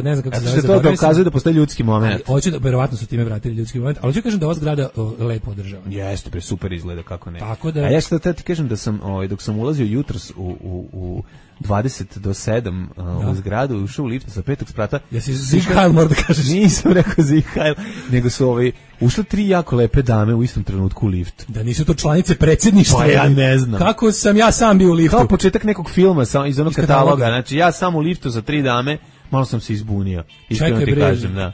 ne znam kako se zove. To dokazuje da postoji ljudski moment. Hoću da, verovatno su time vratili ljudski moment, ali hoću kažem da ova zgrada lepo održava. Jeste, super izgleda, kako ne. Tako da... A ja što ti kažem da sam, dok sam ulazio jutros u 20 do 7 u zgradu, ušao u lift sa 5. sprata. Jesi Zihajl, mora da kažeš? Nisam rekao Zihajl, nego su ušle 3 jako lepe dame u istom trenutku u lift. Da nisu to članice predsjedništva? Pa ja ne znam. Kako sam ja sam bio u liftu? Kao početak nekog filma iz onog kataloga. Znači ja sam u liftu za 3 dame, malo sam se izbunio. Iskreno ti kažem, da.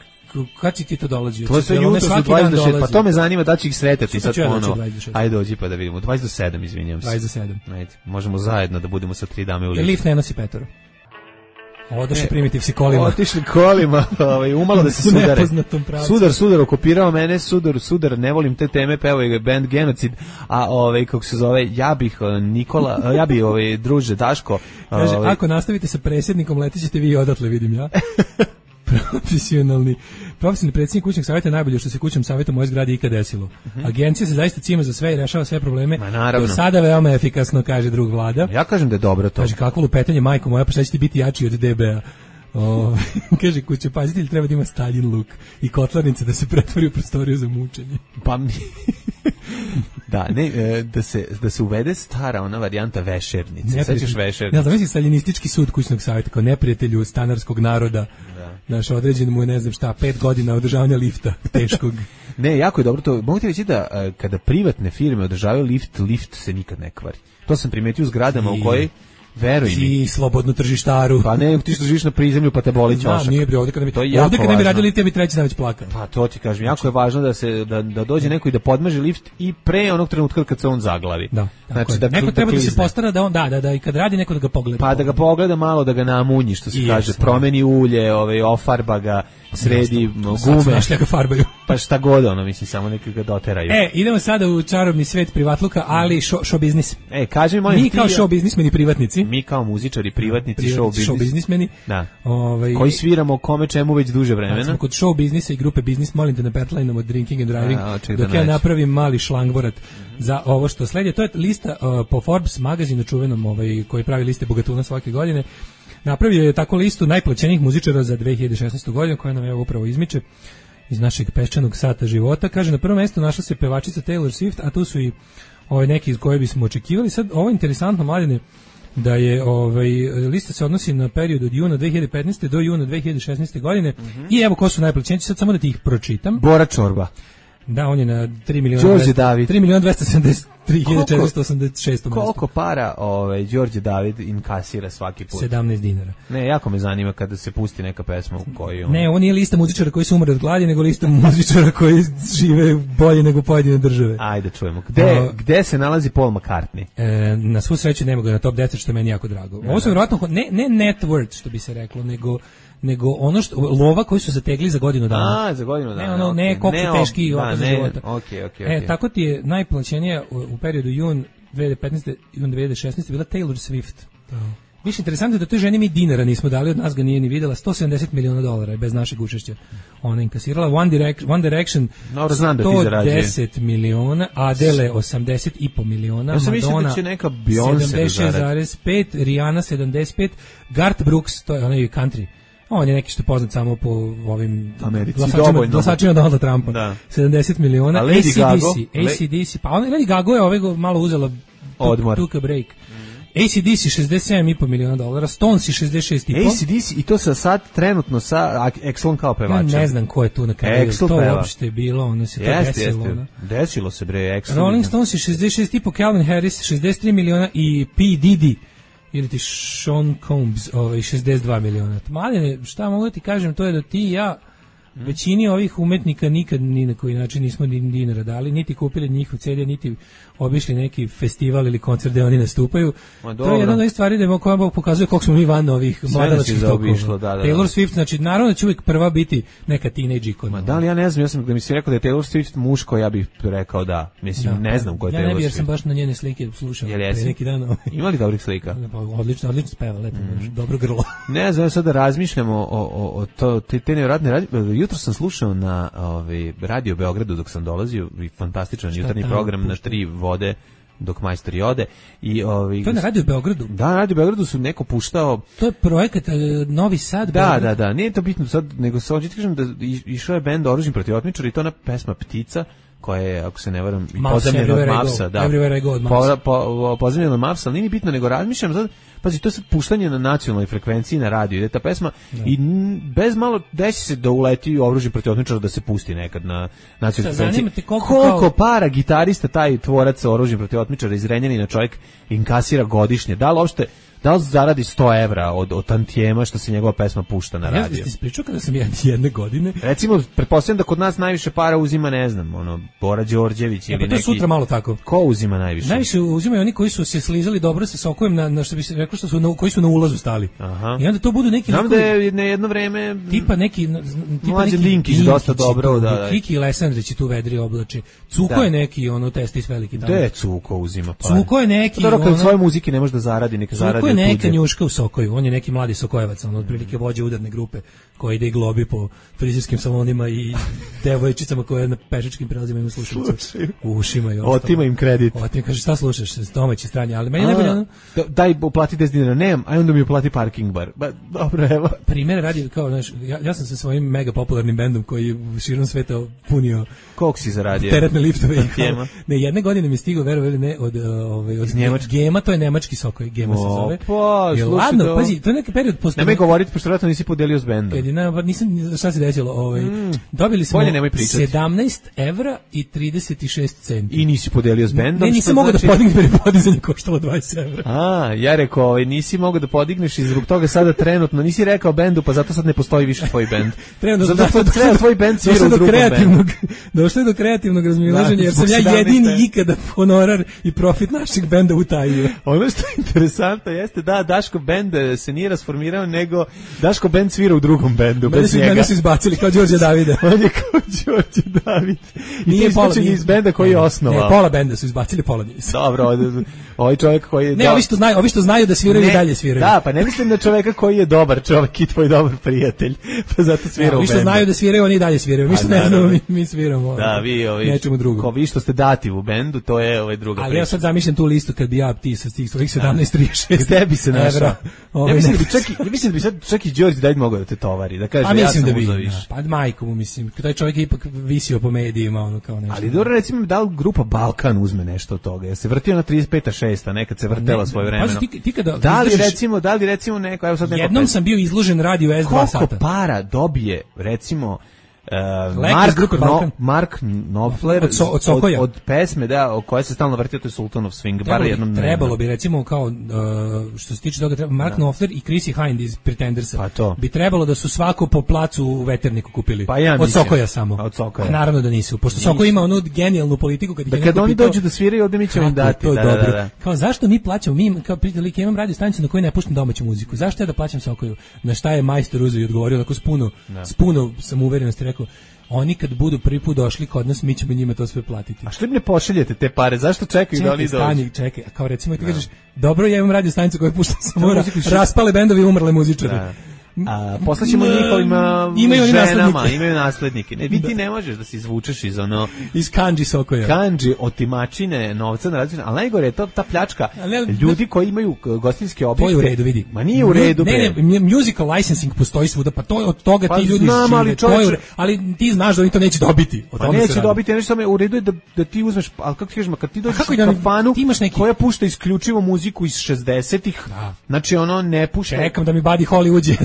Kad si ti to dolazio? To se jutro su 26, pa to me zanima da će ih sretati sad ponovo. Ajde dođi pa da vidimo. 20 do 7, izvinjam se. 20 do 7. Ajde, možemo zajedno da budemo sa 3 dame u liftu. Lift ne nosi petoro. Odošli primitiv si kolima. Otišli kolima, umalo da se sudare. Sudar okupirao mene, sudar, ne volim te teme, pevao je band Genocid, a kako se zove, ja bih druže Daško. Kaže, ako nastavite sa predsjednikom, letićete vi odatle, vidim ja. Profesionalni predsjednik kućnog savjeta je najbolje što se kućnom savjetom u ovoj zgradi ikad desilo. Agencija se zaista cima za sve i rešava sve probleme. Do sada veoma efikasno, kaže drug Vlada. Ja kažem da je dobro to. Kaže, kako lupetanje, majko moja, pa šta ćete biti jači od DB-a? Kaže, kućepazitelj treba da ima Stalin luk i kotlarnice da se pretvori u prostoriju za mučenje. Pa mi... Da, da se uvede stara ona varijanta vešernice. Sećaš vešernice? Ja znam, mislim staljinistički sud kućnog savjeta kao neprijatelju stanarskog naroda. Naš određen mu je, ne znam šta, 5 godina održavanja lifta teškog. Ne, jako je dobro to. Mogu ti reći da kada privatne firme održavaju lift se nikad ne kvari. To sam primetio u zgradama u kojoj, veruj mi. I slobodnu tržištaru. Pa ne, ti što živiš na prizemlju pa te boli ćošak. Nije bre, ovdje kad ne bi radili lift, ja bi treći dan već plakao. Pa to ti kažem, jako je važno da dođe neko i da podmaže lift i pre onog trenutka kad se on zaglavi. Da. Znači, neko treba da se postara da on da i kad radi neko da ga pogleda. Pa da ga pogleda malo, da ga namunji, što se kaže, promeni ulje, ofarba ga, sredi gume. Ga farbaju. Pa šta god ono, mislim, samo neki ga doteraju. Idemo sada u čarobni svet privatluka, ali show biznis. Kaži mi, molim, mi kao show biznismeni privatnici. Mi kao muzičari, privatnici, show biznismeni. Da. Koji sviramo kome čemu već duže vremena. Smo kod show biznisa i grupe biznis, molim te na petlineom od Drinking and Driving, dok ja napravim mali šlangvorat za ovo što sledi. To je lista po Forbes magazinu čuvenom, koji pravi liste bogatuna svake godine. Napravio je tako listu najplaćenijih muzičara za 2016. godinu, koja nam je upravo izmiče iz našeg peščanog sata života. Kaže, na prvom mjestu našla se pevačica Taylor Swift, a tu su i neki iz koje bismo očekivali. Sad, ovo je interesantno, mladine, da je lista se odnosi na period od juna 2015. do juna 2016. godine i evo ko su najplaćeniji, sad samo da ti ih pročitam. Bora Čorba. Da, on je na 3.273.486. Koliko para Đorđe David inkasira svaki put? 17 dinara. Ne, jako me zanima kada se pusti neka pesma u kojoj... Ne, on nije lista muzičara koji su umre od gladi, nego lista muzičara koji žive bolje nego pojedine države. Ajde, čujemo. Gde se nalazi Paul McCartney? Na svu sreću nema ga na top 10, što je meni jako drago. Ovo su vjerojatno, ne net worth, što bi se reklo, nego ono što lova koji su zategli za godinu dana. Za godinu dana. Ne koliko teški ovako za života. Okay. Tako ti je najplaćenija u periodu jun 2015. jun 2016. bila Taylor Swift. Više interesantno je da toj ženi mi dinara nismo dali, od nas ga nije ni videla. $170 miliona bez našeg učešća. Ona inkasirala. One Direction 110 miliona, Adele 80,5 miliona, Madonna 76,5, Rihanna 75, Garth Brooks, to je onaj country. On je neki što je poznat samo po ovim glasačima Donalda Trumpa. 70 miliona. AC/DC, pa ona Lady Gaga je malo uzela odmor. Took a break. AC/DC $67,5 miliona, Stones 66,5. AC/DC i to sad trenutno sa Exxon kao pevačem. Ja ne znam ko je tu na kraju. To uopšte je bilo, ono se to desilo. Desilo se bre, Exxon. Rolling Stones 66,5, Calvin Harris 63 miliona i P. Diddy ili ti Sean Combs 62 miliona. Maline, šta mogu da ti kažem, to je da ti i ja većini ovih umetnika nikad ni na koji način nismo ni dinara dali, niti kupili njihov CD, niti obišli neki festival ili koncert gde oni nastupaju. To je jedna od ovih stvari da koja pokazuje koliko smo mi van ovih mladalačkih tokova. Taylor Swift, znači naravno da će uvijek prva biti neka teenage ikona. Da li ja ne znam, ja sam da mi se rekao da je Taylor Swift muško, ja bih rekao da. Mislim, ne znam ko je Taylor Swift. Ja ne bih jer sam baš na njene slike slušao pre neki dan. Ima li dobrih slika? Odlično speva, lepo, dobro grlo. Ne znam, sad da razmišljamo o te nevjerojatne radnje. Jutro sam slušao na Radio Beogradu dok sam dolazio, fantastičan jutarnji program na 3 vode dok majstori ode. To je na Radio Beogradu? Da, na Radio Beogradu su neko puštao... To je projekat Novi Sad? Da, nije to bitno sad, nego se ovdje kažem da išao je bend Oružjem protiv otmičara i to ona pesma Ptica, koja je, ako se ne varam, pozemljena od Mavsa. Everywhere I go od Mavsa. Pozemljena od Mavsa, ali nije bitno, nego razmišljam sad, pazi, to je sad puštanje na nacionalnoj frekvenciji na radiju, ide ta pesma i bez malo desi se da uleti Oružje protiv otmičara da se pusti nekad na nacionalnoj frekvenciji. Koliko para gitarista taj tvorac Oružje protiv otmičara iz Renjanina čovjek inkasira godišnje? Da li zaradi 100 evra od tantijema što se njegova pesma pušta na radiju? Ja ti ispričao kada sam jedne godine... Recimo, pretpostavljam da kod nas najviše para uzima, ne znam, Bora Đorđević ili neki... To je sutra malo tako. Ko uzima najviše? Najviše uzimaju oni koji su se slizali dobro sa sokovim, na što bi se reklo, koji su na ulazu stali. Aha. I onda to budu neki... Znam da je na jedno vreme... Tipa neki Linkić dosta dobro, da. Kiki Lesandrić tu vedri oblači. Cuko je neki, testis veliki tamo. Gde Cuko uzima para? Cuko je neki... Dobro, kad svoje muzike ne može da zaradi, neka zaradi Ima neka njuška u Sokoju, on je neki mladi Sokojevac, on otprilike vođa udarne grupe koja ide i globi po frizerskim salonima i devojčicama koje na pešačkim prelazima imaju slušalice u ušima i ostalo. Otima im kredit. Otima, kaže, šta slušaš, domaći strani, ali meni najbolje ono... Daj, uplati 10 dinara, nemam, aj onda mi uplati parking bar. Ba, dobro, evo. Primjer radi, kao, znaš, ja sam sa svojim mega popularnim bendom koji je širom sveta punio... Koliko si zaradio? Teretne liftove. Ne, jedne godine mi je stigao, verovali ne, od Gema, to je nemački Sokoj, Gema se zove. Pa, slušaj, ladno, pazi, to je neki period postoji. Nemoj govoriti, pošto vratno nisi podelio s bendom. Nisam, šta se desilo, dobili smo 17 evra i 36 centi. I nisi podelio s bendom? Ne, nisam mogao da podignem jer je podizanje koštalo 20 evra. Ja rekao, nisi mogao da podigneš i zbog toga sada trenutno, nisi rekao bendu, pa zato sad ne postoji više tvoj bend. Zato treba tvoj bend svira u drugom bendu. Došlo je do kreativnog razmilaženja, jer sam ja jedini ikada honorar i profit našeg benda utajio. Ono što je interesantno jeste da Daško bend se nije rasformirao, nego Daško bend svira u drugom bendu. Mene su izbacili kao Đorđe Davide. On je kao Đorđe David. I ti izbačeni iz benda koji je osnovao. Ne, pola benda su izbacili, pola nisu. Dobro, ovaj čovjek koji je... Ne, ovi što znaju da sviraju i dalje sviraju. Da, pa ne mislim na čovjeka koji je dobar čovjek i tvoj dobar prijatelj, pa zato svira u bendu. Ovi što znaju da sviraju, oni i dalje sviraju. Mi što ne znamo, mi sviramo. Da, vi nečemu drugom. Ko vi što ste dati u bendu, to je druga priča. Ali ja sad zamišljam tu listu kad bi ja ti sa tih svojih 17-36 gde bi se našao? Ja mislim da bi sad čak i Đorđe David mogao da te tovari, da kaže ja sam uzeo više. Pa majku mu mislim, taj čovjek je ipak visio po medijima, ono kao nešto. Ali dobro, recimo da li grupa Balkan uzme nešto od toga? Ja se vrtio na 35-6, nekad se vrtela svoje vremeno. Da li recimo neko, evo sad neko... Jednom sam bio izložen radio S2 sata. Koliko para dobije, recimo... Mark Knopfler od pesme o kojoj se stalno vrtio, to je Sultan of Swing, bar jednom trebalo bi recimo kao što se tiče toga Mark Knopfler i Chrissy Hind iz Pretendersa bi trebalo da su svako po placu u Veterniku kupili od Sokoja samo, a naravno da nisu, pošto Sokoj ima onu genijalnu politiku kad oni dođu da sviraju ovde mi ćemo im dati, kao zašto mi plaćamo, mi kao prijatelji imam radio stanicu na kojoj ne puštam domaću muziku, zašto ja da plaćam Sokoju? Na šta je majstor uzeo i odgovorio tako s puno samouverenosti, rekao, oni kad budu prvi put došli kod nas, mi ćemo njima to sve platiti. A što im ne pošaljete te pare? Zašto čekaju da oni dođu? Čekaj, kao recimo ti kažeš, dobro, ja imam radio stanicu koju puštam samo raspale bendovi i umrle muzičari. Poslaćemo njihovim ženama, imaju naslednike. Ne, ti ne možeš da se izvučeš iz kanđi Sokoja. Kanđi, otimačine, novca na različine, ali najgore je to ta pljačka ljudi koji imaju gostinske objekte. To je u redu, vidi. Ma nije u redu. Ne, musical licensing postoji svuda, pa to od toga ti ljudi žive. Ali ti znaš da oni to neće dobiti. Pa neće dobiti, nešto u redu je da ti uzmeš, ali kako ti kažeš, kad ti dođeš u kafanu koja pušta isključivo muziku iz 60-ih, znači ono ne pušta. Čekam da mi Buddy Holly uđe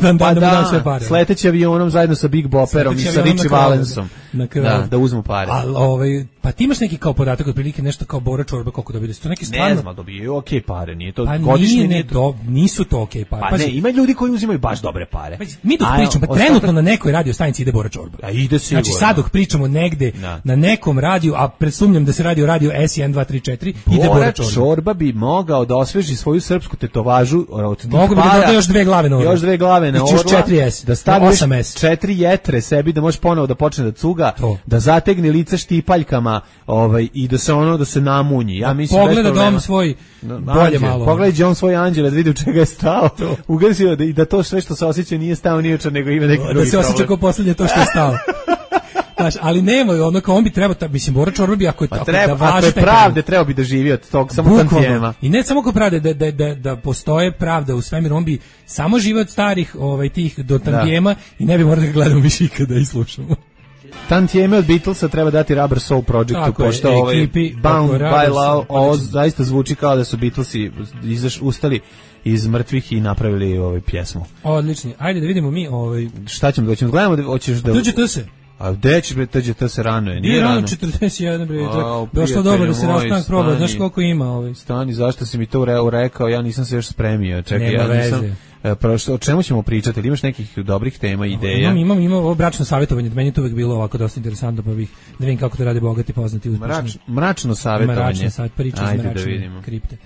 sleteći avionom zajedno sa Big Bopperom i sa Richie Valensom da uzmu pare. Pa ti imaš neki kao podatak otprilike nešto kao Bora Čorba koliko dobije, su to neki stvarno... Ne znam, dobiju okej pare, nije to pa godišnje... nisu to okej pare. Pa ne, ima ljudi koji uzimaju baš dobre pare. Mi dok pričamo, pa trenutno na nekoj radio stanici ide Bora Čorba. A ide sigurno. Znači sad dok pričamo negde na nekom radiju, a predsumnjam da se radi o radiju S1234, ide Bora Čorba. Čorba bi mogao da osveži svoju srpsku tetovažu od tih para. Mogu bi da još dve glave na orla. Još dve glave na orla. 4S, da staviš 4 jetre sebi da može ponovo da počne da cuga, da zategne lice štipaljkama, i da se namunji. Ja mislim pogleda dom svoj bolje malo. Pogledaj on svoj anđele da vidi u čega je stao. Ugasio i da to sve što se osjeća nije stao ni uče, nego ima neki drugi problem. Da se osjeća kao poslednje to što je stao. Znaš, ali nema, on bi trebao, mislim, Bora Čorba bi ako je pravde, trebao bi da živi od tog samo tantijema. I ne samo kao pravde, da postoje pravda u svemiru, on bi samo živio od starih tih do tantijema i ne bi morali da ga gledamo više ikada i slušamo. Tantijeme od Beatlesa treba dati Rubber Soul Projectu, pošto Bound by Love, ovo zaista zvuči kao da su Beatlesi ustali iz mrtvih i napravili pjesmu. Odlični, ajde da vidimo mi šta ćemo, hoćemo da gledamo, hoćeš da... Tuđe se. A gde ćeš bre, to se rano je, nije rano. 41 bre, došlo dobro da se rastanak proba, znaš koliko ima Stani, zašto si mi to rekao, ja nisam se još spremio, čekaj, ja nisam... O čemu ćemo pričati, ili imaš nekih dobrih tema, ideja? Imam ovo bračno savjetovanje, meni je to uvek bilo ovako dosta interesantno, pa bih da vidim kako to rade bogati, poznati, uspešni. Mračno savjetovanje. Mračno savjet, priča iz mračne kripte.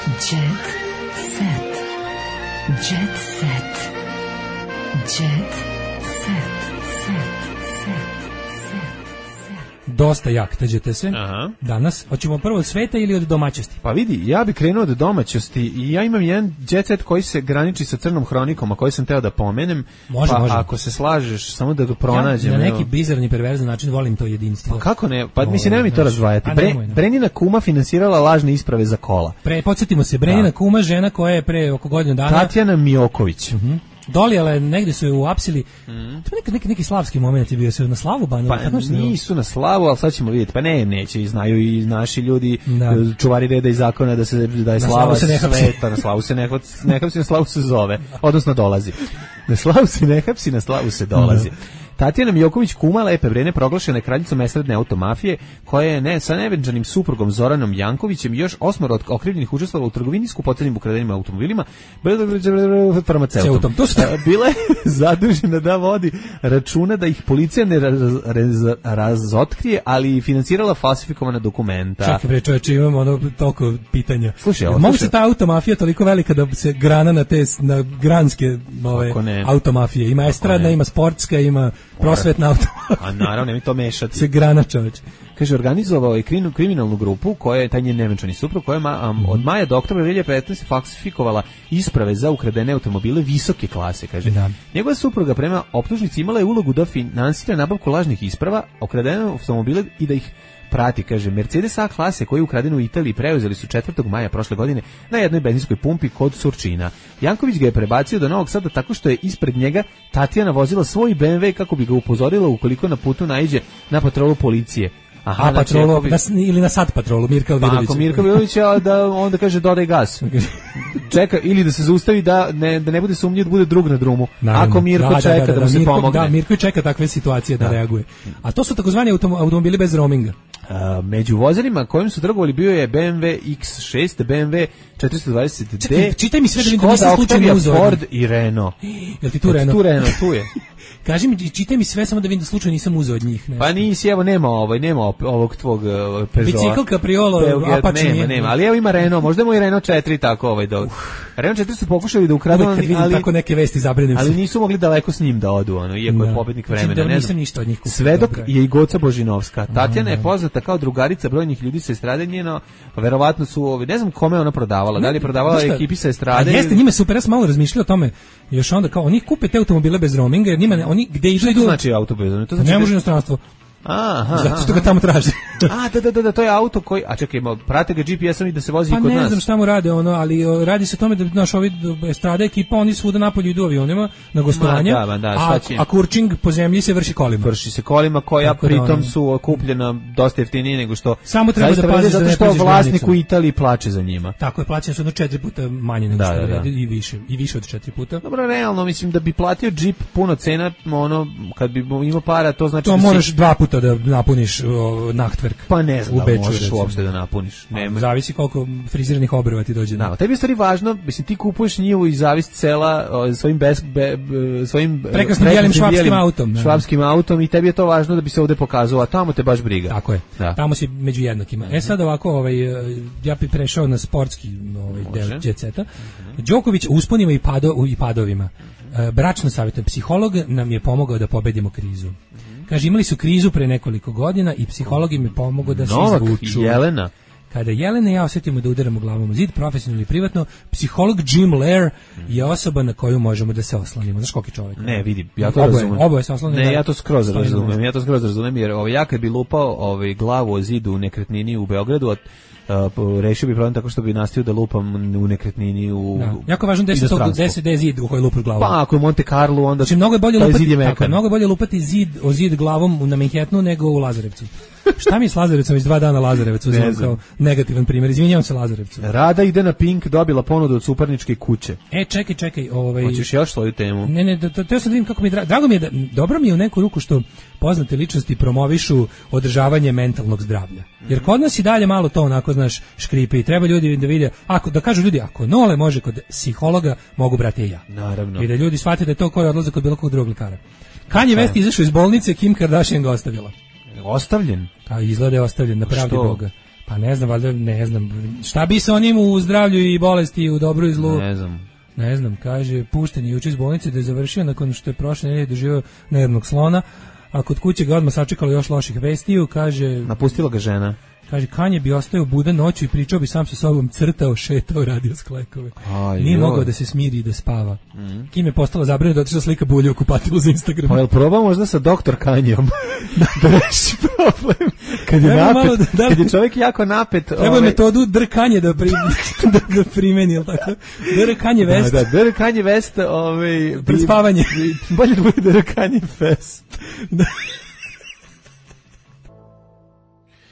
Jet set. Jet set. Jet set. dosta jaktađete se Aha. danas. Hoćemo prvo od sveta ili od domaćnosti? Pa vidi, ja bih krenuo od domaćnosti i ja imam jedan jet set koji se graniči sa Crnom hronikom, a koji sam teo da pomenem. Može, pa može. ako se slažeš, samo da ga pronađem. Ja na evo. neki bizarni perverzan način volim to jedinstvo. Pa kako ne? Pa mislim, nemoj mi to znaš, razdvajati. a nemoj, ne. Brenina kuma finansirala lažne isprave za kola. Podsjetimo se, Brenina kuma, žena koja je pre oko godinu dana Tatjana Mioković. dolijala je, negde su je uapsili. To je neki slavski moment je bio, se na slavu banova. Pa nisu na slavu, ali sad ćemo vidjeti. Pa neće, znaju i naši ljudi, čuvari reda i zakona da je slava sveta, na slavu se ne hapsi, na slavu se zove, odnosno dolazi. Na slavu se ne hapsi, na slavu se dolazi. Tatjana Mioković kuma Lepe Brene proglašena je kraljicom esradne automafije, koja je sa nevenčanim suprugom Zoranom Jankovićem i još 8 od okrivljenih učestvovala u trgovini skupocenim ukradenim automobilima farmaceutom. Bila je zadužena da vodi računa da ih policija ne razotkrije, ali i financirala falsifikovana dokumenta. Čekaj bre čoveče, imamo toliko pitanja. Slušaj, mogu se ta automafija toliko velika da se grana na granske automafije. Ima estradna, ima sportska, ima prosvetna automafija. A naravno, mi to mešati. Se grana čoveče. Kaže, organizovao je kriminalnu grupu, koja je taj njen nevenčani suprug, koja je od maja do oktobra 2015 falsifikovala isprave za ukradene automobile visoke klase, kaže. Da. Njegova supruga prema optužnici imala je ulogu da finansira nabavku lažnih isprava, ukradene automobile i da ih prati, kaže. Mercedes A klase koji je ukraden u Italiji preuzeli su 4. maja prošle godine na jednoj benzinskoj pumpi kod Surčina. Janković ga je prebacio do Novog Sada tako što je ispred njega Tatjana vozila svoj BMW kako bi ga upozorila ukoliko na putu naiđe na patrolu policije. Aha, patrolu, ili na sat patrolu, Mirka Vidović. Pa ako Mirka Vidović, onda kaže dodaj gas. Čeka, ili da se zaustavi da ne bude sumnjiv da bude drug na drumu. Naravno. Ako Mirko čeka da mu se pomogne. Da, Mirko čeka takve situacije da reaguje. A to su takozvani automobili bez roaminga. Među vozilima kojim su trgovali bio je BMW X6, BMW 420D, čitaj mi sve da nisam slučajno uzeo. Ford i Renault. Jel ti tu Renault? Tu Renault, tu je. Kaži mi, čitaj mi sve samo da vidim da slučajno nisam uzeo od njih. Pa nisi, evo nema ovog tvog Peugeota. Bicikl, Capriolo, Apache. Nema, ali evo ima Renault, možda mu i Renault 4 tako Renault 4 su pokušali da ukradu, ali tako neke vesti zabrinem se. Ali nisu mogli daleko s njim da odu, iako je pobednik vremena. Ne znam ništa od njih. Svedok je i Goca Božinovska. Tatjana je poznata kao drugarica brojnih ljudi sa estrade njeno, pa verovatno su, ne znam kome ona prodavala, da li je prodavala ekipi sa estrade. A jeste, njime super, ja sam malo razmišljao o tome, još onda kao, oni kupe te automobile bez roaminga, jer njima, oni gde idu... To znači auto bez roaminga? Ne može inostranstvo. Zato što ga tamo traže. Da, to je auto koji, a čekaj, prate ga GPS-om i da se vozi i kod nas. Pa ne znam šta mu rade ali radi se o tome da naš ovi estrada ekipa, oni svuda napolju idu avionima na gostovanje, a kurčing po zemlji se vrši kolima. Vrši se kolima koja pritom su kupljena dosta jeftinije nego što... Samo treba da pazi zato što vlasnik u Italiji plače za njima. Tako je, plaćene su 4 puta manje nego što je i više od 4 puta. Dobro, realno, mislim da bi platio džip puno cena, kad bi imao para, to znači... To moraš 2 puta da napuniš nachtwerk. Pa ne znam da možeš uopšte da napuniš. Zavisi koliko friziranih obrva ti dođe. Da, tebi je stvari važno, mislim, ti kupuješ njivu i zavist sela svojim prekrasnim bijelim švapskim autom i tebi je to važno da bi se ovde pokazalo, a tamo te baš briga. Tako je, tamo si među jednakima. Sad ovako, ja bih prešao na sportski deo jet seta. Đoković u usponima i padovima. Bračno savjetujem, psiholog nam je pomogao da pobedimo krizu. Kaže, imali su krizu pre nekoliko godina i psiholog im je pomogao da se izvuču. Jelena. Kada Jelena i ja osjetimo da udaramo glavom u zid, profesionalno ili privatno, psiholog Jim Lair je osoba na koju možemo da se oslonimo. Znaš koliki čovjek? Ne, vidi, ja to razumem. Oboje se oslonimo. Ne, ja to skroz razumem, jer ja kad bi lupao glavu o zidu u nekretnini u Beogradu, rešio bi problem tako što bi nastavio da lupam u nekretnini u jako važno da je zid u koji lupaš glavom. Pa ako je Monte Carlo, onda mnogo je bolje lupati zid glavom na Manhattanu nego u Lazarevcu. Šta mi s Lazarevcom iz 2 dana Lazarevcu uzimam kao negativan primjer. Izvinjavam se Lazarevcu. Rada ide na Pink, dobila ponudu od Suparničke kuće. Čekaj. Hoćeš još svoju temu? Ne, teo sam da vidim kako mi drago mi je dobro mi je u neku ruku što poznate ličnosti promovišu održavanje mentalnog zdravlja. Jer kod nas i dalje malo to onako, znaš, škripe i treba ljudi da vide, da kažu ljudi, ako Nole može kod psihologa, mogu brati i ja. Naravno. I da ljudi shvate da je to koji odlaze kod bilo kog drugog lekara. Kanye West izašao iz bolnice, Kim Kardashian ga ostavila. Ostavljen? Pa izgleda je ostavljen, na pravdi Boga. Pa ne znam, valjda, ne znam. Šta bi se onim u zdravlju i bolesti, u dobru i zlu? Ne znam, kaže, pušten je juče iz bolnice da je završio nakon što je prošle nedelje doživio nervnog slona. a kod kuće ga odmah sačekalo još loših vestiju, kaže... Napustila ga žena. Kaže, Kanje bi ostao budan noću i pričao bi sam sa sobom, crtao, šetao, radio sklekove. Nije mogao da se smiri i da spava. Kim je postala zabranjena da otišla slika bulje u kupatilu za Instagram. Pa jel probao možda sa doktor Kanjom da reši problem? Kad je napet, kad je čovjek jako napet... Treba je metodu drkanje da primeni, jel tako? Drkanje vest. Da, drkanje vest... Pred spavanje. Bolje da bude drkanje fest.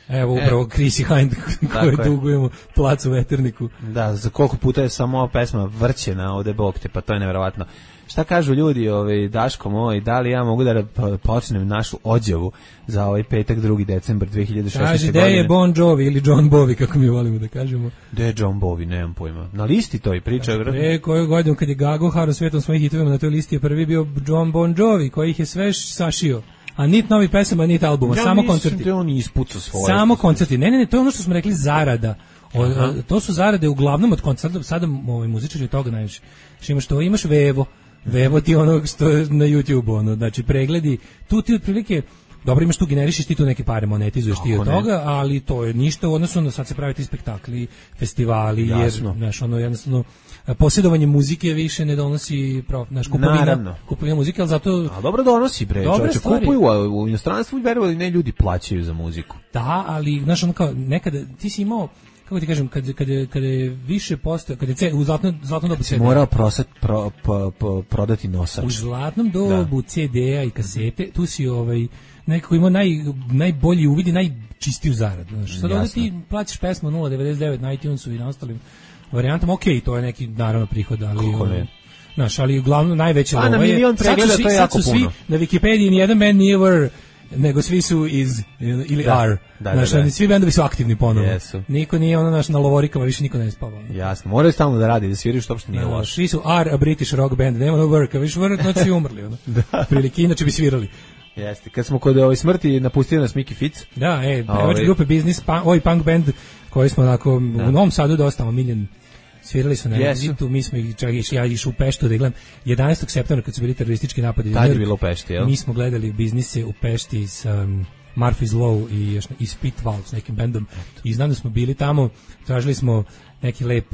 Evo upravo Chrissy Hind koju dugujemo placu Veterniku. Da, za koliko puta je samo ova pesma vrćena ovde, bog te, pa to je nevjerovatno. Šta kažu ljudi, Daško moj, da li ja mogu da počnem našu odjavu za ovaj petak 2. decembar 2016. Kaže, godine? gde je Bon Jovi ili John Bovi, kako mi volimo da kažemo. Gde je John Bovi, nemam pojma. Na listi to i priča. Pre koju godinu kad je Gago haro svetom svojih hitovima, na toj listi je prvi bio John Bon Jovi, koji ih je sve sašio. A nit novi pesama, nit albuma, samo koncerti. Da on ispucao svoje. Samo koncerti. Ne, to je ono što smo rekli, zarada. To su zarade uglavnom od koncerta, sada muzičari od toga najviše. Imaš Vevo ti ono što je na YouTube, znači pregledi, tu ti otprilike, dobro imaš tu, generišiš ti tu neke pare, monetizuješ ti od toga, ali to je ništa u odnosu na sad se pravi ti spektakli, festivali, jasno. Jer, znaš, jednostavno, posjedovanje muzike više ne donosi kupovina muzike, ali zato... A dobro donosi, bre, čovječe, kupuju u inostranstvu i verovali ne ljudi plaćaju za muziku. Da, ali, znaš, ono kao, nekada ti si imao, kako ti kažem, kada je više postoje, kada je u zlatnom dobu CD-a. Morao prodati nosač. U zlatnom dobu CD-a i kasete, tu si nekako imao najbolji uvid i najčistiju zaradu. Sad ovdje ti plaćaš pesmu 0,99 na iTunesu i na ostalim varijantama, okej, to je neki naravno prihod, ali... Kako ne? Znaš, ali uglavnom najveće lovo je... A na milion pregleda to je jako puno. Svi, na Wikipediji nijedan band nije were, nego svi su iz, ili are. Znaš, svi bendovi su aktivni ponovno. Jesu. Niko nije na lovorikama, više niko ne spava. Jasno, moraju stalno da radi, da sviraju što uopšte nije loše. Svi su are, a British rock band, nema no worka, više work, znači svi umrli. Prilike, inače bi svirali. Jeste, kad smo kod smrti napustili nas Miki Fitz. Da, pevač grupe Business, punk band, koji smo onako u Novom Sadu dosta omiljen. Svirali su na Exitu, mi smo ja išao u Peštu da gledam 11. septembra kad su bili teroristički napadi. Tad je bilo u Pešti, jel? Mi smo gledali Biznise u Pešti s Murphy's Law i Spitval s nekim bendom i znam da smo bili tamo, tražili smo neki lep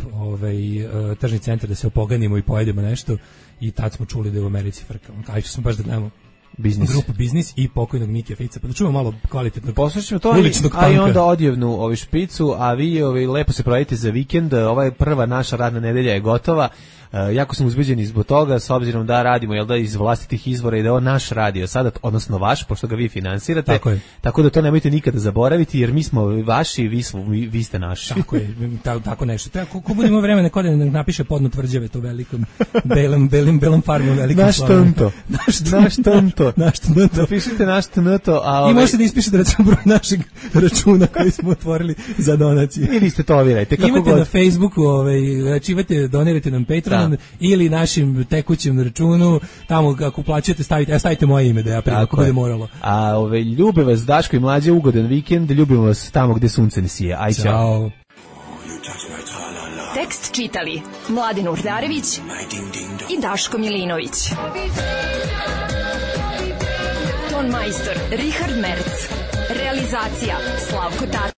tržni centar da se opoganimo i pojedemo nešto i tad smo čuli da je u Americi frka. Kaj smo baš da gledamo grupu Biznis i pokojnog Mikija Fica. Pa da čujemo malo kvalitetno. Poslušajmo to, a i onda odjevnu špicu, a vi lepo se provedite za vikend. Ova je prva naša radna nedelja je gotova. Jako sam uzbeđen zbog toga, s obzirom da radimo iz vlastitih izvora i da je on naš radio sada, odnosno vaš, pošto ga vi finansirate. Tako da to nemojte nikada zaboraviti, jer mi smo vaši, vi ste naši. Tako je, tako nešto. Ko budemo vremena kod da napiše podno tvrđave to velikom, belom farmom, velikom slavom. Naš tonto. Napišite naš tonto. I možete da ispišete recimo broj našeg računa koji smo otvorili za donacije. Ili ste to ovirajte. Imate na Facebooku, donirajte nam Patreon, ili našim tekućem računu, tamo ako uplaćujete stavite moje ime da ja primam, ako bude moralo. A ljube vas Daško i Mlađe, ugodan vikend, ljubimo vas tamo gde sunce ne sije. Aj, čao. Tekst čitali Mladin Urdarević i Daško Milinović. Ton majstor Richard Merc. Realizacija Slavko Tatić.